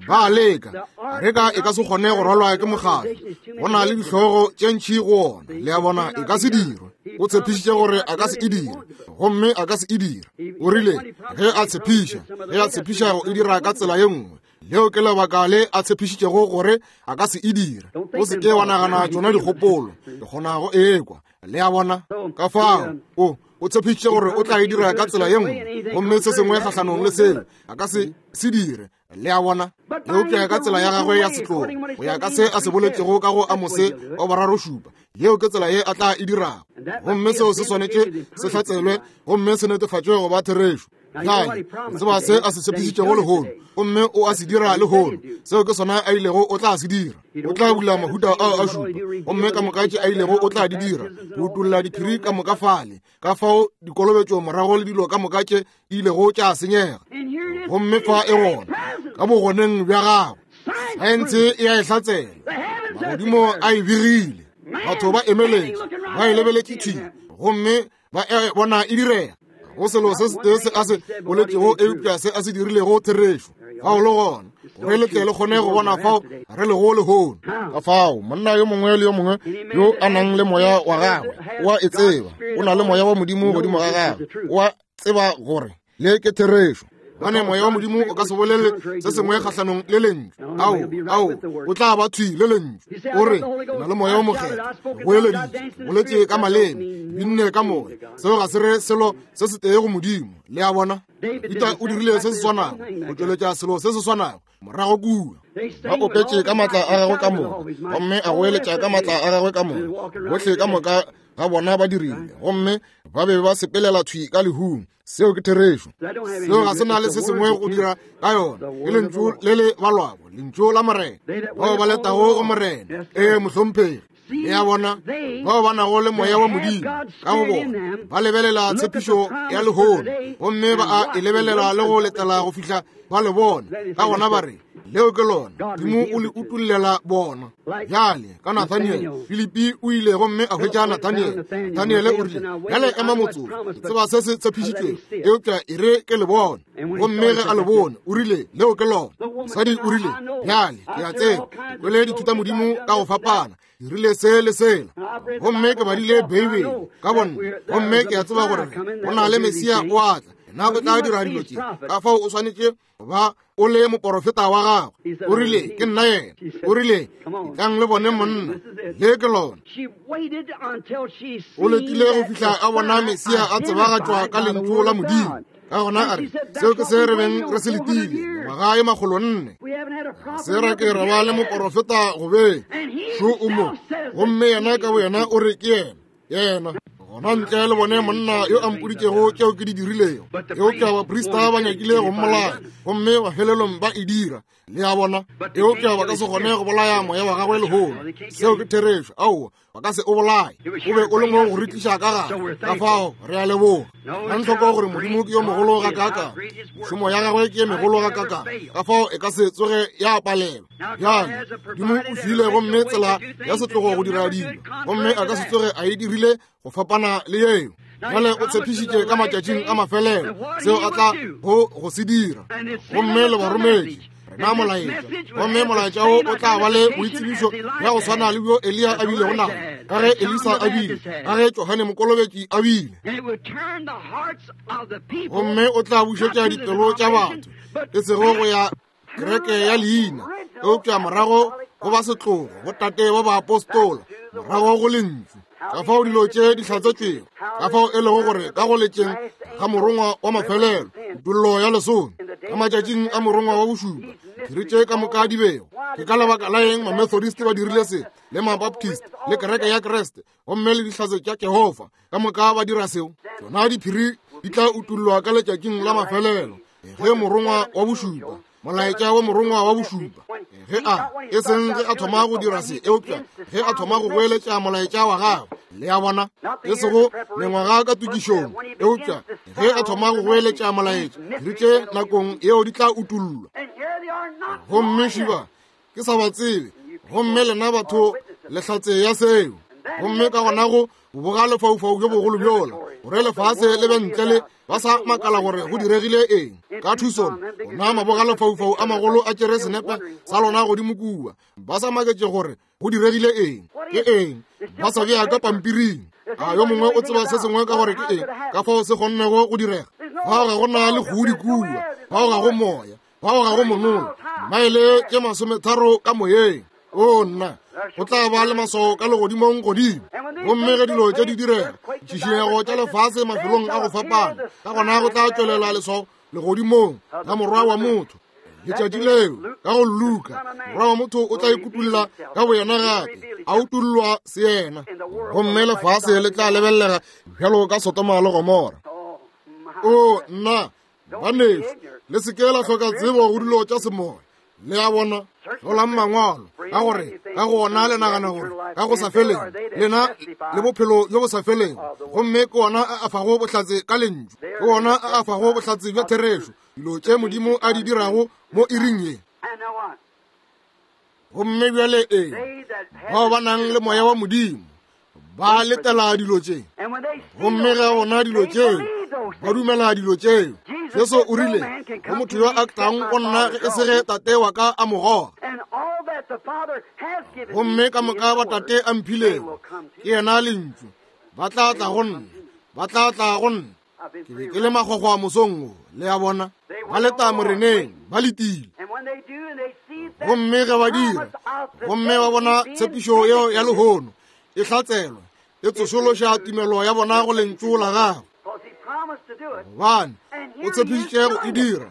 ba a leka. Areka e ka se kgone go rwalwa ke mokgatlo, go na le dihlogo tše ntši go ona. Le a bona, e ka se dirwe. O tshepišitše gore a ka se e dire, gomme a ka se e dire. O rile ge a tshepiša, ge a tshepiša go e dira ka tsela ye nngwe, leo ke lebaka le a tshepišitšego gore a ka se e dire. O se ke wa nagana tšona dikgopolo, ke kgona go ekwa. Le a bona? Ka fao, o o tshepišitše gore o tla e dira ka tsela ye nngwe, gomme se sengwe kgahlanong le seo a ka se se dire. Le a bona? Eupša ka tsela ya gagwe ya setlogo, go ya ka se a se boletšego ka go Amose wa boraro šupa, yeo ke tsela ye a tla e dirago. Gomme seo se swanetše se hlatselwe gomme se netefatšwe go ba therešo. Bjale, tseba se a se tshepišitšego lehono, gomme o a se dira lehono. Seo ke sona a ilego o tla se dira. O tla bula mahuta ao a šupa, gomme ka moka tše a ilego o tla di dira, go utolla diphiri ka moka fale, ka fao dikolobetšo morago le dilo ka moka tše di ilego tša senyega. Gomme fa e gona, ka bogoneng bja gagwe. Saense e a e hlatsela, magodimo a e begile, batho ba emeletše, ba e lebeletše thwi, gomme ba e bona e direga. Go selo se setee se a se boletšego, eupša se a se dirilego therešo. Fao le gona, gore le tle le kgone go bona fao re lego lehono. Ka fao, monna yo mongwe le yo mongwe yo a nang le moya wa gagwe o a e tseba, o na le moya wa Modimo godimo ga gagwe, o a tseba gore le ke therešo. Gobane moya wa Modimo o ka se bolele se sengwe kgahlanong le lentšu. Ao, ao, o tla ba thwi le lentšu. O re, ke na le moya o mokgethwa, ke goeleditše, ke boletše ka maleme, ke binne ka moya. Seo ga se re selo se setee go Modimo. Le a bona? Dafida o dirile se se swanago, go tšweletša selo se se swanago morago kua. Ba opetše ka maatla a gagwe ka moka, gomme a goeletša ka maatla a gagwe ka moka. Bohle ka moka ga bona ba dirile, gomme ba be ba sepelela thwi ka lehung. Seo ke therešo. Seo ga se na le se sengwe go dira ka yona. Ke lentšu le le balwago, lentšu la Morena. Bao ba letago go Morena, ee mohlomphegi. Le a bona, bao ba nago le moya wa Modimo ka go bona, ba lebelela tshepišo ya lehono, gomme ba a e lebelela le go letela go fihla ba le bona. Ka gona ba re, leo ke lona, Modimo o le utollela bona. Bjale ka Nathaniel, Filipi o ile gomme a hwetša Nathaniel. Nathaniel o rile, bjale ema motsotso, ke tseba se se tshepišitšwego, eupša e re ke le bone. Gomme ge a le bone, o rile, leo ke lona. Mosadi o rile, bjale ke a tseba, ke kwele dithutamodimo ka go fapana, dirile se le sela, gomme ke badile Beibele ka bonna, gomme ke a tseba gore go na le Mesia o a tla, yena o tla dira dilo tše. Ka fao o swanetše ba o le moporofeta wa gagwe. O rile, ke nna yena. O rile, etlang le bone monna, le ke lona. O letile go fihla a bona Mesia a tsebagatšwa ka lentšu la Modimo. Ka gona a re, seo ke se re beng re se letile mengwaga ye makgolo nne. Se ra ke ra ba le moporofeta go beng šo o mo, gomme yena ka boyena o re ke yena, yena. Gona ntle le bone monna yo a mpoditšego tšeo ke di dirilego. Eupša baprista ba nyakile go mmolaya, gomme mafelelong ba e dira. Le a bona? Eupša ba ka se kgone go bolaya moya wa gagwe lehono. Seo ke therešo. Aowa, ba ka se o bolaye. O be o le mo go re tliša ka gare. Ka fao re a leboga. Nang hloko gore Modimo ke yo mogolo gakaakang, mešomo ya gagwe ke ye megolo gakaakang, ka fao e ka se tsoge ya palelwa. Bjale Modimo o file gomme tsela ya setlogo go dira dilo, gomme a ka se tsoge a e dirile go fapana le yeo. Bjale o tshepišitše ka matšatšing a mafelelo seo a tla go go se dira, gomme le ba rometše. rena molaetša. Gomme molaetša wo o tla ba le boitsebišo bja go swana le bjo Eliya a bilego nabo, ka ge Elisa a bile, ka ge Johane Mokolobetši a bile. Gomme o tla bušetša dipelo tša batho, e sego go ya kereke ya leina, eupša morago go ba setlogo, go tate ba baapostola, morago go lentšu. Ka fao dilo tše di hlatsetšwego, ka fao e lego gore ka go letšeng ga morongwa wa mafelelo, kutollo ya lesome, ka matšatšing a morongwa wa bošupa, phiri tše ka moka di bego. Ke ka lebaka la eng Mamethodist ba dirile se, le Mabaptist, le kereke ya Kriste, gomme le dihlatse tša Jehofa, ka moka ba dira seo. Tšona diphiri di tla utollwa ka letšatšing la mafelelo, ge morongwa wa bošupa, molaetša wa morongwa wa bošupa, ge a e seng ge a thoma go dira se, eupša ge a thoma go goeletša molaetša wa gagwe. Le a bona, e sego mengwaga ka tokišong, eupša ge a thoma go goeletša molaetša, diphiri tše nakong yeo di tla utollwa. Gomme šiba ke sa ba tsebe, gomme lena batho le hlatse ya seo. Gomme ka gona go boga lefaufau bjo bogolo bjola, gore lefase le be ntle le ba sa makala gore go diregile eng. Ka Tucson, ona maboga lefaufau a magolo a tšere senepe sa lona godimo kua, ba sa maketše gore go diregile eng, ke eng, ba sa bea ka pampiring. A yo mongwe o tseba se sengwe ka gore ke eng, ka fao se kgonnego go direga. Fao ga go na le kgudi kua, fao ga go moya, fao ga go monola, maele tše masometharo ka moyeng. O nna, go tla ba le maswao ka legodimong godimo. Gomme ge dilo tše di direga, ditšhišinyego tša lefase mafelong a go fapana, ka gona go tla tšwelela leswao legodimong la morwa wa motho. Letšatši leo ka go Luka, morwa wa motho o tla ikutulla ka boyena gape, a utullwa seyena, gomme lefase le tla lebellega bjalo ka Sodoma le Gomora. O nna, banešu, le se ke la hloka tsebo go dilo tša semoya. Le a bona, hlolang mangwalo, ka gore ka go ona le nagana gore ka go sa feleng lena le bophelo bjo bo sa feleng, gomme ke ona a a fago bohlatse ka lentšu, ke ona a a fago bohlatse bja therešo, dilo tše Modimo a di dirago mo iring ye. Gomme bjale eng, bao ba nang le moya wa Modimo ba letela dilo tše, gomme ge bona dilo tšeo ba dumela dilo tšeo. Jesu o rile, go motho yo a tlang go nna ge e se ge tate wa ka a mo goga, gomme ka moka ba tate a mphilego, ke yena lentšu, ba tla tla go nna, ba tla tla go nna. Ke be ke le makgwakgwa mosong wo, le a bona, ba leta moreneng, ba letile. Gomme ge ba dira, gomme ba bona tshepišo yeo ya lehono e hlatselwa, e tsošološa tumelo ya bona go lentšu la gagwe, gobane o tshepišitše go e dira,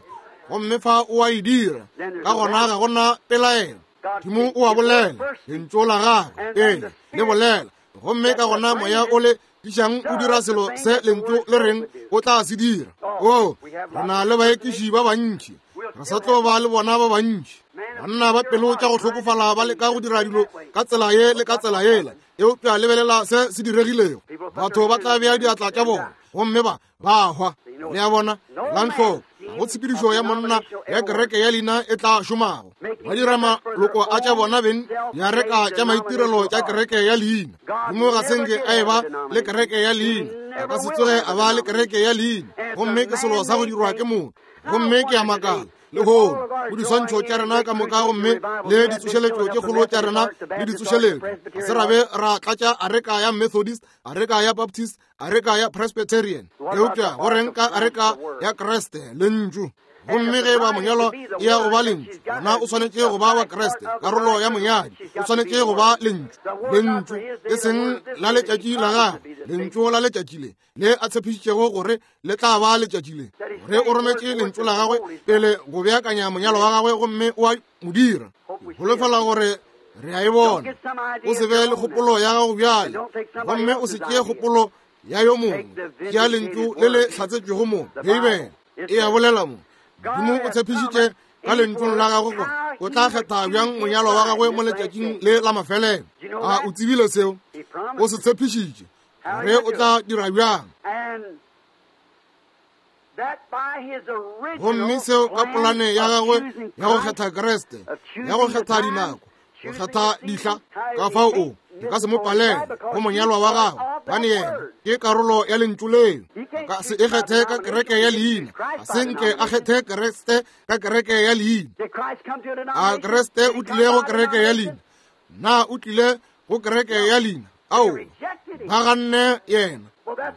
gomme fa o a e dira. Ka gona ga gona pelaelo. Modimo o a bolela, lentšu la gagwe ee le bolela, gomme ka gona moya o le tlišang o dira selo se lentšu le reng o tla se dira. O, re na le baekiši ba bantši, re sa tlo ba le bona ba bantši, banna ba pelo tša go hlokofala ba leka go dira dilo ka tsela ye le ka tsela yela, eupša lebelela se se diregilego. Batho ba tla bea diatla tša bona gomme ba ba hwa. Le a bona, elang hloko, go tshepedišo ya monna ya kereke ya leina e tla šomago. Ba dira maloko a tša bona beng diareka tša maitirelo tša kereke ya leina. Modimo ga se nke a eba le kereke ya leina, a ka se tsoge a ba le kereke ya leina, gomme ke selo sa go dirwa ke motho. Gomme ke a makala lehono go diswantšho tša rena ka moka, gomme le ditsošeletšo tše kgolo tša rena le ditsošeletšo, ga se ra be ra tlatša areka ya Methodist, areka ya Baptist, areka ya Presbyterian, eupša go reng ka areka ya Kriste, lentšu? Gomme ge ba monyalwa e ya go ba lentšu, gona o swanetše go ba wa Kriste, karolo ya monyadi o swanetše go ba lentšu. Lentšu e seng la letšatši la gagwe, lentšu la letšatši le le a tshepišitšego gore le tla ba letšatši le, gore o rometše lentšu la gagwe pele go beakanya monyalo wa gagwe, gomme o a mo dira. Holofela gore re a e bona. O se be le kgopolo ya gago bjale, gomme o se tšee kgopolo ya yo mongwe. Ke ya lentšu le le hlatsetšwego mo Beibele e a bolela mo. Modimo o tshepišitše ka lentšung la gagwe gore o tla kgetha bjang monyalo wa gagwe mo letšatšing le la mafelelo. A o tsebile seo? O se tshepišitše gore o tla dira bjang. Gomme seo ka polane ya gagwe ya go kgetha Kriste, ya go kgetha dinako, Go kgetha dihla, ka fao o di ka se mo palele go monyalwa wa gagwe, gobane yena ke karolo ya lentšu leo. A ka se e kgethe ka kereke ya leina, a se nke a kgethe Kriste ka kereke ya leina. A Kriste o tlile go kereke ya leina? Na o tlile go kereke ya leina? Ao, ba ganne yena.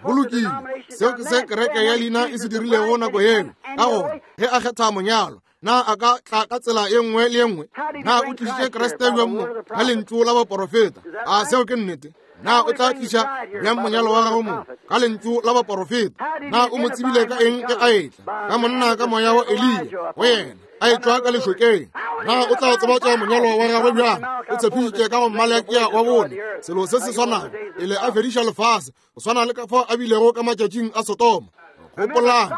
Go lokile, seo ke se kereke ya leina e se dirilego nako yeo. Ka gona ge a kgetha monyalwa, na a ka tla ka tsela ye nngwe le ye nngwe? Na o tlišitše Kriste bjang mo ka lentšu la baporofeta? A seo ke nnete? Na o tla tliša bjang monyalo wa gagwe mo ka lentšu la baporofeta? Na o mo tsebile ka eng ge a etla? Ka monna ka moya wa Eliya go yena, a etšwa ka lešokeng. Na o tla tsebatša monyalo wa gagwe bjang? O tshepišitše ka go Mmalekia wa bone selo se se swanago pele a fediša lefase, go swana le ka fao a bilego ka matšatšing a Sodoma. Gopolang,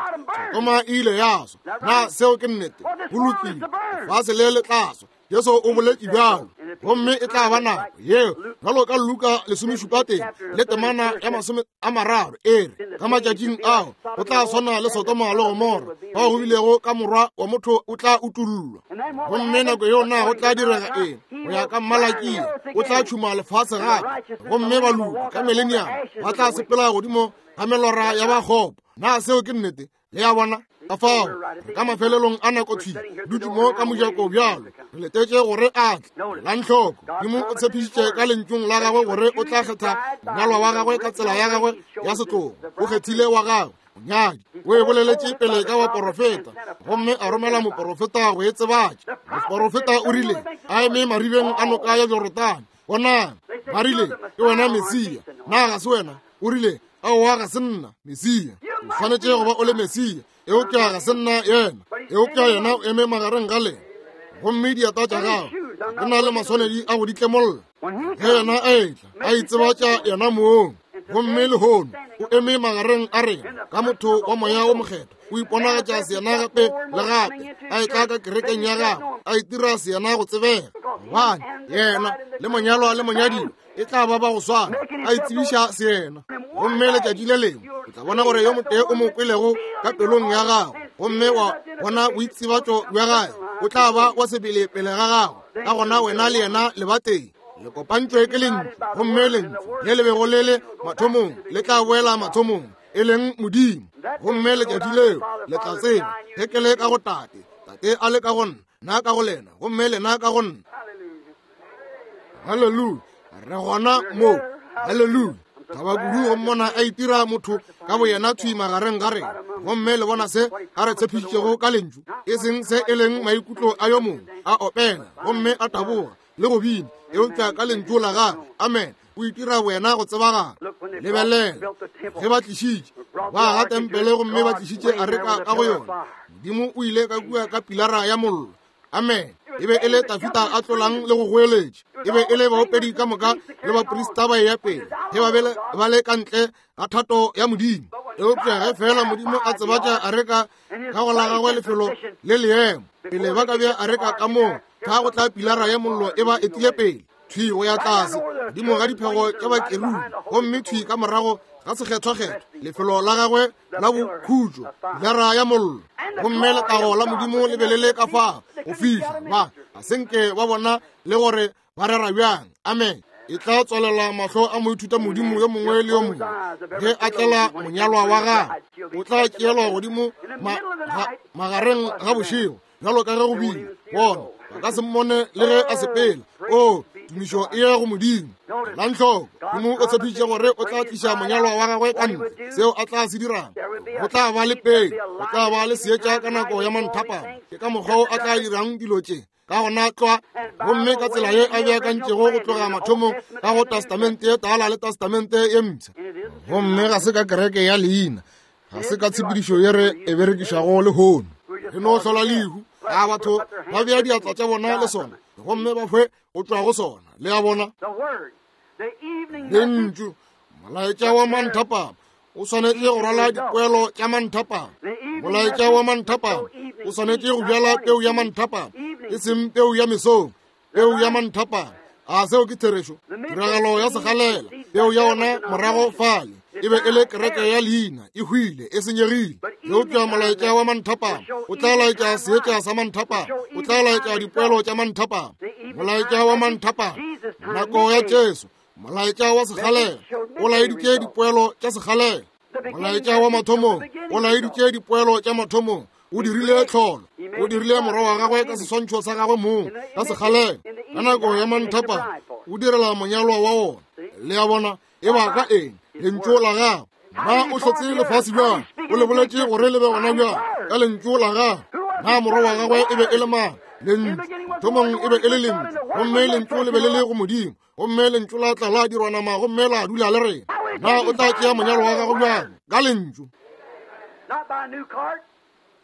Sodoma e ile ya swa. Na seo ke nnete? Go lokile, lefase le le tla swa. Jesu o boletše bjalo, gomme e tla ba nako yeo bjalo ka Luka lesomešupa tee le temana ya masome a mararo e re, ka matšatšing ao go tla swana le Sodoma le Gomora, bao go bilego ka morwa wa motho o tla utollwa. Gomme nako yeo na go tla direga eng? Go ya ka Mmalakia, o tla tšhuma lefase gape, gomme baloki ka mileniamo ba tla sepela godimo ga melora ya bakgopo. Na seo ke nnete? Le a bona? Ka fao re ka mafelelong a nako thwi dutše mo ka mojako bjalo, re letetše gore a tle. Elang hloko, Modimo o tshepišitše ka lentšung la gagwe gore o tla kgetha monyalwa wa gagwe ka tsela ya gagwe ya setlogo. O kgethile wa gagwe monyadi, o e boleletše pele ka baporofeta, gomme a romela moporofeta go e tsebatša. Moporofeta o rile a eme maribeng a noka ya Jorodane, bonang, ba rile, ke wena Mesia, na ga se wena? O rile, aowa, ga se nna Mesia. O swanetše go ba o le Mesia, eupša ga se nna yena. Eupša yena o eme magareng ga lena, gomme dieta tša gagwe di na le maswanedi a go di tlemolla. Ge yena a etla, a itsebatša yena mong, gomme lehono o eme magareng a rena ka motho wa moya wo mokgethwa, o iponagatša seyena gape le gape, a etla ka kerekeng ya gagwe, a itira seyena go tsebega, gobane yena le monyalwa le monyadiwa e tla ba ba go swana, a itsebiša seyena. Gomme letšatši le lengwe o tla bona gore yo motee o mo kwelego ka pelong ya gago, gomme wa bona boitsebatšo bja gagwe, o tla ba wa sebele pele ga gago. Ka gona wena le yena le ba tee, le kopantšwe ke lentšu, gomme lentšu le le bego le le mathomong le tla boela mathomong, e leng Modimo. Gomme letšatši leo le tla tseba ge ke le ka go Tate, Tate a le ka go nna, nna ka go lena, gomme lena ka go nna. Haleluya! Re gona mo. Haleluya! Thaba kudu go mmona a itira motho ka boyena thwi magareng ga rena, gomme le bona se a re tshepišitšego ka lentšu, e seng se e leng maikutlo a yo mongwe a opela gomme a taboga le go bina, eupša ka lentšu la gagwe. Amen. O itira wena go tsebagala. Lebelela ge ba tlišitše ba aga tempele gomme ba tlišitše areka ka go yona, Modimo o ile ka kua ka pilara ya mollo. Amen. E be e le Tafita a tlolang le go goeletša, e be e le baopedi ka moka le baprista ba eya pele ge ba be ba le ka ntle ga thato ya Modimo. Eupša ge fela Modimo a tsebatša areka ka go la gagwe lefelo le leemo, pele ba ka bea areka ka moo, ka go tla pilara ya mollo e ba etile pele thwi go ya tlase godimo ga diphego tša bakerubi, gomme thwi ka morago ga sekgethwakgethwa lefelo la gagwe la bokhutšo, pilara ya mollo. Gomme letago la Modimo le be le le ka fao go fihla ba ga se nke ba bona le gore ba rera bjang. Amen. E tla tswalela mahlo a moithuta modimo yo mongwe le yo mongwe ge a tlela monyalwa wa gagwe. O tla tšeelwa godimo magareng ga bošego bjalo ka ge go bile. Bona ba ka se mmone le ge a sepela. O tumišo e ya go Modimo. Elang hloko, Modimo o tshepišitše gore o tla tliša monyalwa wa gagwe ka ntle. Seo a tla se dirang, go tla ba le pele, go tla ba le seetša ka nako ya manthapama. Ke ka mokgwa o a tla dirang dilo tše. Ka gona tlwa, gomme ka tsela ye a beakantšego go tloga mathomong ka go testamente ye tala le testamente ye mpsha. Gomme ga se ka kereke ya leina, ga se ka tshepedišo ye re e berekišago lehono. Re no hlola lehu, a batho ba bea diatla tša bona le sona, gomme ba hwe go tšwa go sona. Le a bona? Lentšu, molaetša wa manthapama o swanetše go rwala dipoelo tša manthapama. Molaetša wa manthapama o swanetše go bjala peu ya manthapama, e seng peu ya mesong, peu ya manthapama. A seo ke therešo? Tiragalo ya segalela, peu ya ona morago fale e be e le kereke ya leina, e hwile, e senyegile. Eupša molaetša wa manthapama o tla laetša seetša sa manthapama, o tla laetša dipoelo tša manthapama. Molaetša wa manthapama, nako ya Jesu, molaetša wa sekgalela o laeditše dipoelo tša sekgalela. Molaetša wa mathomong o laeditše dipoelo tša mathomong. O dirile tlholo, o dirile morwa wa gagwe ka seswantšho sa gagwe mong ka sekgalela. Ka nako ya manthapama o direla monyalwa wa wona. Le a bona, e ba ka eng? Lentšu la gagwe. Na o hlotse lefase bjang? O le boletše gore le be gona bjang? Ka lentšu la gagwe. Na morwa wa gagwe e be e le mang? Lentšu. Thomong e be e le lentšu, gomme lentšu le be le le go Modimo, gomme lentšu la tla la dirwa nama gomme la dula le rena. Na o tla tšea monyalo wa gagwe bjang? Ka lentšu.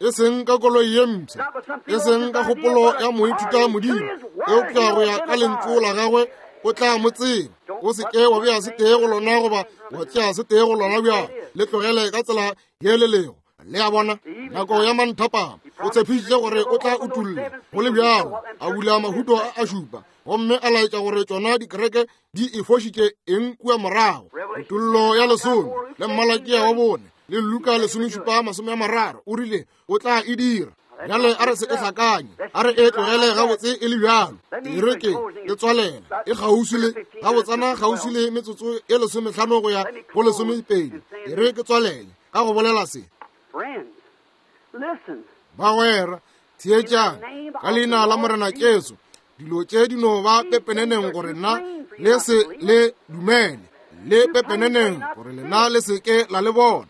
E seng ka koloi ye mpsha, e seng ka kgopolo ya moithuta Modimo, eupša go ya ka lentšu la gagwe o tla mo tseba. O se ke wa bea se tee go lona goba wa tšea se tee go lona bjang, le tlogele ka tsela ye le lego. Le a bona, nako ya manthapama o tshepišitše gore o tla utulla go le bjalo, a bula mahuto a a šupa gomme a laetša gore tšona dikereke di e fošitše eng kua morago. Kutollo ya lesome le Mmalakia wa bone le Luka lesomešupa masome a mararo o rile o tla e dira. Bjale a re se e hlakanye, a re e tlogele gabotse e le bjalo. E re ke e tswalela e kgauswi le gabotsana kgauswi le metsotso e lesomehlano go ya go lesomepedi. E re ke tswalele ka go bolela se. Bagwera, theetšang ka leina la Morena Jesu. Dilo tše di no ba pepeneneng gore nna le se le dumele, le pepeneneng gore lena le se ke la le bona.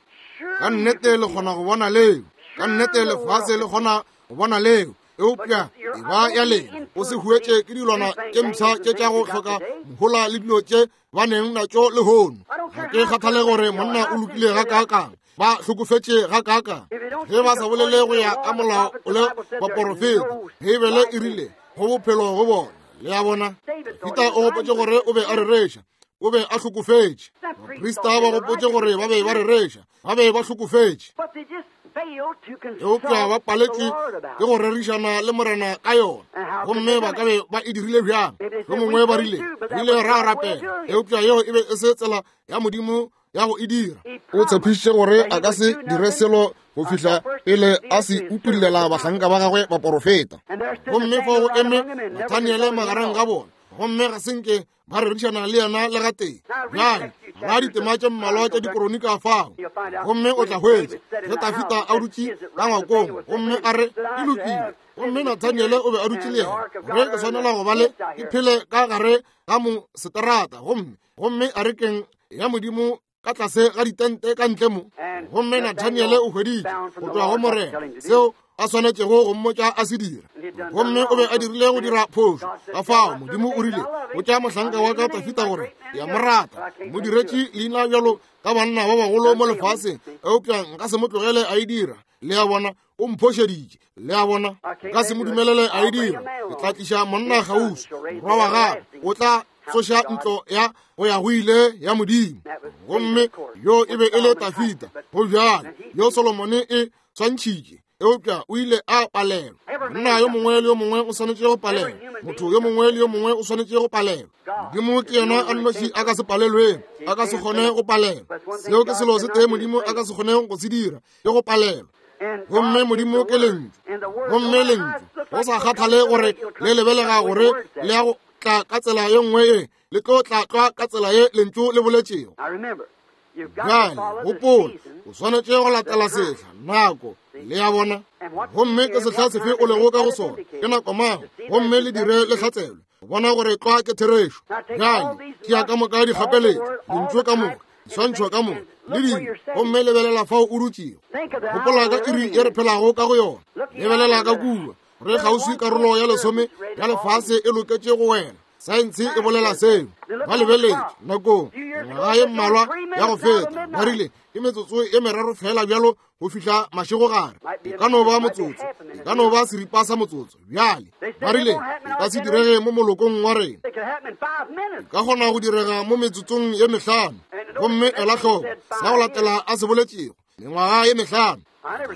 Ka nnete le kgona go bona leo, ka nnete lefase le kgona go bona leo, eupša e ba ya lena. O se huetše ke dilwana tše mpsha tše tša go hloka mohola le dilo tše ba neng natšo lehono. Ga ke kgathale gore monna o lokile gakaakang, ba hlokofetše gakaakang, ge ba sa bolele go ya ka molao le baporofeta. Beibele e rile go bophelo go bona. Le a bona, Dafida o gopotše gore o be a rereša, o be a hlokofetše. Baprista ba gopotše gore ba be ba rereša, ba be ba hlokofetše, eupša ba paletšwe ke go rerišana le Morena ka yona. Gomme ba ka be ba e dirile bjang? Yo mongwe ba rile, re ile ra rapela, eupša yeo e be e se tsela ya Modimo ya go e dira. O tshepišitše gore a ka se dire selo go fihla pele a se utullela bahlanka ba gagwe baporofeta. Gomme fao go eme Nathaniele magareng ga bona, gomme ga se nke ba rerišana le yena le gatee. Bjale ba ditema tše mmalwa tša dikoronika fao, gomme o tla hwetša ge Dafida a dutše ka ngwakong gomme a re e lokile, gomme Nathaniele o be a dutše le yena, gore ke swanela go ba le ke phele ka gare ga moseterata, gomme gomme a rekeng ya Modimo ka tlase ga ditente ka ntle mo. Gomme Nathaniele o hweditše go tšwa go Morena seo a swanetšego go mmotša a se dira, gomme o be a dirile go dira phošo. Ka fao Modimo o rile, botša mohlanka wa ka Dafida gore ke a mo rata, mo diretše leina bjalo ka banna ba bagolo mo lefaseng, eupša nka se mo tlogele a e dira. Le a bona, o mphošeditše. Le a bona, nka se mo dumelele a e dira. Ke tla tliša monna kgauswi, morwa wa gagwe, o tla tsoša ntlo ya go ya go ile ya Modimo. Gomme yo e be e le Dafida, go bjalo yo Solomone e swantšhitše, eupša o ile a palelwa. Monna yo mongwe le yo mongwe o swanetše go palelwa, motho yo mongwe le yo mongwe o swanetše go palelwa. Modimo ke yena a nnoši a ka se palelweng, a ka se kgone go palelwa. Seo ke selo se tee Modimo a ka se kgoneng go se dira, ke go palelwa. Gomme Modimo ke lentšu, gomme lentšu go sa kgathale gore le lebelega gore le ya go tla ka tsela ye nngwe ye, le tlo tla tlwa ka tsela ye lentšu le boletšego. Bjale gopola, o swanetše go latela sehla, nako. Le a bona, gomme ke sehla sefe o lego ka go sona, ke nako mang, gomme le dire le hlatselwe go bona gore tlwa ke therešo. Bjale tšea ka moka dikgapeletšo, lentšu ka moka, diswantšho ka moka le dilo, gomme lebelela fao o dutšego. Gopola ka iri ye re phelago ka go yona. Lebelela ka kua, re kgauswi karolo ya lesome ya lefase e loketše go wela. Saense e bolela seo. Ba lebeletše nakong ngwaga ye mmalwa ya go feta, ba rile ke metsotso ye meraro fela bjalo go fihla mašegogare. E ka no ba motsotso, e ka no ba seripa sa motsotso. Bjale ba rile e ka se direge mo molokong wa rena, e ka kgona go direga mo metsotsong ye mehlano. Gomme ela hloko sa go latela a se boletšego, mengwaga ye mehlano.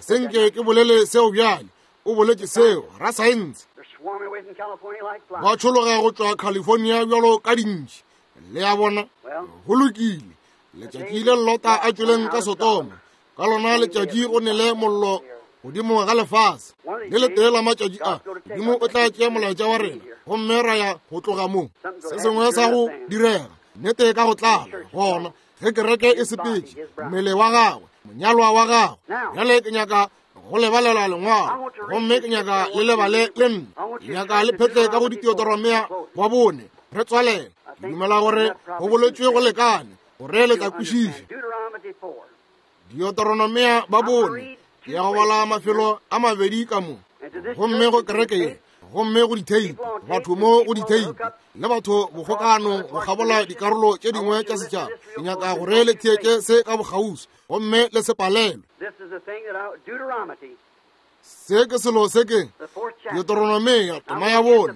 Senke ke bolele seo bjale, o boletše seo rasaense. Ba tšhologa go tšwa California bjalo ka dintši. Le a bona, go lokile. Letšatši le Lota a tšweleng ka Sodoma, ka lona letšatši go nele mollo godimo ga lefase. Le letee la matšatši a, Modimo o tla tšea molaetša wa rena gomme ra ya go tloga mo. Se sengwe sa go direga nnete ka go tlala gona ge kereke e sepetše, mmele wa gagwe, monyalwa wa gagwe. Bjale ke nyaka go lebalela lengwalo, gomme ke nyaka le lebale le nna. Ke nyaka le phetle ka go Deuteronomia wa bone re tswalele. Ke dumela gore go boletswe go lekane gore le tla kwešiša. Deuteronomia ba bone, ke ya go bala mafelo a mabedi ka mo, gomme go kereke ye, gomme go ditheipi, batho mo go ditheipi le batho bokgokano go kgabola dikarolo tše dingwe tša setšhaba. Ke nyaka gore le theetše se ka bokgauswi gomme le se palelwe. Se ke selo se ke Deuteronomia tema ya bone.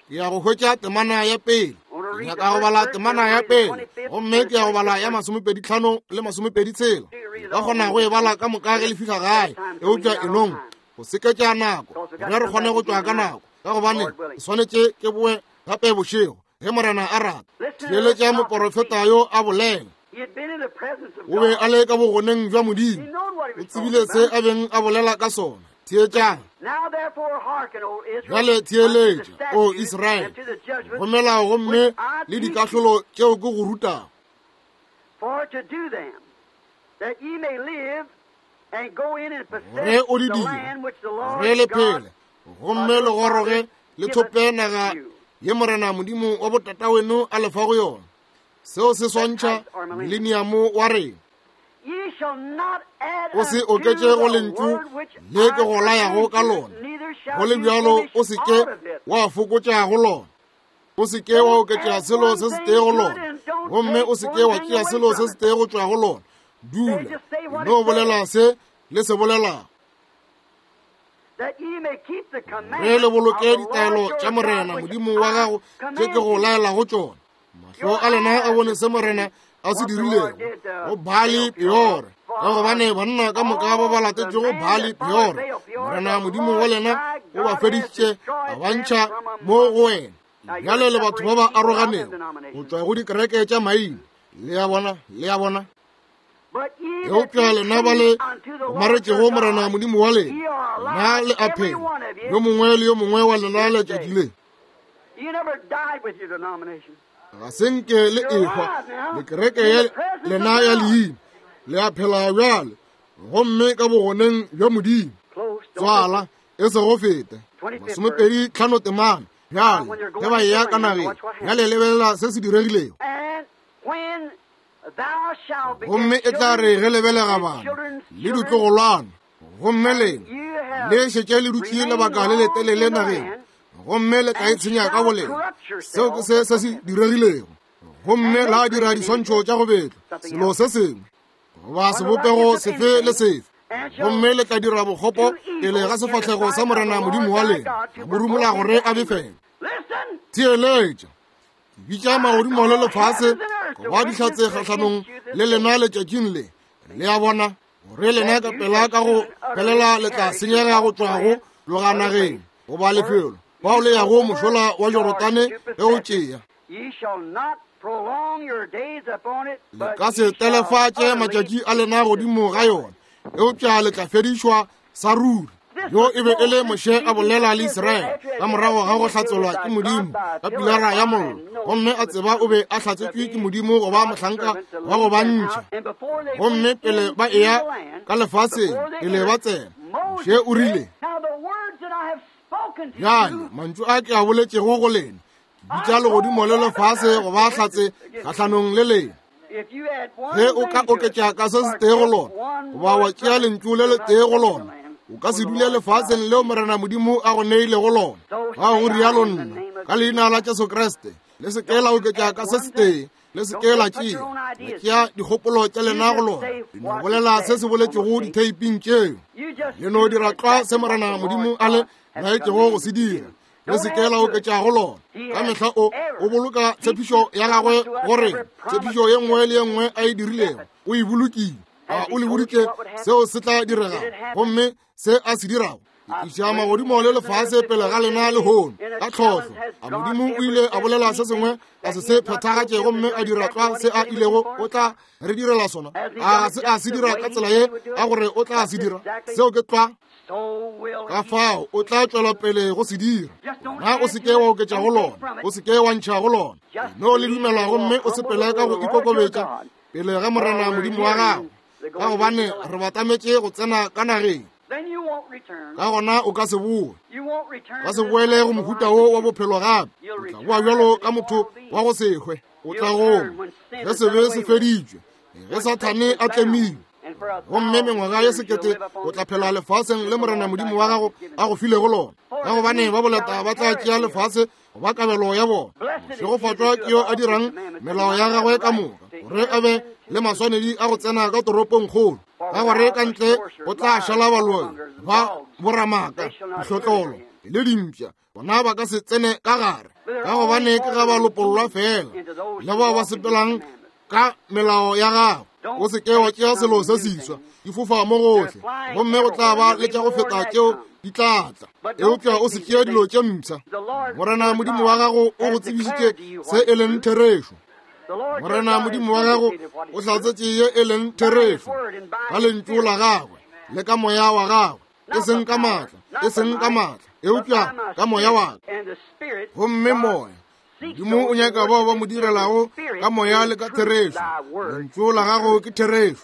Ke ya go hwetša temana ya pele. Ke nyaka go bala temana ya pele, gomme ke ya go bala ya masomepedi tlhano le masomepedi tshela. Ka kgona go e bala ka moka ge le fihla gae, eupša enong go seketša nako gore re kgone go tšwa ka nako, ka gobane ke swanetše ke boe gape bošego ge Morena a rata. Theeletša moporofeta yo a bolela. O be a le ka bogoneng bja Modimo, o tsebile se a beng a bolela ka sona. Theetšang bjale, theeletša o Israele, go melao gomme le dikahlolo tšeo ke go rutago, gore o di dire, gore le phele, gomme le goroge le thope naga ye Morena Modimo wa botataweno a lefa go yona. Seo se swantšha mileniamo wa rena. O se oketše go lentšu le ke go layago ka lona, go le bjalo o se ke wa fokotša go lona. O se ke wa oketša selo se setee go lona, gomme o se ke wa tšea selo se setee go tšwa go lona. Dula no bolela se le se bolelago, re le boloke ditaelo tša Morena Modimo wa gago tše ke go laelago tšona. Mahlo a lena a bone se Morena a se dirilego go Baali Peore, ka gobane banna ka moka ba ba latetšego Baali Peore, Morena Modimo wa lena o ba fedišitše a ba ntšha mo go wena. Bjale le batho ba ba aroganego go tšwa go dikereke tša maina. Le a bona, le a bona. Eupša lena ba le gomaretšego Morena Modimo wa lena, lena le a phela, yo mongwe le yo mongwe wa lena letšatši le. Ga se nke le ehwa le kereke ya lena ya leina, le a phela bjale, gomme ka bogoneng bja Modimo. Tswala e se go fete masomepedi tlhano temana. Bjale ge ba eya ka nageng, bjale lebelela se se diregilego. Gomme e tla re ge lebelega bana le ditlogolwana, gomme lena le šetše le dutše lebaka le letelele nageng, gomme le tla itshenya ka bolena. Seo ke se se se diregilego. Gomme la dira diswantšho tša go betlwa selo se sengwe goba sebopego sefe le sefe, gomme le tla dira bokgopo pele ga sefahlego sa Morena Modimo wa lena, mo rumola gore a befele. Theeletša, ke bitša magodimo le lefase go ba dihlatse kgahlanong le lena letšatšing le. Le a bona gore lena ka pela ka go felela le tla senyega go tšwa go tloga nageng goba lefelo bao le yago mošola wa Jorodane ge o tšea. Le ka se telefatše matšatši a lena godimo ga yona, eupša le tla fedišwa sa ruri. Yo e be e le Moshe a bolela le Israele ka morago ga go hlatselwa ke Modimo ka pilara ya mollo, gomme a tseba o be a hlatsetšwe ke Modimo go ba mohlanka wa go ba ntšha. Gomme pele ba eya ka lefaseng, pele ba tsena, Moshe o rile, bjale mantšu a ke a boletšego go lena, ke bitša legodimo le lefase go ba hlatse kgahlanong le lena. Ge o ka oketša ka se setee go lona, goba wa tšea lentšu le letee go lona, o ka se dule lefaseng leo Morena Modimo a go neilego lona. Ga go rialo nna, ka leina la Jesu Kriste, le se ke la oketša ka se setee, le se ke la tšea la tšea dikgopolo tša lena go lona. Le no bolela se se boletšego ditheiping tšeo, le no dira tlwa se Morena Modimo a le laetšego go se dira, le se ke la oketša go lona. Ka mehla o o boloka tshepišo ya gagwe gore tshepišo ye nngwe le ye nngwe a e dirilego o e bolokile. A o le boditše seo se tla direga, gomme se a se dirago. Ke iša magodimo le lefase pele ga lena lehono ka tlhohlo. A Modimo o ile a bolela se sengwe a se se phethagatše gomme a dira tlwa se a ilego o tla re direla sona? A se a se dira ka tsela ye a gore o tla se dira? Seo ke tlwa. Ka fao o tla tšwela pele go se dira. Na o se ke wa oketša go lona, o se ke wa ntšha go lona. No le dumela gomme o sepele ka go ikokobetša pele ga Morena Modimo wa gago, ka gobane re batametše go tsena ka nageng. Ka gona o ka se boe, ka se boele go mohuta wo wa bophelo gape. O tla boa bjalo ka motho wa go se hwe. O tla goma ge sebe se feditšwe, ge Sathane a tlemilwe, gomme mengwaga ye sekete o tla phela lefaseng le Morena Modimo wa gago a go filego lona. Ka gobane ba boleta ba tla tšea lefase go ba kabelo ya bona. Šegofatšwa ke yo a dirang melao ya gagwe ka moka, gore a be le maswanedi a go tsena ka toropong kgolo. Ka gore ka ntle go tla šala baloi ba boramaka, dihlotlolo le dimpša, bona ba ka se tsene ka gare, ka gobane ke ga ba lopollwa fela le bao ba sepelang ka melao ya gago. O se ke wa tšea selo se seswa, di fofa mo gohle, gomme go tla ba le tša go feta tšeo di tla tla. Eupša o se tšee dilo tše mpsha. Morena Modimo wa gago o go tsebišitše se e leng therešo. Morena Modimo wa gago o hlatsetše ye e leng therešo ka lentšu la gagwe le ka moya wa gagwe, e seng ka maatla, e seng ka maatla, eupša ka moya wa ka. Gomme moya Modimo o nyaka bao ba mo direlago ka moya le ka therešo. Lentšu la gago ke therešo.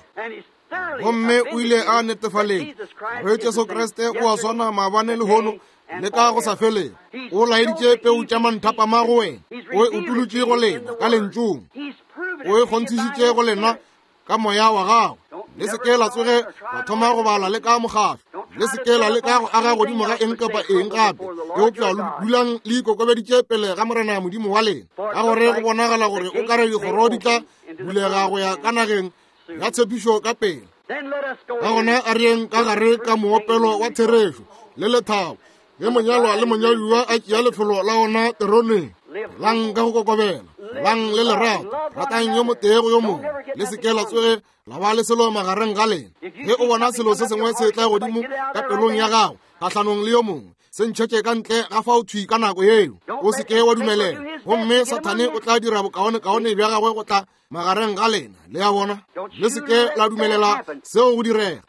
Gomme o ile a netefaletša gore Jesu Kriste o a swana maabane lehono le ka go sa felego. O laeditše peu tša manthapama go wena, o e utolotše go lena ka lentšung, o e kgonthišitše go lena ka moya wa gago. Le se ke la tsoge la thoma go bala le ka mokgahlo, le se ke la leka go aga godimo ga eng kapa eng gape, eupša dulang le ikokobeditše pele ga Morena Modimo wa lena, ka gore go bonagala gore o kare dikgoro di tla bulega go ya ka nageng ya tshepišo ka pele. Ka gona a re yeng ka gare ka moopelo wa therešo le lethabo, ge monyalwa le monyadiwa a tšea lefelo la ona teroneng. Lang ka go kokobela, lang le lerato, ratang yo motee go yo mongwe, le se ke la tsoge la ba le selo magareng ga lena. Ge o bona selo se sengwe se tla godimo ka pelong ya gago kgahlanong le yo mongwe, se ntšhetše ka ntle ga fao thwi ka nako yeo. O se ke wa dumelela, gomme Sathane o tla dira bokaonekaone bja gagwe go tla magareng ga lena. Le a bona? Le se ke la dumelela seo go direga.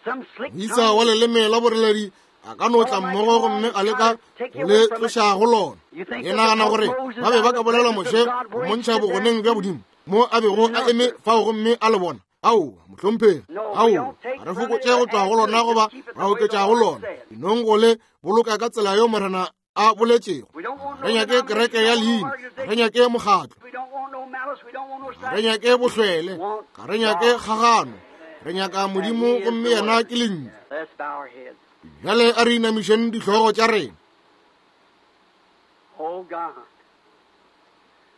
Moisa wa leleme la boreledi a ka no tla mmogo gomme a leka go le tloša go lona. Ke nagana gore ba be ba ka bolela Moshe go montšha bogoneng bja Modimo mo a bego a eme fao gomme a le bona. Aowa, mohlomphegi, aowa, ga re fokotše go tšwa go lona goba ra oketša go lona. Dinong go le boloka ka tsela yo Morena a boletšego. Re nyake kereke ya leina, ga re nyake mokgatlo, ga re nyake bohlwele, ga re nyake kgagano. Re nyaka Modimo gomme yena ke lentšu. Bjale a re inamišeng dihlogo tša rena.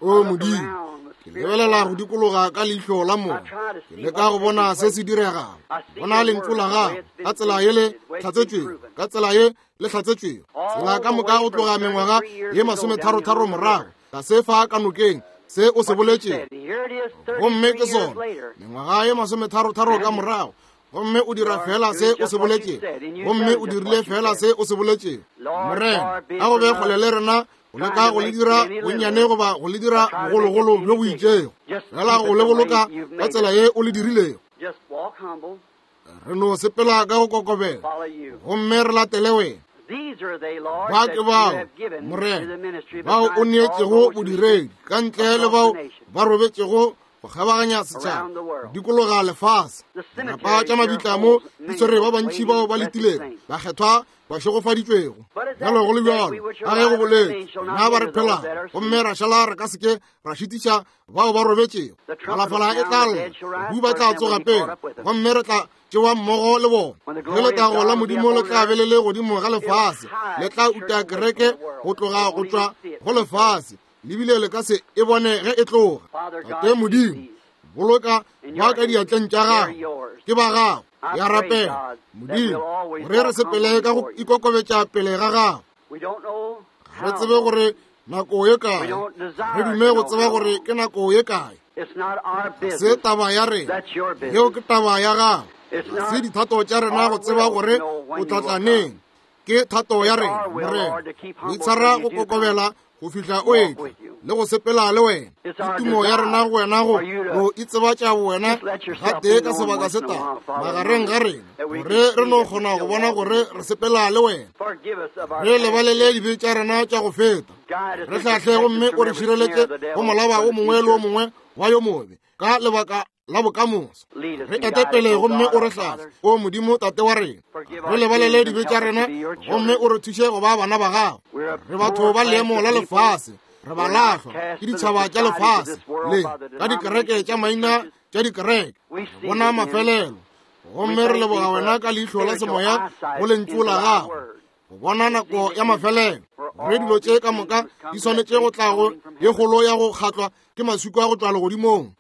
O Modimo, ke lebelela go dikologa ka leihlo la moya, ke leka go bona se se diregago. Bona lentšu la gago ka tsela ye le hlatsetšwego, ka tsela ye le hlatsetšwego, tsela ka moka go tloga mengwaga ye masometharo-tharo morago, ka se fa ka nokeng se o se boletšego. Gomme ke sona mengwaga ye masometharo-tharo ka morago, gomme o dira fela se o se boletšego, gomme o dirile fela se o se boletšego. Morena, a go be kgole le rena go leka go le dira bonnyane goba go le dira bogologolo bjo bo itšego, fela go le boloka ka tsela ye o le dirilego. Re no sepela ka go kokobela gomme re latele wena. Ba ke bao, Morena, bao o neetšego bodiredi ka ntle le bao ba robetšego go kgabaganya setšhaba, dikologa lefase. Dirapa tša mabitla mo di swere ba bantši bao ba letilego, bakgethwa ba šegofaditšwego. Bjalo go le bjalo, ka ge go boletše, rena ba re phelago gomme ra šala re ka se ke ra šitiša bao ba robetšego. Phalafala e tla lla, bahu ba tla tsoga pele, gomme re tla tšewa mmogo le bona. Ge letago la Modimo le tla be le le godimo ga lefase, le tla uta kereke go tloga go tšwa go lefase, lebile le ka se e bone ge e tloga. Tate Modimo, boloka ba ka diatleng tša gago, ke ba gago. Ya rapela Modimo gore re sepele ka go ikokobetša pele ga gago. Ga re tsebe gore nako ye kae, re dume go tseba gore ke nako ye kae. Se taba ya rena, yeo ke taba ya gago. Se dithato tša rena go tseba gore o tla tla neng. Ke thato ya rena, Morena, go itshwara go kokobela go fihla o etla le go sepela le wena. Ke tumo ya rena go wena go go itsebatša wena gatee ka sebaka se tala magareng ga rena, gore re no kgona go bona gore re sepela le wena. Re lebalele dibe tša rena tša go feta, re hlahle gomme o re šireletše go molaba o mongwe le o mongwe wa yo mobe ka lebaka la bokamoso. Re ete pele gomme o re hlahle, o Modimo Tate wa rena. Re lebalele dibe tša rena gomme o re thuše go ba bana ba gago. Re batho ba leemo la lefase, re ba lahlwa ke ditšhaba tša lefase le ka dikereke tša maina tša dikereke. Bona mafelelo, gomme re leboga wena ka leihlo la semoya go lentšu la gago, go bona nako ya mafelelo. Gore dilo tše ka moka di swanetše go tla go ye kgolo ya go kgatlwa ke maswika a go tšwa legodimong.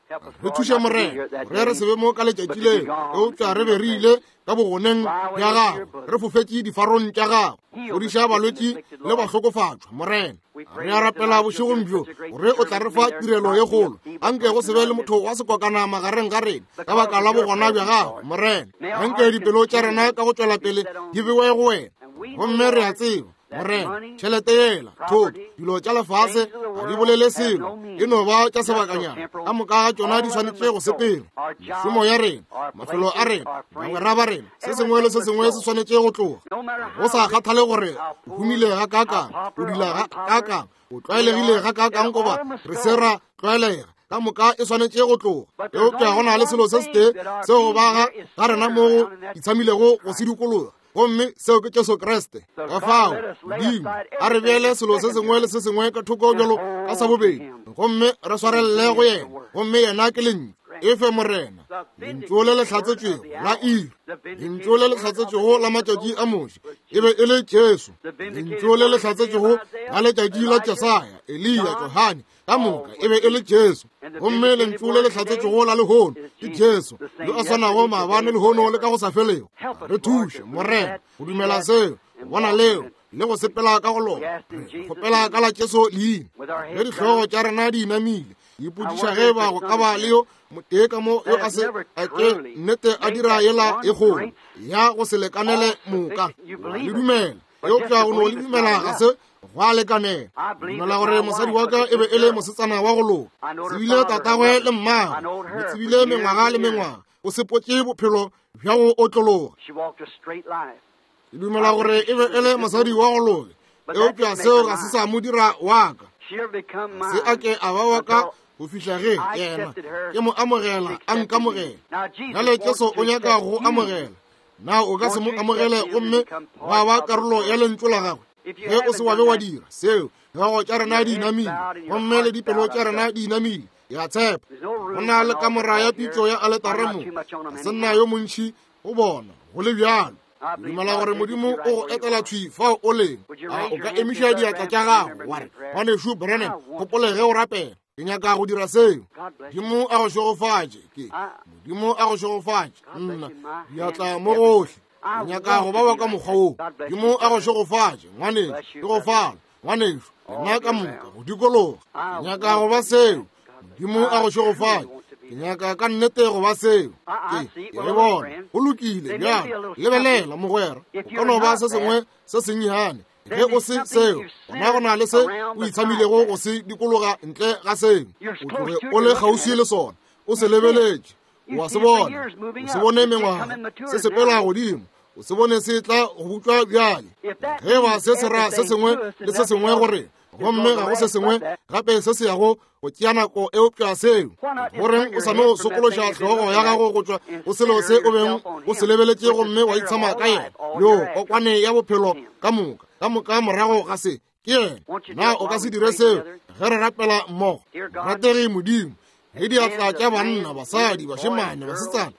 Re thuše Morena gore re se be mo ka letšatši leo, eupša re be re ile ka bogoneng bja gago, re fofetše difarong tša gago. Fodiša balwetši le bahlokofatšwa, Morena. Re a rapela bošegong bjo gore o tla re fa tirelo ye kgolo. Anke go se be le motho wa sekokana magareng ga rena ka baka la bogona bja gago, Morena. Anke dipelo tša rena ka go tšwela pele di bewe go wena, gomme re a tseba, Morena, tšhelete yela, thoto, dilo tša lefase ga di bolele selo, e no ba tša sebakanyana. Ka moka ga tšona di swanetše go sepela. Mešomo ya rena, mafelo a rena, bagwera ba rena, se sengwe le se sengwe se swanetše go tloga. Go sa kgathale gore o humile gakaakang, o dula gakaakang, o tlwaelegile gakaakang goba re se ra tlwaelega, ka moka e swanetše go tloga. Eupša go na le selo se setee seo go ba ga rena mo go itshamilego go se dikologa, gomme seo ke Jesu Kriste. Ka fao Modimo a re beele selo se sengwe le se sengwe ka thoko bjalo ka sa bobedi, gomme re swarelele go yena, gomme yena ke lentšu. Efe Morena lentšu le le hlatsetšwego la iri, lentšu le le hlatsetšwego la matšatši a Moshe e be e le Jesu, lentšu le le hlatsetšwego la letšatši la Jesaya, Eliya, Johane, ka moka e be e le Jesu, gomme lentšu le le hlatsetšwego la lehono ke Jesu yo a swanago maabane, lehono le ka go sa felego. Re thuše Morena go dumela seo, go bona leo le go sepela ka go lona. Re kgopela ka la Jesu leina. Ge dihlogo tša rena di inamile, ipotšiša ge ba go ka ba le yo motee ka mo yo a se a ke nnete a dira yela e kgolo ya go se lekanele moka. Le dumela, eupša go no le dumela ga se gwa lekanela. Dumela gore mosadi wa ka e be e le mosetsana wa go loka, tsebile tatagwe le mmagwe, mo tsebile mengwaga le mengwaga, o sepotše bophelo bja go otlologa. Ke dumela gore e be e le mosadi wa go loka, eupša seo ga se sa mo dira wa ka. Se a ke a ba wa ka go fihla ge yena ke mo amogela, a nkamogela. Bjale Jesu o nyaka go amogela. Na o ka se mo amogele gomme wa ba karolo ya lentšu la gagwe? Ge o se wa be wa dira seo, dihlogo tša rena di inamile gomme le dipelo tša rena di inamile. Ke a tshepa go na le kamora ya pitšo ya aletare mo, ga se nna yo montši go bona go le bjalo. Dumela gore Modimo o go etela thwi fao o leng. A o ka emiša diatla tša gago wa re, Ngwanešu Branham, gopole ge o rapela, ke nyaka go dira seo. Modimo a go šegofatše. Ke Modimo a go šegofatše. Nna diatla mo gohle, ke nyaka go ba wa ka mokgwa wo. Modimo a go šegofatše, ngwanešu. Ke go fala, ngwanešu, lena ka moka go dikologa. Ke nyaka go ba seo. Modimo a go šegofatše. Ke nyaka ka nnete go ba seo. Ke ke e bona. Go lokile bjalo. Lebelela mogwera, o ka no ba se sengwe se sennyane. Ge o se seo, gona go na le se o itshamilego go se dikologa ntle ga seo. O tloge o le kgauswi le sona, o se lebeletše, o a se bona, o se bone mengwaga se sepela godimo, o se bone se tla go butšwa bjale. Ge ba se se ra se sengwe le se sengwe gore, gomme ga go se sengwe gape se se yago go tšea nako eupša seo. Goreng o sa no sokološa hlogo ya gago go tšwa go selo se o beng o se lebeletše gomme wa itshama ka yena yo kokwane ya bophelo ka moka, ka moka morago ga se ke yena. Na o ka se dire seo ge re rapela mmogo? Rategi Modimo, ge diatla tša banna, basadi, bašemane, basetsana,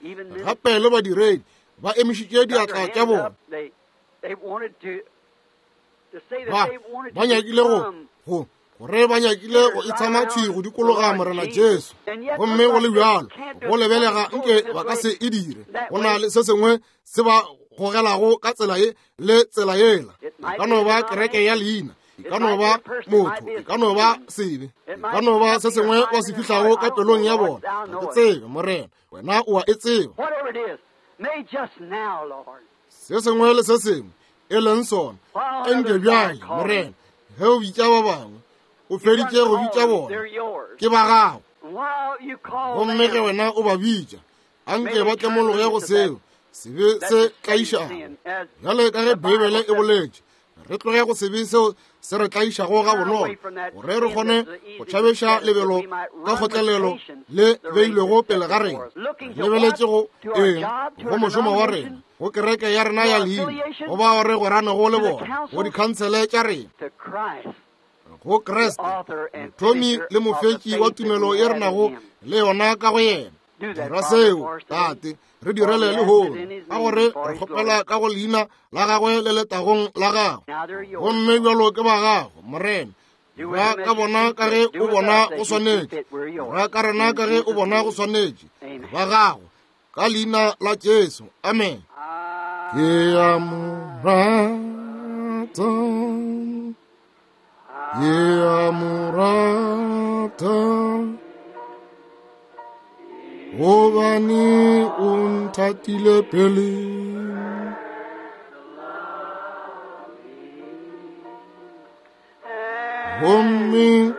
gape le badiredi ba emišitše diatla tša bona, ba ba nyakile go go gore ba nyakile go itshama thwi go dikologa Morena Jesu, gomme go le bjalo go lebelega nke ba ka se e dire. Go na le se sengwe se ba gogelago ka tsela ye le tsela yela. E ka no ba kereke ya leina, e ka no ba motho, e ka no ba sebe, e ka no ba se sengwe ba se fihlago ka pelong ya bona. Ga ke tsebe, Morena, wena o a e tseba. Se sengwe le se sengwe e leng sona. Enke bjale, Morena, ge o bitša ba bangwe, o feditše go bitša bona, ke ba gago. Gomme ge wena o ba bitša, anke ba tlemologe go seo sebe se tlaišago. Bjale ka ge Beibele e boletše, re tloge go sebe seo se re tlaišago ga bonolo, gore re kgone go tšhabeša lebelo ka kgotlelelo le beilwego pele ga rena. Lebeletše go eng? Go mošomo wa rena, go kereke ya rena ya leina, go bao re gweranego le bona, go dikhansele tša rena, go Kriste, mothomi le mofetši wa tumelo ye re nago le yona ka go yena. Dira seo, Tate, re direle lehono, ka gore re kgopela ka go leina la gagwe le letagong la gagwe. Gomme bjalo ke ba gago, Morena, dira ka bona ka ge o bona go swanetše, dira ka rena ka ge o bona go swanetše, ba gago, ka leina la Jesu. Amen. Ke a mo rata, ke a mo rata, gobane o nthatile pele. Gomme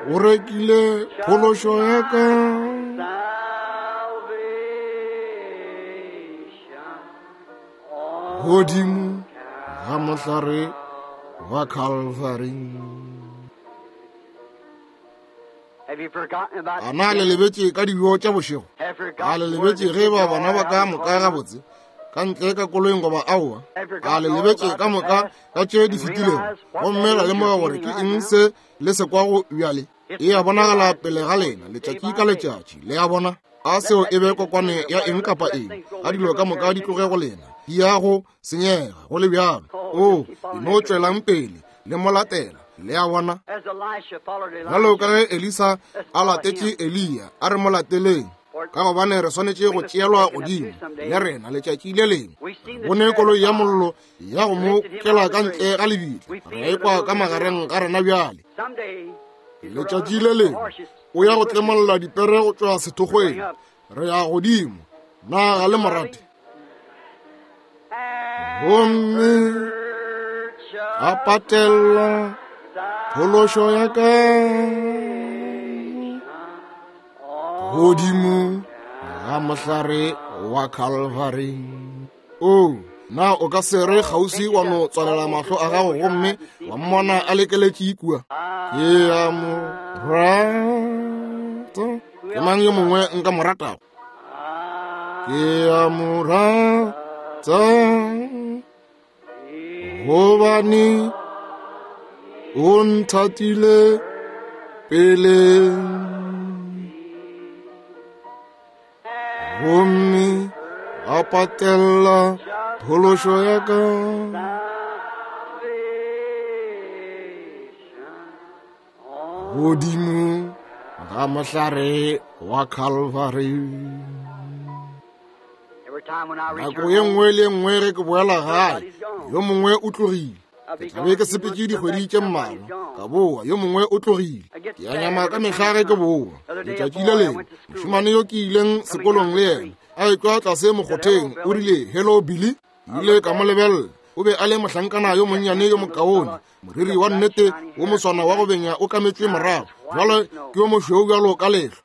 o rekile phološo ya ka godimo ga mohlare wa Calvary. A na le lebetše ka dijo tša bošego? A le lebetše ge ba bana ba ka moka gabotse ka ntle ka koloing goba aowa? A le lebetše ka moka ka tše di fetilego, gomme la lemoga gore ke eng se le se kwago bjale? E a bonagala pele ga lena letšatši ka letšatši. Le a bona? A seo e be kokwane ya eng kapa eng, a dilo ka moka di tloge go lena, di ya go senyega go le bjalo. O e no tšwelang pele le mo latela. Le a bona? Bjalo ka ge Elisa a latetše Eliya, a re mo lateleng, ka gobane re swanetše go tšeelwa godimo le rena letšatši le lengwe. Bone koloi ya mollo ya go mo kela ka ntle ga lebitla, re ekwa ka magareng ga rena bjale. Letšatši le lengwe o ya go tlemolla dipere go tšwa sethokgweng, re ya godimo. Na ga le morate? Gomme a patela phološo ya ka godimo ga mohlare wa Calvary. O na o ka se re kgauswi wa no tswalela mahlo a gago gomme wa mmona a lekeletše kua? Ke a mo rata. Ke mang yo mongwe nka mo ratago? Ke a mo rata, gobane o nthatile pele. Gomme a patela phološo ya ka godimo ga mohlare wa Calvary. Nako ye nngwe le nngwe ge ke boela gae, yo mongwe o tlogile. Ke tla be ke sepetše dikgwedi tše mmalwa, ka boa, yo mongwe o tlogile. Ke a nyama ka mehla ge ke boa. Letšatši le lengwe, mošemane yo ke ileng sekolong le yena a etšwa tlase mokgotheng, o rile, "Hello Billy." Ke ile ka mo lebelela. O be a le mohlankana yo monnyane yo mokaone, moriri wa nnete wo moswana wa go benya o kametšwe morago, jwale ke yo mošweu bjalo ka lehlwa.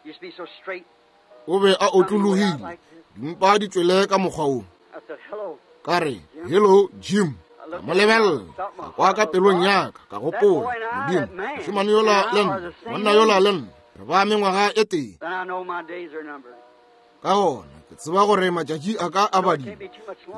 O be a otlologile, dimpa di tšwele ka mokgwa wo. Ka re, "Hello Jim." Ka mo lebelela, ka kwa ka pelong ya ka, ka gopola, Modimo, mošemane yola le nna, monna yola le nna, re ba mengwaga e tee. Ka gona ke tseba gore matšatši a ka a badile, ke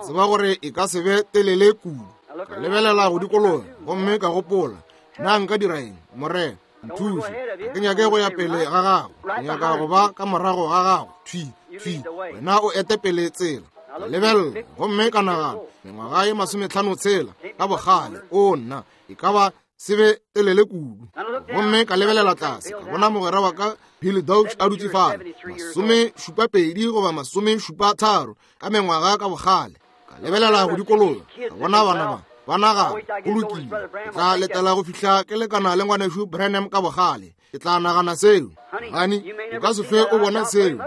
tseba gore e ka se be telele kudu. Ka lebelela go dikologa gomme ka gopola, na nka dira eng? Morena, nthuše. Ga ke nyake go ya pele ga gago, ke nyaka go ba ka morago ga gago. Thwi, thwi, wena o ete pele tsela. Ka lebelela gomme ka nagana, mengwaga ye masometlhano tshela ka bogale, o nna, e ka ba se be telele kudu. Gomme ka lebelela tlase, ka bona mogwera wa ka Billy Dauch a dutše fale, masome šupa pedi goba masome šupa tharo ka mengwaga ka bogale. Ka lebelela go dikologa, ka bona bana ba ba nagana, go lokile, ke tla letela go fihla ke lekana le ngwanešu Branham ka bogale. Ke tla nagana seo. Gane o ka se hlwe o bona seo.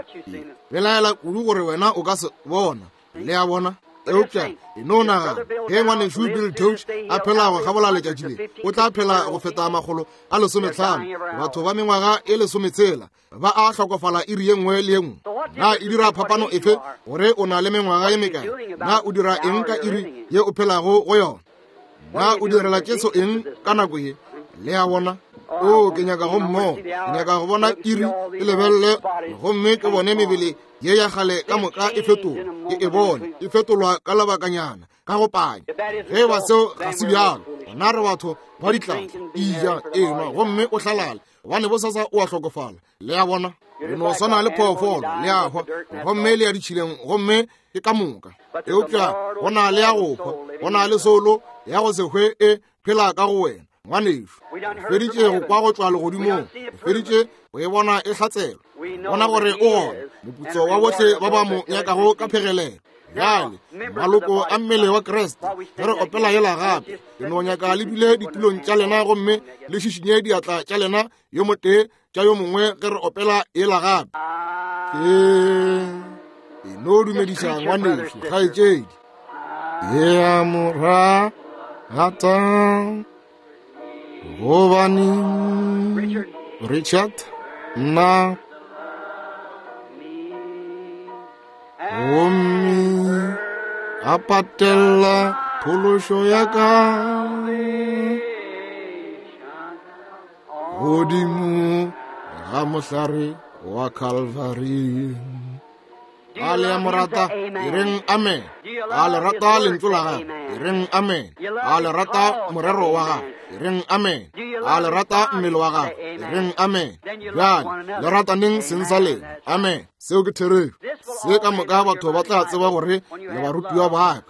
Belaela kudu gore wena o ka se bona. Le a bona? Eupša e no nagana, ge ngwanešu Bill Touch a phela go kgabola letšatši le, o tla phela go feta makgolo a lesometlhano. Batho ba mengwaga e lesometshela ba a hlokofala iri ye nngwe le ye nngwe. Na e dira phapano efe gore o na le mengwaga ye mekae? Na o dira eng ka iri ye o phelago go yona? Na o direla Jesu eng ka nako ye? Le a bona? O, ke nyaka go mmogo, ke nyaka go bona iri e lebelele, gomme ke bone mebele ye ya kgale ka moka e fetolwa, ke e bone e fetolwa ka lebakanyana, ka go panya. Ge ba seo ga se bjalo, gona re batho ba ditlatla, eja, enwa, gomme o hlalale, gobane bosasa o a hlokofala. Le a bona? Re no swana le phoofolo, le a hwa, gomme le ya ditšhileng, gomme ke ka moka. Eupša go na le ya go hwa, go na le soulo ya go se hwe e phela ka go wena. Ngwanešu, feditše go kwa go tšwa legodimong, feditše go e bona e hlatselwa, bona gore o gona, moputso wa bohle ba ba mo nyakago ka phegelelo. Bjale maloko a mmele wa Kriste, ge re opela yela gape, ke no nyaka le dule ditulong tša lena gomme le šišinye diatla tša lena yo motee tša yo mongwe ge re opela yela gape. Ke e no dumediša ngwanešu, kgaetšedi. Ke a mo rata gobane Richard nna gomme a patella phološo ya ka godimo ga mohlare wa Calvary. A le a mo rata? E reng amen. A le rata lentšu la gagwe? E reng amen. A le rata morero wa gagwe? E reng amen. A le rata mmele wa gagwe? E reng amen. Bjale le rataneng seng sa lena? Amen. Seo ke therešo. Se ka moka batho ba tla tseba gore le barutiwa ba ka,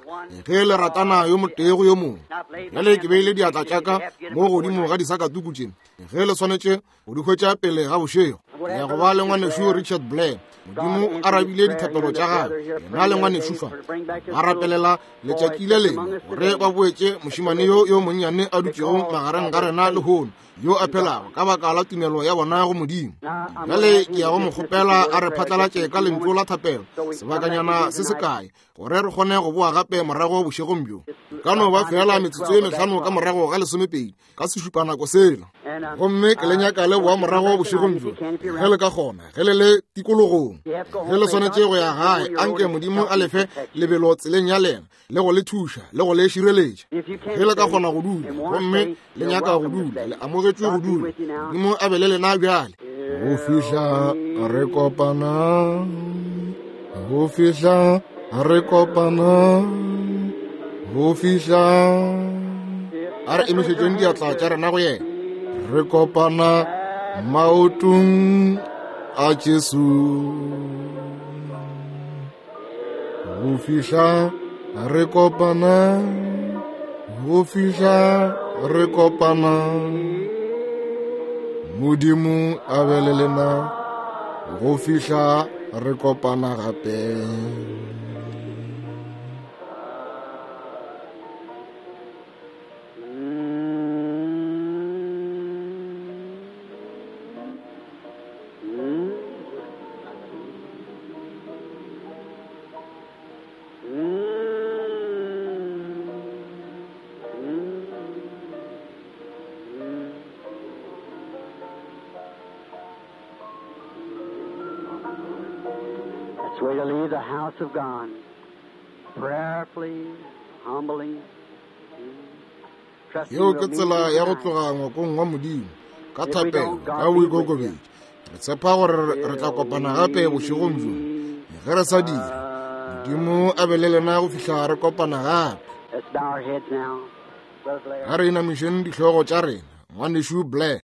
ge le ratana yo motee go yo mongwe. Bjale ke beile diatla tša ka mo godimo ga disakatuku tše, ge le swanetše go di hwetša pele ga bošego. Ke ya go ba le ngwanešu Richard Blair. Modimo o arabile dithapelo tša gagwe, yena le ngwanešu fa ba rapelela letšatši le lengwe gore ba boetše mošemane yo yo monnyane a dutšego magareng ga rena lehono, yo a phelago ka baka la tumelo ya bona go Modimo. Bjale ke ya go mo kgopela a re phatlalatše ka lentšu la thapelo sebakanyana se sekae, gore re kgone go boa gape morago bošegong bjo. Ka no ba fela metsotso e mehlano ka morago ga lesomepedi ka sešupanako sela, gomme ke le nyaka le boa morago bošegong bjo ge le ka kgona, ge le le tikologong. Ge le swanetše go ya gae, anke Modimo a lefe lebelo tseleng ya lena, le go le thuša, le go le šireletša. Ge le ka kgona go dula, gomme le nyaka go dula, le amogetšwe go dula. Modimo a be le lena bjale. Go fihla re kopana, go fihla re kopana, go fihla a re emišetšeng diatla tša rena go yena. Re kopana maotong a Jesu. Go fihla re kopana, go fihla re kopana. Modimo a be le lena go fihla re kopana gape.
Way to leave the house of God, prayerfully, humbly.
Yeo ke tsela ya go tloga ngwakong wa Modimo ka thapelo, ka boikokobetšo. Re tshepa gore re tla kopana gape bošegong bjo. Ge re sa dira, Modimo a be le lena go fihla re kopana gape. A re inamišeng dihlogo tša rena. Ngwanešu Blair.